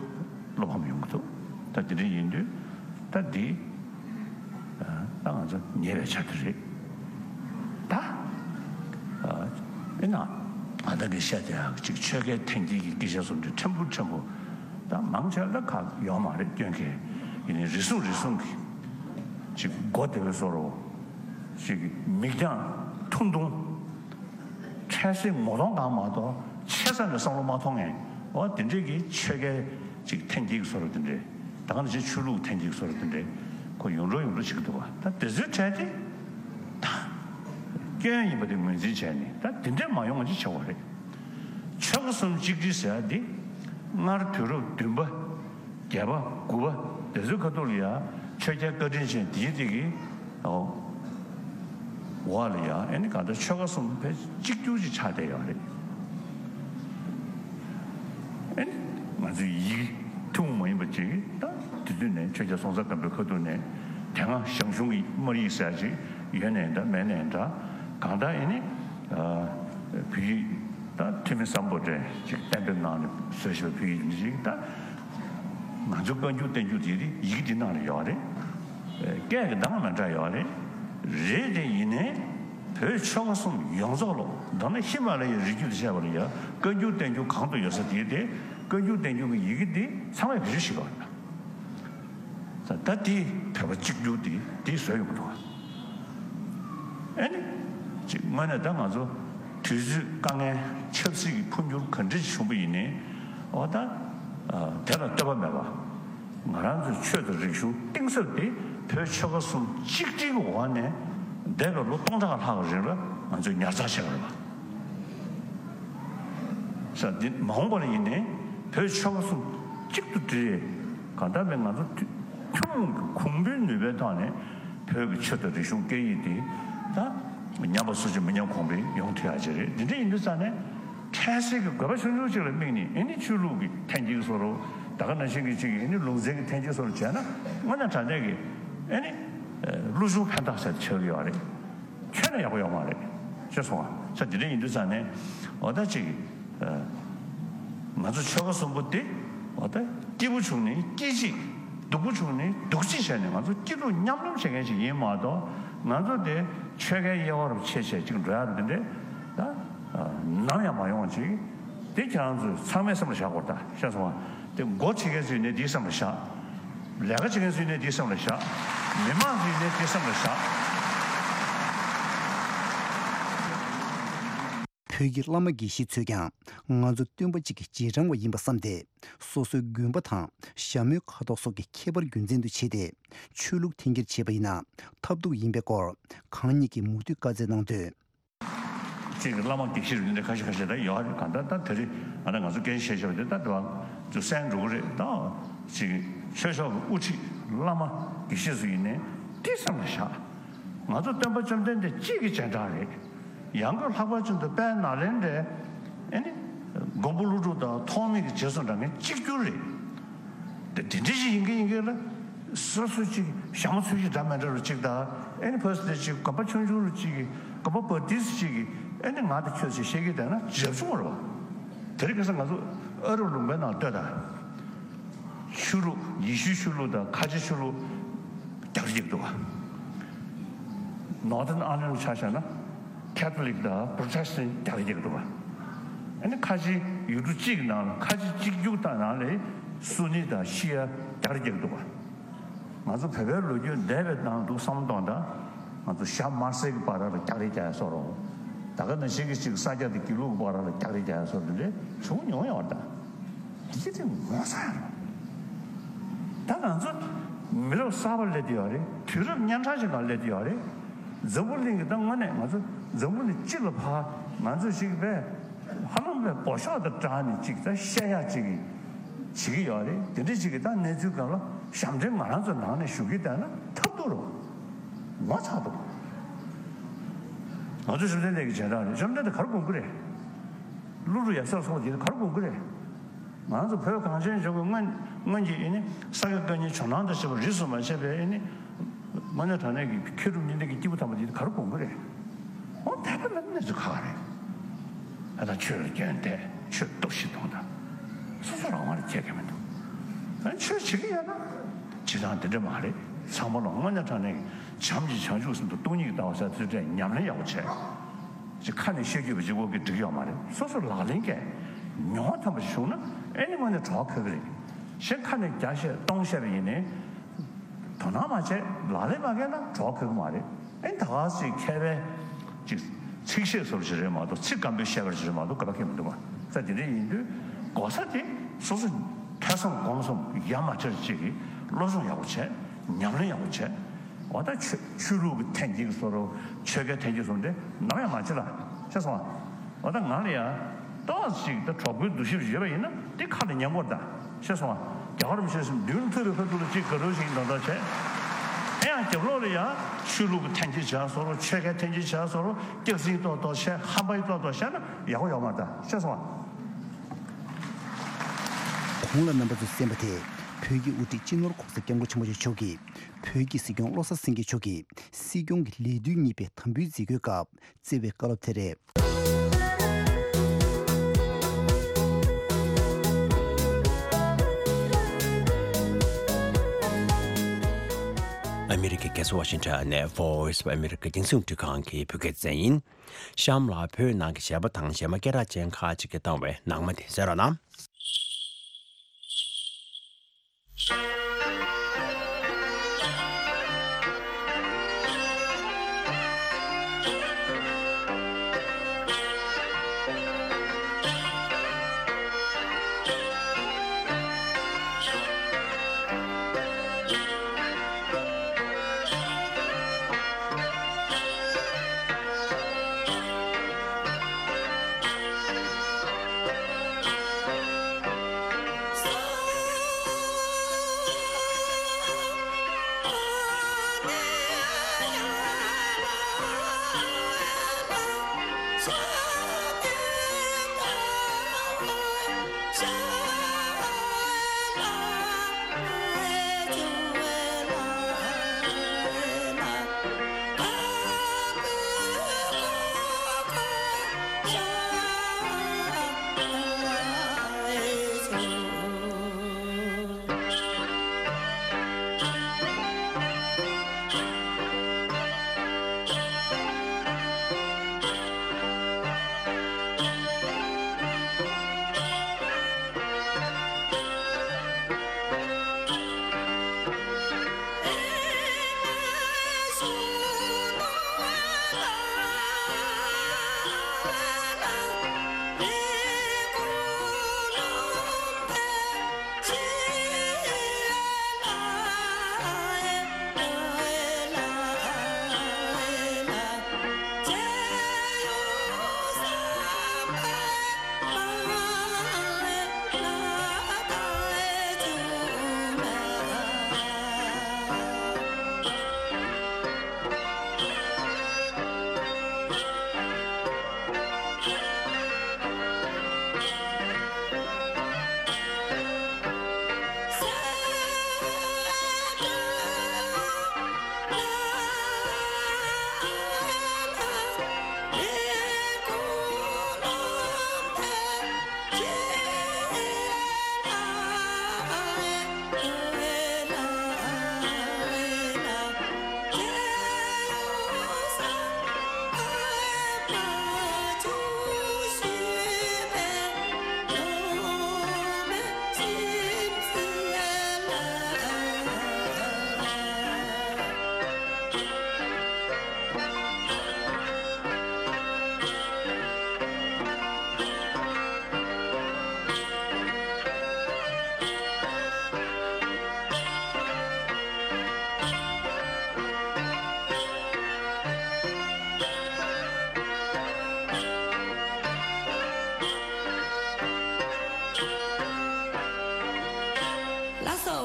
བློ་ཕམ་ཡོང་གི་འདུག་ད་དེ་འདྲ་ཡིན་དུས་ད་འདི་ད་ང་ཚོ་ཉེས་པའི་ཆ་དེ་རེད། ད་ཨེ་ན་ང་ད་གི་བཤད་དེ་ཡག་ཅིག་ཆོལ་ཁའི་འཐེན་འཁྱེར་གྱི་སྐད་ཆ་བཟོ་འདྲ་ཕྲན་བུ་ཕྲན་བུ་ད་མང་ཆེ་ལ་ཁག་ཡོད་མ་རེད་སྐྱོན་གི། ཡིན་ནའི་རེ་ཟུང་རེ་ཟུང་གི་ཅིག་མགོ་བདེ་བའི་བཟོ་འདྲ། ཅིག་མིག་རྒྱང་ཐུང་ཐུང་། འཕྲལ་སེལ་ངོ་གདོང་གང་མ་གཏོགས་ཆེ་ས་ནས་བསམ་བློ་མ་ཐོངས་མཁན། འོ་དེ་འདྲས་ཀྱི་ཆོལ་ཁའི་ཅིག་འཐེན་འཁྱེར་གྱི་བཟོ་འདྲ་དེ་འདྲས། ད་ག་ནང་བཞིན་ཆོས་ལུགས་འཐེན་འཁྱེར་གྱི་བཟོ་འདྲ་དེ་འདྲས་ཁོ་ཡོང་འགྲོ་ཡོང་འགྲོ་བྱེད་ཀྱི་འདུག་བ། ད་དེ་ཚོའི་གྲས་དེ་ད་སྐྱོན་ཡིན་པ་དེ་ངོས་འཛིན་བྱས་ནས་ད་དེ་འདྲས་མ་ཡོང་བ་ཅིག་བྱེད་དགོས་རེད། ཆོལ་ཁ་གསུམ་གཅིག་སྒྲིལ་ཟེར་ཡ་འདི་སྔར་དུས་རབས་བདུན་པ། བརྒྱད་པ་དགུ་པ་དེ་ཚོའི་ཁ་ཐུག་ལ་ཡང་ཆོས་རྒྱལ་བཀའ་དྲིན་ཅན་དེའི་དེ་གི་འོ་བ་ལ་ཡང་ཨེ་ནི་གང་ལྟར་ཆོལ་ཁ་གསུམ་ཕལ་གཅིག་གྱུར་ཅིག་ཆགས་བསྡད་ཡོད་རེད། ཨེ་ནི་ང་ཚོའི་ཡིག་ཐུན་མོང་མ་ཡིན་པ་ཅིག་ད་དེ་དུས་ནས་ཆོས་རྒྱལ་སྲོང་བཙན་སྒམ་པོའི་ཁ་ཐུག་ནས་དེ་སྔ་ཞང་ཞུང་གི་སྨར་ཡིག་ཟེར་ཅིག་ཡོད་ནའི་འདྲ་མེད་ནའི་འདྲ་གང་ལྟར་ཨེ་ནི་བོད་ཡིག་ད་ཐོན་མི་བཟང་པོ་འདྲ་ཅིག་གཏན་འབེབས་གནང་ནས་བཟོས་ཤིག་བོད་ཡིག་འདི་ཅིག་ད། ང་ཚོ་བཀའ་འགྱུར་བསྟན་འགྱུར་དེ་ཡི་གེ་འདི་ནང་ལ་ཡོད་རེད། སྐད་ཀྱི་གདངས་མི་འདྲ་ཡོད་རེད། རེད་དེ་ཡིན་ནའི་བོད་ཆོལ་ཁ་གསུམ་ཡོངས་རྫོགས་ལོ་མདོར་ན་ཧི་མ་ལ་ཡའི་རི་རྒྱུད་དུ་བཤད་པ་ལ་ཡང་བཀའ་འགྱུར་བསྟན་འགྱུར་གང་དུ་ཡོད་ས་དེ་དེ་བཀའ་འགྱུར་བསྟན་འགྱུར་གྱི་ཡི་གེ་འདི་ཚང་མས་བེད་སྤྱོད་བྱེད་པ་རེད། ད་ལྟ་དེ་བོད་པ་གཅིག་གྱུར་དེ་དེ་བཟོས་ཡོང་གི་འདུག་ཨ་ནི། ཅིག་དངོས་གནས་ད་ང་ཚོ་དུས་ཚོད་དཀའ་ངལ་ཆབ་སྲིད་ཀྱི་འཕོ་འགྱུར་ག་འདྲ་ཞིག་བྱུང་བ་ཡིན་ནའི་འོ་ད་དེ་ལ་ལྟོས་པ་མེད་པ་ང་རང་ཚོའི་ཆོས་དང་རིག་གཞུང་གཏིང་ཟབ་དེ་བོད་ཆོལ་ཁ་གསུམ་གཅིག་སྒྲིལ་གྱི་འོག་ནས་འདས་པའི་ལོ་སྟོང་ཕྲག་ལྷག་གི་རིང་ལ་ང་ཚོས་ཉར་ཚགས་བྱས་པ་རེད་པ། ས་འདི་མ་འོངས་པ་ལ་ཡིན་ནའི་བོད་ཆོལ་ཁ་གསུམ་གཅིག་ཏུ་སྒྲིལ། གང་ལྟར་མེད་ང་ཚོ་ཐུ་ཐུན་མོང་གི་གོང་བུའི་ནུས་པའི་ཐོག་ནས་བོད་ཀྱི་ཆོས་དང་རིག་གཞུང་སྐད་ཡིག་འདི་ད་ཉམས་པ་སོར་ཆུད་མི་ཉམས་གོང་འཕེལ་ཡོང་ཐུབ་ཡག་ཅིག་རེད། འདི་འདྲ་ཡིན་དུས་ཙང་ནས་འཕྲལ་སེལ་གྱི་དགོས་པ་ཆུང་ཆུང་ཅིག་ལ་དམིགས་ནས་ཨེ་ནི་ཆོས་ལུགས་ཀྱི་འཐེན་འཁྱེར་བཟོ་འདྲ་ད་ག་ནང་བཞིན་གྱི་ཅིག་ཨེ་ནི་ལུང་ཚན་གྱི་འཐེན་འཁྱེར་བཟོ་འདྲ་བྱས་ན་དངོས་གནས་དྲང་གནས་ཀྱི་ཨེ་ནི་ལོ་ཆུང་ཕན་ཐོགས་ཟེར་ཆགས་ཀྱི་ཡོད་རེད། ཁྱོན་ནས་ཡག་པོ་ཡོད་མ་རེད། ཤེས་སོང་ང་། ས་དེ་འདྲ་ཡིན་དུས་ཙང་ནས་འོ་ད་ཅིག་ང་ཚོ་ཆོལ་ཁ་གསུམ་པོ་དེ་འོ་ད་སྐྱིད་པོ་བྱུང་ནས་སྐྱིད་ཅིག་སྡུག་པོ་བྱུང་ནས་སྡུག་ཅིག་བྱས་ནས་ང་ཚོ་སྐྱིད་སྡུག་མཉམ་མྱོང་བྱེད་མཁན་ཞིག་ཡིན་མ་གཏོགས་ང་ཚོ་དེ་ཆོལ་ཁའི་དབྱེ་བ་རུ་ཕྱེ་བྱས་ཅིག་འགྲོ་ཡག་འདི་འདྲ་ད་ནམ་ཡང་མ་ཡོང་བ་ཅིག་དེ་ཁྱེད་རང་ཚོས་ཚང་མས་སེམས་ལ་བཞག་དགོས་རེད་ད། ཤེས་སོང་ང་། དེ་མགོ་ཁྲིད་མཁན་ཚོས་ནས་དེའི་སེམས་ལ་བཞག་ལས་ཀ་བྱེད་མཁན་ཚོས་ནས་དེའི་སེམས་ལ་བཞག་མི་མང་ཚོས་ནས་དེའི་སེམས་ལ་བཞག་བོད་ཀྱི་བླ་མ་དགེ་བཤེས་ཚོས་ཀྱང་ང་ཚོ་སྟོན་པ་གཅིག་གི་རྗེས་འབྲང་བ་ཡིན་པ་བསམ་སྟེ། སོ་སོའི་དགོན་པ་དང་ཞྭ་མོའི་ཁ་དོག་སོགས་ཀྱི་ཁྱད་པར་རྒྱུ་མཚན་དུ་བྱས་ཏེ། ཆོས་ལུགས་འཐེན་འཁྱེར་བྱས་པ་ཡིན་ན་ཐབས་སྡུག་ཡིན་པའི་སྐོར་གང་ཉིད་ཀྱིས་མུ་མཐུད་བཀའ་སྩལ་གནང་དོན། ཅིག་བླ་མ་དགེ་བཤེས་རིག་གནས་ཁ་ཤས་ཁ་ཤས་ད་ཡོད་རེད། གང་ལྟར་ད་དེ་རིང་ང་ད་ང་ཚོ་སྐད་ཆ་བཤད་ཤོག་དེ་ད་དེ་བ་ཚོ་གསན་འགྲོ་གི་རེད། ད་ཅིག་ཆོས་ཕྱོགས་ཀྱི་དབུ་ཁྲིད་བླ་མ་དགེ་བཤེས་ཚོ་ཡིན་ནའི་དེ་སེམས་ལ་བཞག་ང་ཚོ་སྟོན་པ་བཅོམ་ལྡན་འདས་གཅིག་གི་རྗེས་འབྲང་རེད། ཡང་སྒོས་ལྷག་པར་ཅན་དུ་དཔལ་ནཱ་ལེནྡྲའི་ཨེ་ནི་མགོན་པོ་ཀླུ་སྒྲུབ་དང་ཐོགས་མེད་ཀྱི་རྗེས་སུ་འབྲང་མཁན་གཅིག་གྱུར་རེད། དེ་དེ་འདྲ་ཞིག་ཡིན་གི་ཡིན་གི་ལ། སོ་སོ་གཅིག་ཞྭ་མོ་ཚོས་གཞི་འདྲ་མི་འདྲ་རུ་གཅིག་དང་ཨེ་ནི་ཕ་སི་དེ་གཅིག་གོམ་པ་ཆུང་ཆུང་རུ་གཅིག་གི་གོམ་པ་བ་ཏིས་གཅིག་གི་ཨེ་ནི་ང་དང་ཁྱོད་ཅིག་བཤད་གི་བསྡད་ན་རབ་བྱུང་བ་རེད་བ། དེ་རིང་ཁ་སང་ང་ཚོ་ཨ་རབ་ལུང་པའི་ནང་ལྟོས་དང་། ཆོས་ལུགས་ཡེ་ཤུའི་ཆོས་ལུགས་དང་ཁ་ཆེ་ཆོས་ལུགས་རྒྱག་རེས་བྱེད་ཀྱི་འདུག་བ། Northern Ireland་ཆ་བཞག་ན། Catholic་དང་Protestant་རྒྱག་རེས་བྱེད་ཀྱི་འདུག་བ། ཨ་ནི་ཁ་ཆེ་ཡུལ་གྲུ་གཅིག་ནང་ལ་ཁ་ཆེ་གཅིག་གྱུར་དང་ནང་ལ་སུ་ནི་དང་ཤི་ཡ་རྒྱག་རེས་བྱེད་ཀྱི་འདུག་བ། ང་ཚོ་བོད་པའི་ལོ་རྒྱུས་འདས་པའི་ནང་དུ་བསམ་བློ་གཏོང་དང་། ང་ཚོ་ཤ་དམར་སེར་གྱི་བར་ལ་རྒྱག་རེས་རྒྱག་ཡ་བཟོ་རོགས། ད་ག་ནང་བཞིན་གྱི་ཅིག་ས་སྐྱ་དང་དགེ་ལུགས་ཀྱི་བར་ལ་རྒྱག་རེས་རྒྱག་ཡ་བཟོ་རོགས་འདི་འདྲ་བྱུང་མྱོང་ཡོད་རེད་ད། དེ་དེ་ངོ་ཚ་ཡ་རེད། ད་ང་ཚོ་མི་རབས་གསར་པ་སླེབས་བསྡད་ཡོད་རེད། དུས་རབས་གཉན་འཕྲང་ཞིག་ནང་སླེབས་བསྡད་ཡོད་རེད། འཛམ་བུ་གླིང་གི་ད་དངོས་གནས་ང་ཚོ་འཛམ་བུ་གླིང་སྤྱི་ལ་ཕར་ང་ཚོ་ཞིག་པས་ཧ་ལམ་པའི་འབོ་ཤོག་དང་འདྲ་ནས་ཅིག་ད་བཤད་ཡ་ཅིག་བྱེད་ཀྱི་ཡོད་རེད། དེ་འདྲ་ཅིག་གི་ད་གནས་ཚུལ་སྒང་ལ་ཞབས་འདྲེན་ང་རང་ཚོ་ནང་ནས་ཞུ་གི་བསྡད་ན་ཐབས་སྡུག་རེད། ངོ་ཚ་འདུག་ང་ཚོ་བཅོམ་ལྡན་འདས་ཀྱི་རྗེས་འབྲང་རེད། བཅོམ་ལྡན་འདས་ག་རེ་དགོངས་ཀྱི་རེད། ཀླུ་སྒྲུབ་ཡབ་སྲས་སོགས་ཀྱིས་ག་རེ་དགོངས་ཀྱི་རེད། ང་ཚོ་བོད་གངས་ཅན་ལྗོངས་ཀྱི་སྔོན་སྔོན་གྱི་ཨེ་ནི་ས་དགེ་བཀའ་རྙིང་ཇོ་ནང་དང་བཅས་པ་རིས་སུ་མ་ཆད་པའི་ཨེ་ནི་དངོས་གནས་དྲང་གནས་ཀྱི་མཁས་གྲུབ་གཉིས་ལྡན་གྱི་སྐྱེས་བུ་དམ་པ་འདི་ག་རེ་དགོངས་ཀྱི་རེད། འོ་དད་པ་མེད་ན་གནས་ཚུལ་ཁག་རེད། ཨ་ད་ཆོས་ལ་སྐྱོན་དེ་ཆོས་གཏོར་བཤིག་གཏོང་དང་། སོ་སོ་རང་དབང་ལ་ཁྱད་ཀྱི་མི་འདུག་ཨ་ཆོས་བྱེད་ཀྱི་ཡོད་ན་བྱེད་སྟངས་འདི་འདྲ་མ་རེད། ཚང་མ་ལ་དངོས་གནས་དྲང་གནས་ཀྱི་བྱམས་ཀྱི་བྱང་ཆུབ་སེམས་དང་སྟོང་ཉིད་ཀྱི་ལྟ་བ་ཟེར་ཚུལ་འདྲ་ཉམས་ལེན་ཡག་པོ་བྱས། ཅིག་ཁ་ནས་བཤད་རྒྱུ་བ་ཅིག་འོག་གི་འགྲིག་ཡོད་མ་རེད། སོ་སོ་ལག་ལེན་གྱི་མྱོང་བ་ཐམས་ཅད་བྱུང་ན་ཨེ་ནི་དངོས་གནས་གྲོགས་ཁེལ་གི་རེད། གཞན་ཁ་ནས་བརྒྱ་བཤད་སྟོང་བཤད་པ་ཡིན་ནའི་དོ་སྣང་མ་བྱས་ལག་ལེན་མ་བཀལ་ན་གྲོགས་ཁེལ་གི་མ་རེད། ཨེ་ནི་ད་ག་ཟེ་མཁས་པའི་ཅིག་ཚིག་བཤད་སོར་ཞིག་རེད་མ་གཏོགས་ཚིག་སྐམ་པོའི་བཤད་པར་ཞིག་རེད་མ་གཏོགས་ག་པ་ཁེལ་མི་འདུག་བ། ས་དེ་འདྲ་ཡིན་དུས་གོ་ས་དེ་སོ་སོ་ཐོས་བསམ་སྒོམ་གསུམ་ཡ་མ་བྲལ་ཅིག་གི་སློབ་སྦྱོང་ཡག་པོ་བྱས་ཉམས་ལེན་ཡག་པོ་བྱས། འོ་ད་ཆོས་ཆོས་ལུགས་ཀྱི་འཐེན་འཁྱེར་གྱི་བཟོ་འདྲ། ཆོལ་ཁའི་འཐེན་འཁྱེར་བཟོ་འདྲ་ནམ་ཡང་མ་བྱེད་ལ། ཤེས་སོང་ང་། འོ་ད་ང་ལ་ཡང་ཏོག་ཙམ་ཅིག་ད་གྲོགས་པོའི་འདུ་ཤེས་ཡོད་པ་ཡིན་ན་དེ་ཁ་ལ་ཉན་དགོས་རེད་ད། ཤེས་སོང་ང་། རྒྱལ་བ་རིན་པོ་ཆེ་མདུན་ཐོན་པའི་ཁ་ཐུག་ལ་ཅིག་དགའ་སྤྲོ་ཞིག་འདོན་ཐབས་བྱས། ཨེ་ཡང་རྒྱབ་ལོགས་ལ་ཡང་ཆོས་ལུགས་ཀྱི་འཐེན་འཁྱེར་བྱས་བཟོ་འདྲ། ཆོལ་ཁའི་འཐེན་འཁྱེར་བྱས་བཟོ་འདྲ། སྐྱག་རྫུན་ཏོག་ཏོག་བཤད། ཧམ་པ་ཏོག་ཏོག་བཤད་ན་ཡག་པོ་ཡོད་མ་རེད་ད། ཤེས་སོང་ང་། གོང་ལ་རྣམ་པ་ཚོས་གསན་པ་དེ་བོད་ཀྱི་དབུ་ཁྲིད་སྤྱི་ནོར་༸གོང་ས་༸སྐྱབས་མགོན་ཆེན་པོ་མཆོག་གིས་བོད་ཀྱི་སྲིད་སྐྱོང་བློ་བཟང་སེང་གེ་མཆོག་གིས་སྲིད་སྐྱོང་གི་ལས་དུས་གཉིས་པའི་དམ་འབུལ་མཛད་སྒོའི་སྐབས་བསྩལ་བའི་བཀའ་སློབ་དེ་རེད། ཨ་མི་རི་ཀའི་རྒྱལ་ས་ཝ་ཤིང་ཊོན་ནས་Voice of America་རྒྱང་སྲིང་རླུང་འཕྲིན་ཁང་གི་བོད་སྐད་སྡེ་ཚན་ཡིན། གཤམ་ལ་བོད་ནང་གི་གཞས་པ་དང་གཞས་མ་སྐད་གྲགས་ཅན་ཁག་ཅིག་གིས་བཏང་བའི་ནང་མ་དེ་གསན་རོགས་གནང་། ལགས་སོ།